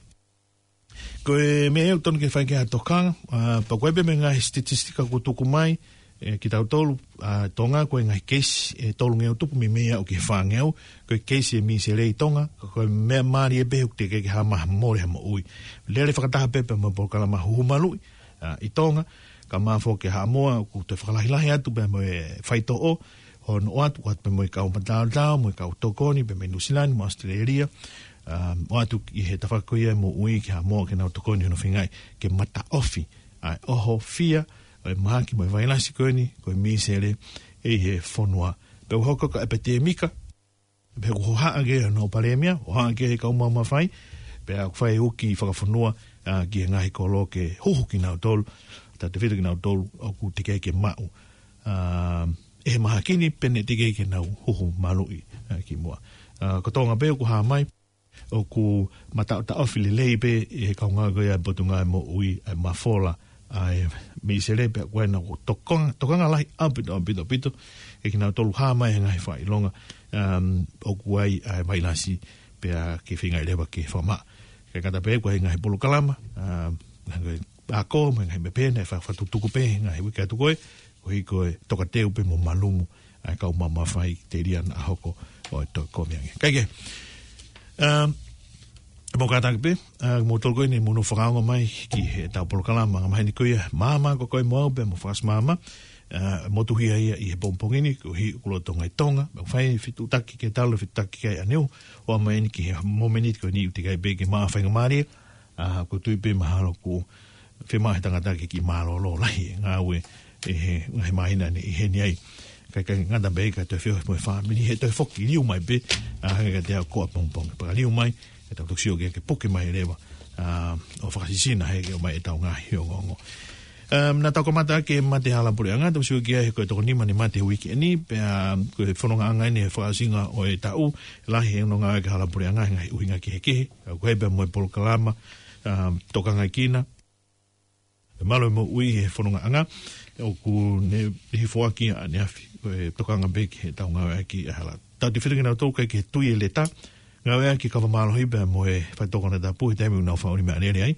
ko e meʻa ia ʻoku totonu ke fai ki ai ha tokanga, ah, pea ko e pehē mei he ngaahi statistika kuo tuku mai, ē, kia tautolu, ah, Tonga, ko e ngaahi keisi ʻe tolungeau tupu meimei aʻu ki he fāngeau, ko e keisi e mīsele ʻi Tonga, ka ko e meʻa mālie pē ʻoku teʻeki ke hā mai ha mole ha moʻui. Lele fakataha pē pea mo e polokalama huhu maluʻi, ah, ʻi Tonga, kae ʻumaʻā foki Haʻamoa, ʻoku toe fakalahilahi atu pea mo e faitoʻo, hono ʻoatu, ʻoatu pē mo e kau mataotao, mo e kau tokoni, pea mei Nuʻusila ni, mo ʻAositelēlia, um, ʻoatu ʻi he tafaʻaki ko ia e moʻui ki Haʻamoa ke nau tokoni hono feingaʻi ke mataʻofi ʻa e ʻohofia ʻo e mahaki mo e vailasi ko eni, ko e mīsele ʻi he fonua. Pea ʻoku hoko ko e ʻepitēmika, pea ʻoku hohaʻa ki ai hono palēmia, hohaʻa ki ai e kau maʻu mafai, pea ʻoku fai e uki fakafonua, ah, ki he ngaahi kolo ke huhu kinautolu, tautefito kinautolu ʻoku teʻeki ai ke maʻu, ah, ʻe he mahaki ni pe naʻe teʻeki ai ke nau huhu maluʻi, ah, kimuʻa. Ah, ko Tonga pē ʻoku hā mai, ʻoku mataʻotaʻofi lelei pē ʻe he kau ngāue ko ia ʻa e Potungāue Moʻui ʻa e mafola ʻa e mīsele, pea ko ena ʻoku tokanga, tokanga lahi ʻaupito, ʻaupito, ʻaupito, ʻe kinautolu hā mai he ngaahi fakaʻilonga, um, ʻoku ʻi ai ʻa e vailasi pea ke feingaʻi leva ke fakamaʻa. Kae ʻikai ngata pē, ʻoku ʻi ai e ngaahi polokalama, um, ngaahi ako, mo e ngaahi meʻa pehē, naʻe fa-, fakatutuku pē he ngaahi uike atu ko ē, koeʻuhi ko e tokateu pē mo malumu ʻa e kau maʻu mafai telia naʻa hoko ʻo e toe kovi ange. Kae kehe, um, mou kātaki pē, ah, mou tolu ko eni mou nofo fakaongo mai ki heʻetau polokalama angamaheni ko ia, Maama ko koe mo au pea mo Fakasimama, ah, motuhia ia ʻi he pongipongi ni, koeʻuhi ʻoku lolotonga ʻi Tonga, mo fai fetuʻutaki ke talu fetuʻutaki ki ai ʻaneuhu, ʻo aʻu mai eni ki he momeniti ko eni ʻoku teʻeki ai pē ke maʻu ha faingamālie, ah, ʻoku ou tui pē mahalo ʻoku fiemaʻu ʻe he tangata ke kiʻi mālōlō lahi e ngāue ʻi he ngaahi māhina ni ʻi heni ai. Kae ʻikai ngata pē ka toe feohi mo e fāmili he toe foki liu mai pē, ah, hangē kiate au ko e pongipongi. Pea ka liu mai, ʻe tau toki sio ki ai ke puke mai leva, ah, ʻo fakasisina he ke ʻomai ʻetau ngaahi ongoongo. Um, naʻa tau kamata ʻaki e mate hala puleʻanga, tau sio ki ai he ko e toko nima ʻene mate he uike ni, pea, um, ko e fonongaʻanga eni he fakaʻosinga ʻo e taʻu, lahi e ononga ʻa e hala puleʻanga he ngaahi ʻuhinga kehekehe, ah, ʻoku ʻi ai pē mo e polokalama, ah, tokangaʻi kina e malo e moʻui he fonongaʻanga, ʻoku ne, ne foaki ʻaneafi, ko e tokanga pē ki heʻetau ngāueʻaki e hala Tau te fitu kinautolu ʻikai ke tui e leta, ngāueʻaki e kava mālohi pea mo e faitoʻo konatapu he taimi ʻoku nau fakaʻuli meʻalele ai,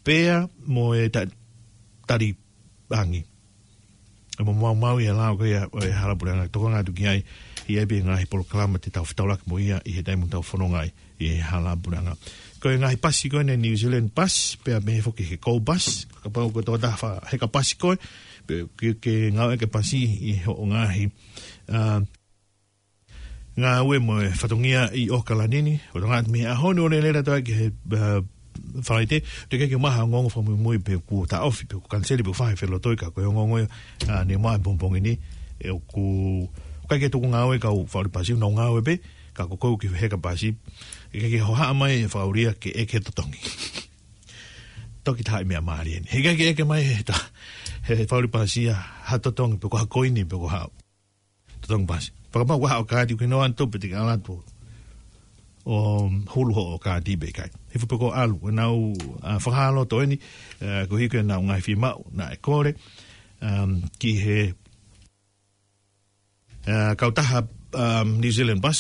pea mo e ta-, tali angi. ʻE mo maumau ia lau ko ia ʻo e hala puleʻanga, tokanga atu ki ai, ʻi ai pē ngaahi polokalama te tau fetaulaki mo ia ʻi he taimi ʻoku tau fononga ai ʻi he hala puleʻanga. Ko e ngaahi pasi ko eni New Zealand Bus, pea mei he foki he Go Bus, kapau ko e tokotaha fa-, heka pasi koe, pe ke, ke ngāueʻaki e pasi ʻi hoʻo ngaahi, ā, ngāue mo e fatongia ʻi ʻAokalani ni, ʻo tokanga atu mei he ʻaho ni ʻo lele atu ai ki he, ā, Falaite, te ke ke maha ongoongo fakamuimui pe kuo taʻofi, pe kuo kaniseli, pe kuo fai ha felotoi, ka ko e ongoongo ia, ā, ne maʻu he pongipongi ni, ʻe ʻoku, ʻoku ʻikai ke tuku ngāue e kau fakaʻuli pasi, nau ngāue pē, ka ko koe ʻoku ke heka pasi, ʻe ʻikai ke hohaʻa mai e fakaʻuli ia ke ʻeke totongi. Toki taha e meʻa mālie eni. He ʻikai ke ʻeke mai he ta-, he fakaʻuli pasi ia ha totongi, pe ko ha koini, pe ko ha totongi pasi. Fakapapau ʻoku ʻi ai haʻo kaati, ʻoku ke noa atu pē te ke ʻalu atu ʻo hulu hoʻo kaati pe ʻikai. He fuʻu pē ko e ʻalu, ʻenau, ā, fakahā loto eni, ā, koeʻuhi ko ʻenau ngaahi fiemaʻu naʻe kole, um, ki he, ā, kautaha, um, New Zealand Bus,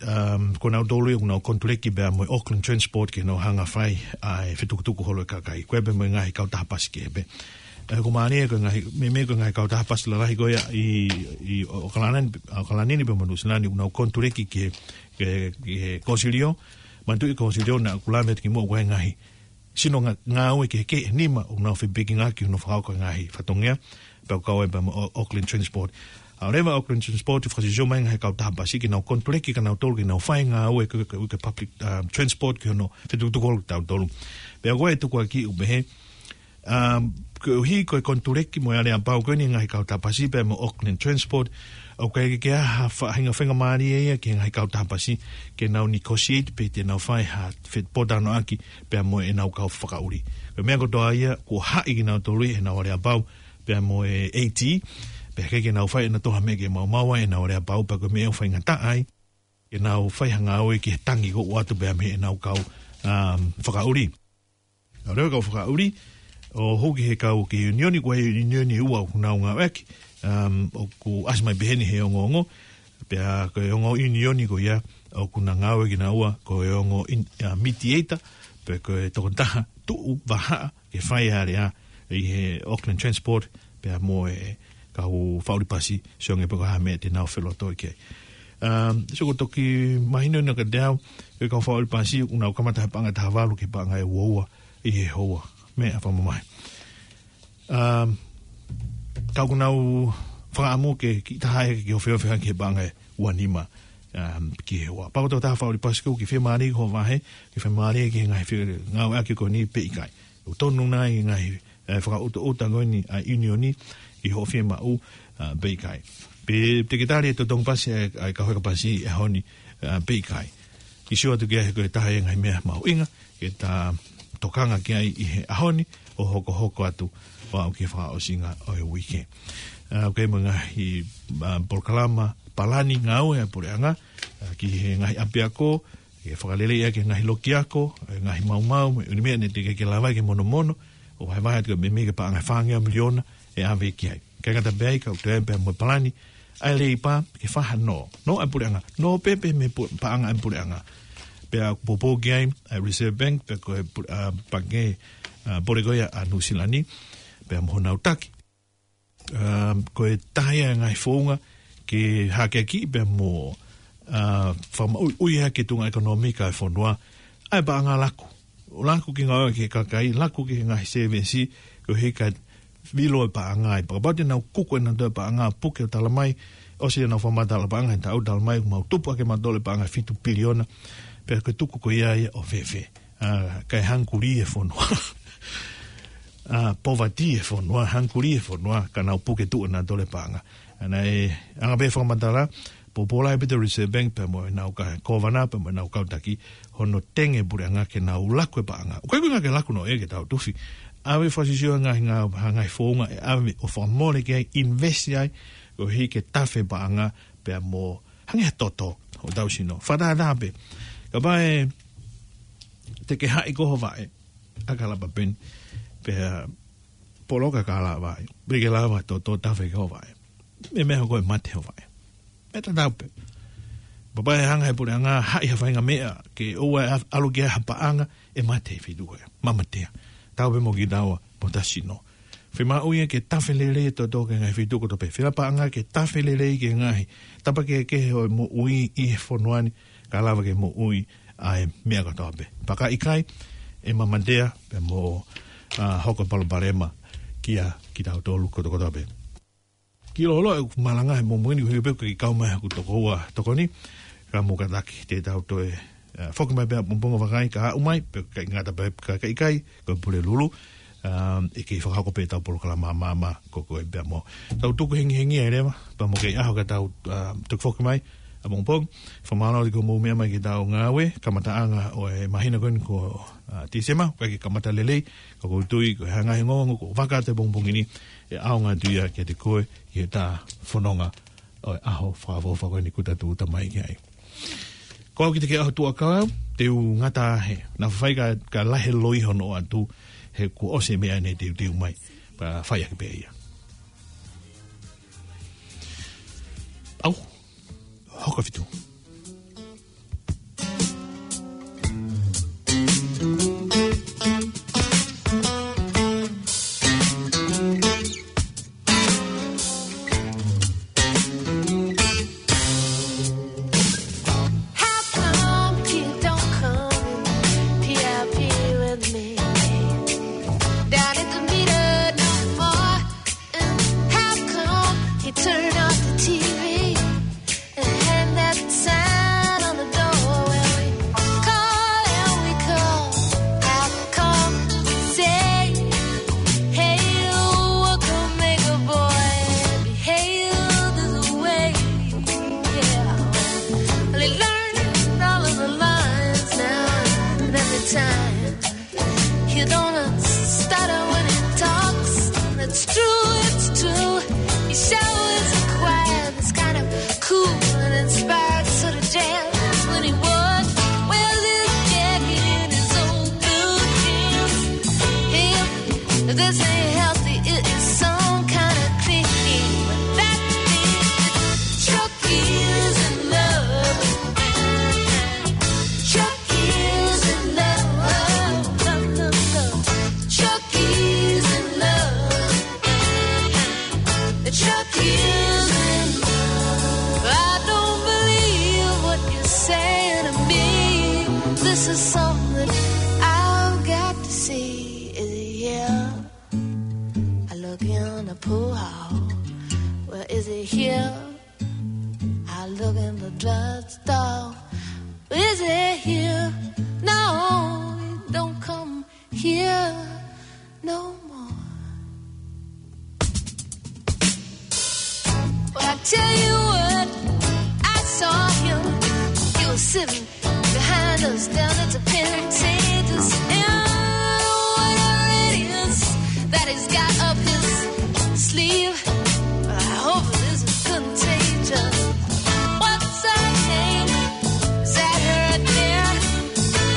um, ko nautolu ia ʻoku nau konituleki pea mo e Auckland Transport ke nau hanga ʻo fai ʻa e fetukutuku holo e kakai. Ko e pē mo e ngaahi kautaha pasi kehe pē. Ē, ko mālie ko e ngaahi, meimei ko e ngaahi kautaha pasi lalahi ko ia ʻi, ʻi ʻAokalani, ʻAokalani ni pea mo Nuʻu Sila ni ʻoku nau konituleki ki he, ki he, ki he Kōsilio. Manatuʻi Kōsilio naʻa ku lave atu kimuʻa ʻoku ʻi ai e ngaahi sino ngā-, ngāue kehekehe ʻe nima ʻoku nau fepikingaki ʻi hono fakahoko e ngaahi fatongia, pea ʻoku kau ai pea mo Au-, Auckland Transport. ʻA ʻoleva Auckland Transport, fakasio mai e ngaahi kautaha pasi ke nau konituleki kia nautolu ke nau fai e ngāue ko e, ko e, ko e public, um, transport ki hono fetukutuku holo kitautolu. Pea ko e tukuakiʻi ʻoku pehē, um, koeʻuhi ko e konituleki mo e aleapau ko eni e ngaahi kautaha pasi pea mo Auckland Transport, ʻoku ʻikai ke ʻi ai ha faʻahinga faingamālie ia ki he ngaahi kautaha pasi ke nau negotiate pe te nau fai ha fepōtalanoaʻaki pea mo ʻenau kau fakaʻuli. Ko e meʻa kotoa ia, kuo haʻi kinautolu ʻi heʻenau aleapau pea mo e AT, pea ʻikai ke nau fai ʻe nautolu ha meʻa ke maumau ai ʻenau aleapau, pea ko e meʻa ʻoku faingataʻa ai ke nau fai ha ngāue ki he tangi ʻoku ʻoatu pea mei heʻenau kau, um, fakaʻuli. ʻA ʻoleva kau fakaʻuli, ʻo hū ki he kau ki he ʻiunioni, ko e ʻiunioni ʻe ua ʻoku nau ngāueʻaki, um, ʻoku ʻasi mai pehē ni he ongoongo, pea ko e ongo ʻiunioni ko ia ʻoku na ngāue kinaua ko e ongo in-, ā, mediator, pe ko e tokotaha tuʻu vahaʻa ke fai e alea ʻi he Auckland Transport, pea mo e kau fakaʻuli pasi, sio ange pe ko e hā e meʻa te nau felotoi ki ai. Um, so ko e toki mahino ʻeni kiate au, ko e kau fakaʻuli pasi, ʻoku nau kamata he paʻanga ʻe taha valu ki he paʻanga ʻe ua ua ʻi he houa. Meʻa fakamamahi. Um, ka ʻoku nau fakaʻamu ke kiʻi taha ʻe ke ofiofi hake ki he paʻanga ʻe ua nima, um, ki he houa. Pea ko e tokotaha fakaʻuli pasi, ʻoku ke fiemālie ki hoʻo vahe, ʻoku ke fiemālie ki he ngaahi fe-, ngāueʻaki ko eni pe ʻikai. ʻOku tonu nai e ngaahi, ē, fakaʻutoʻuta ko eni ʻa e ʻiunioni ʻi hoʻo fiemaʻu, ā, pe ʻikai. Pe te ke tali e totongi pasi ʻa e, ʻa e kau heka pasi he ʻaho ni, ā, pe ʻikai. Ke sio atu ki ai he ko e taha ia e ngaahi meʻa mahuʻinga ke ta tokanga ki ai ʻi he ʻaho ni ʻo hokohoko atu ʻo aʻu ki he fakaʻosinga ʻo e uike. Ā, ʻoku ʻi ai mo e ngaahi, ā, polokalama palani ngāue ʻa e puleʻanga, ā, ki he ngaahi ʻapiako, ke fakaleleiʻaki e ngaahi loki ako, e ngaahi maumau, mo e ʻū meʻa naʻe teʻeki ke lava ke monomono, ʻo vahevahe atu meimei ki he paʻanga ʻe fāngeau miliona ʻe ʻave ki ai. ʻIkai ngata pē ai, ka ʻoku toe ʻi ai pea mo e palani ʻa e Leipa ke fakahā, nō, nō ʻa e puleʻanga, nō pē pē mei he pu-, paʻanga ʻa e puleʻanga. Pea ʻoku poupou ki ai ʻa e Reserve Bank, pea ko e pu-, ā, pangikē, ā, pole ko ia ʻa Nuʻu Sila ni, pea mo honau taki. Um, ko e taha ia e ngaahi founga ke hakeakiʻi pea mo, ā, fakamaʻuiʻui hake e tuʻunga ʻekonōmika ʻo e fonua, ʻa e paʻanga laku. ʻO laku ki he ngāue ki he kakai, laku ki he ngaahi sēvesi, koeʻuhi ka vilo e paʻanga ai. Pea kapau te nau kuku ʻe nautolu e paʻanga, puke ʻo tala mai, ʻosi ʻenau fakamatala paʻanga he taʻu, tala mai, mau tupu hake mautolu e paʻanga fitu piliona, pea ko e tuku ko ia ia ʻo fēfē. Ā, kae hangikuli e fonua. Ā, poverty e fonua, hangikuli e fonua, ka nau puke tuʻu ʻe nautolu e paʻanga. Ā, naʻe anga pē fakamatala, poupou lahi pē ʻa e Reserve Bank pea mo ʻenau kau kōvana, pea mo ʻenau kau taki, hono tenge e puleʻanga ke nau laku e paʻanga. ʻOku ʻikai ko e ʻuhinga ke laku noa ia ke tau tufi. ʻAve fakasisio ngaahi ngā-, ha ngaahi founga ʻe ʻave ʻo fakamole ki ai, invest ai, koeʻuhi ke tafe e paʻanga, pea mo hangē ha toto ʻo tau sino. Fakatātā pē. Kapau ʻe te ke haʻi ko ho vaʻe ʻaki ha lapa peni, pea poloka e kala vaʻe, pea ke lava ʻo toto tafe ki ho vaʻe. Meimei hoko e mate ho vaʻe. Meʻa tatau pē. Pea ʻe hanga he puleʻanga haʻi ha faʻahinga meʻa ke ʻoua ʻe ʻalu ki ai ha paʻanga, ʻe mate he feituʻu ko ia. Mamatea. Tau pē mo kitaua, mo hotau sino. Fiemaʻu ia ke tafe lelei e toto ki he ngaahi feituʻu kotoa pē. Fiemaʻu paʻanga ke tafe lelei ki he ngaahi tapa kehekehe ʻo e moʻui ʻi he fonua ni, ka lava ke moʻui ʻa e meʻa kotoa pē. Pea ka ʻikai, ʻe mamatea, pea mo, ʻa, hoko e palopalema kia kitautolu kotokotoa pē. Kiʻi loloa ʻeku malanga he pongipongi ni, ʻoku ʻikai pē ke kau mai haku tokoua tokoni, ka mou kātaki te tau toe, ʻa, foki mai pē ʻapongipongi vakai ka aʻu mai, pe ʻikai ngata pē ka, ka ʻikai, ko e Pulelulu, ʻa, ʻe kei fakahoko pē ʻetau polokalama māmā ko ē pea mo. Tau tuku hengihengi ai leva, pea mo e kiʻi ʻaho ka tau, ʻa, toki foki mai, ʻapongipongi, fakamālō atu ki hoʻomou meʻa mai ki heʻetau ngāue, kamataʻanga ʻo e māhina ko eni ko, ʻa, Tīsema, ʻikai ke kamata lelei, ka ʻoku ou tui, ko e ngaahi ongoongo kuo vaka atu he pongipongi ni, ʻe ʻaonga atu ia kiate koe, ʻi heʻeta fononga ʻo e ʻaho fakaʻofoʻofa ko eni kuo ta tūʻuta mai ki ai. Ko au ki he ʻaho tuʻa kau, te u ngata he. Naʻa faifai ka, ka lahi e loi hono ʻoatu, he kuo ʻosi e meʻa ne teuteu mai. Pea fai ake pē ia. ʻAu, hoko fitu. How come you don't come P I P with me? Down at the meter no more. And how come you turn off the T V? And hang that sign on the door when we call and we call. I'll call, say, "Hey, welcome, make a boy. Behave this way." Yeah. Well, he learned all of the lines now and every time. He don't stutter when he talks. It's true, it's true. He shows a quiet that's kind of cool and inspired sort of jazz when he walks. Wears his jacket in his old blue jeans. Him, this ain't healthy, it is some kind of thing. That means Chuck is in love. Chuck is in love. Chuck is in love. Chuck is in love. I don't believe what you're saying to me. This is something that I've got to see. Is he here? I look in the pool hall. Well, is he here? I look in the drugstore. Is he here? No, he don't come here no more. Well, I tell you what, I saw him. He was sitting behind us down at the Pantages. And whatever it is that he's got up his sleeve, I hope it isn't contagious. What's her name? Is that her there?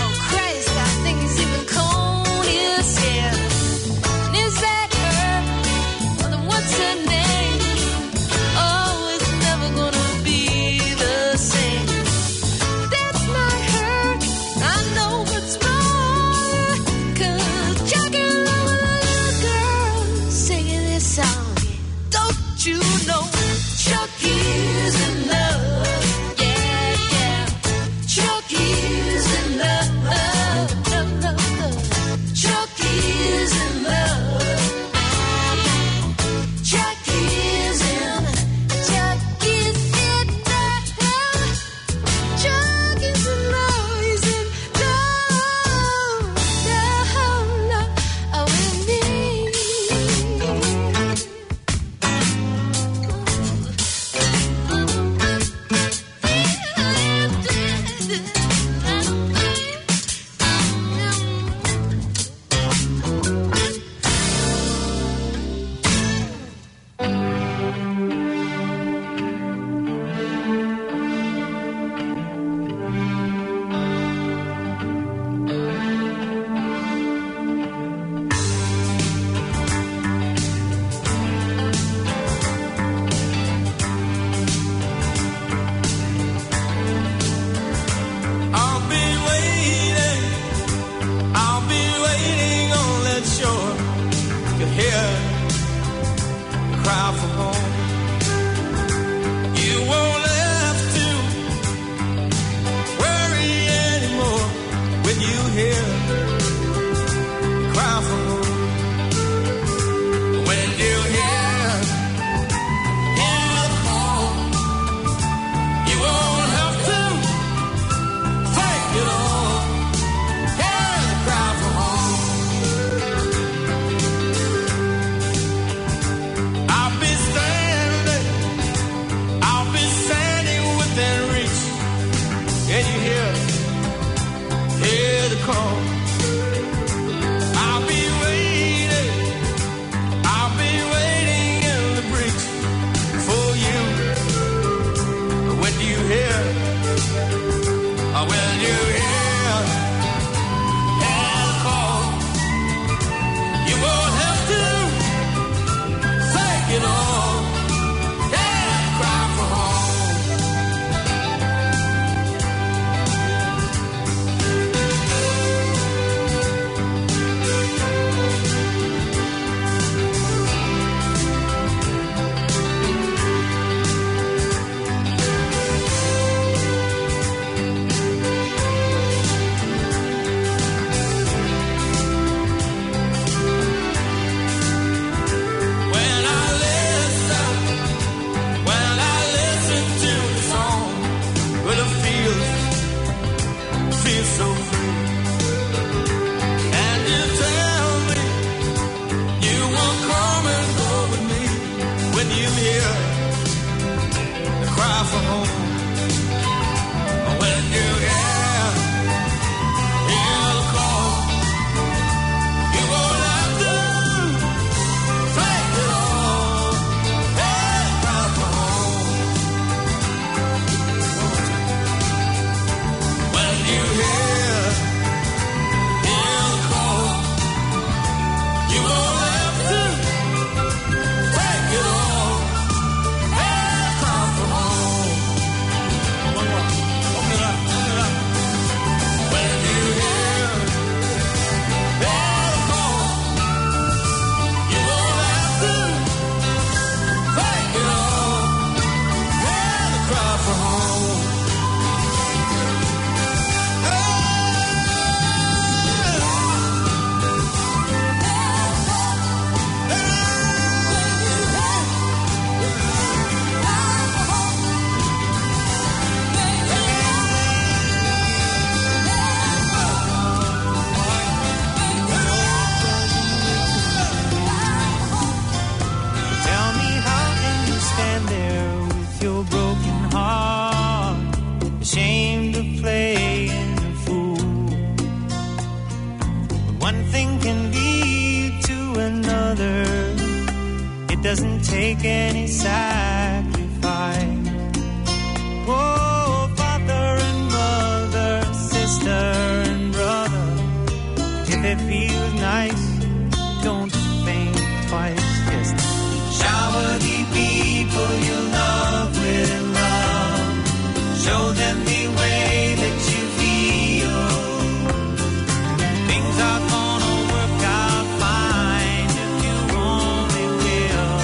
Oh, Christ, I think he's even combed his hair. And is that her? Well, then what's her name? Oh, it's never gonna be the same. That's not her. I know what's wrong. 'Cause Jackie Love, a little girl singing this song. You hear the cry for home. You won't have to worry anymore when you hear the cry for home. When you hear, hear the call, you won't have to take it all. Hear the cry for home. I'll be standing, I'll be standing within reach. Can you hear, hear the call? I'll be waiting, I'll be waiting in the breach for you. When you hear, uh, when you hear, hear the call, you won't have to take it all. Yeah, cry for home. When I listen, when I listen to the song, well, it feels, feels so free. And you tell me you will come and go with me when you hear the cry for home. When you hear, hear the call, you won't have to take it all. Hey, cry for home. When you hear, hear the call, you won't have to take it all. Hey, cry for home. One more. Open it up, open it up. When you hear, hear the call, you won't have to take it all. Hear the cry for home. Tell me, how can you stand there with your broken heart, ashamed of playing a fool? But one thing can lead to another. It doesn't take any sacrifice. Oh, father and mother, sister and brother, if it feels nice, don't think twice. Just shower the people you love with love. Show them the way that you feel. Things are gonna work out fine if you only will.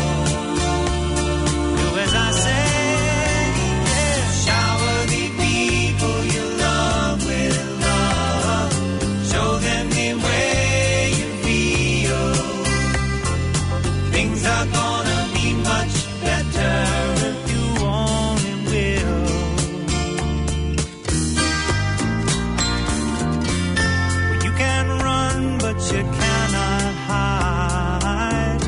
Do as I say, yeah. Shower the people you love with love. Show them the way you feel. Things are gonna be much better if you only will. Well, you can run, but you cannot hide.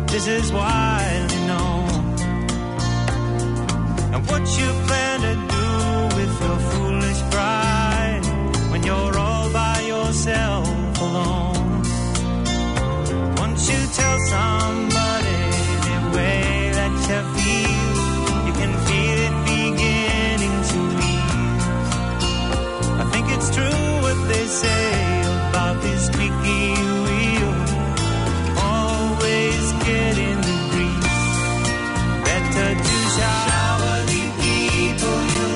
This is widely known. And what you plan to do with your foolish pride when you're all by yourself alone? Once you tell somebody the way that you feel, you can feel it beginning to ease. I think it's true what they say about this squeaky wheel always getting the grease. Better to shower the people you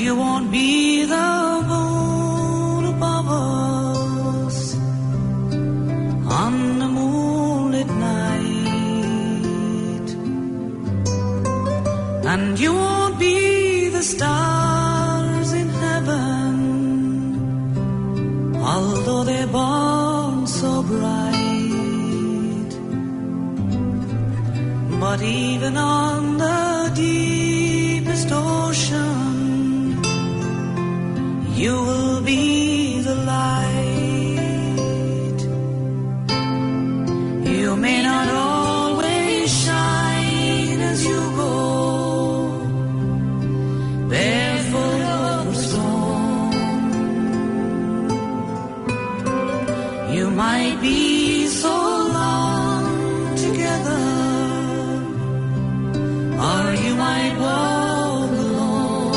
You won't be the moon above us on a moonlit night. And you won't be the stars in heaven, although they burn so bright. But even on the deepest ocean, you will be the light. You may not always shine as you go barefoot over stone. You might be so long together, or you might walk alone.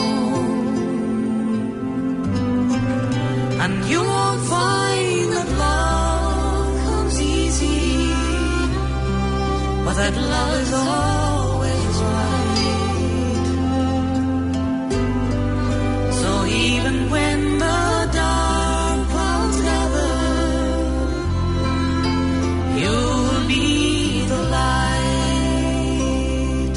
And you won't find that love comes easy, but that love is always right. So even when the dark clouds gather, you'll be the light.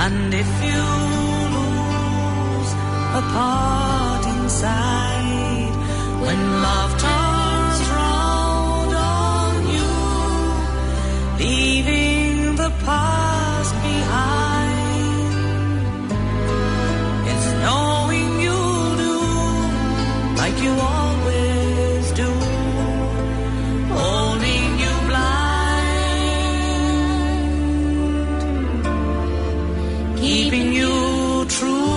And if you lose a part inside, when love turns round on you, leaving the past behind, it's knowing you'll do like you always do, holding you blind, keeping you true.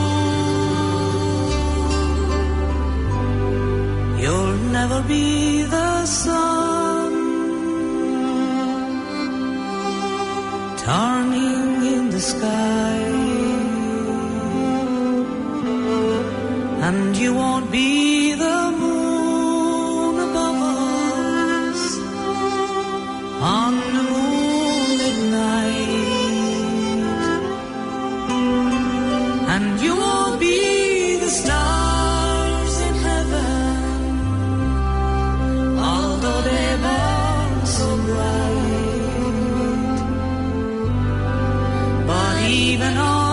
You'll never be the sun turning in the sky, and you won't be the moon above us on a moonlit night. And you won't be the stars in heaven, although they burn so bright. But even on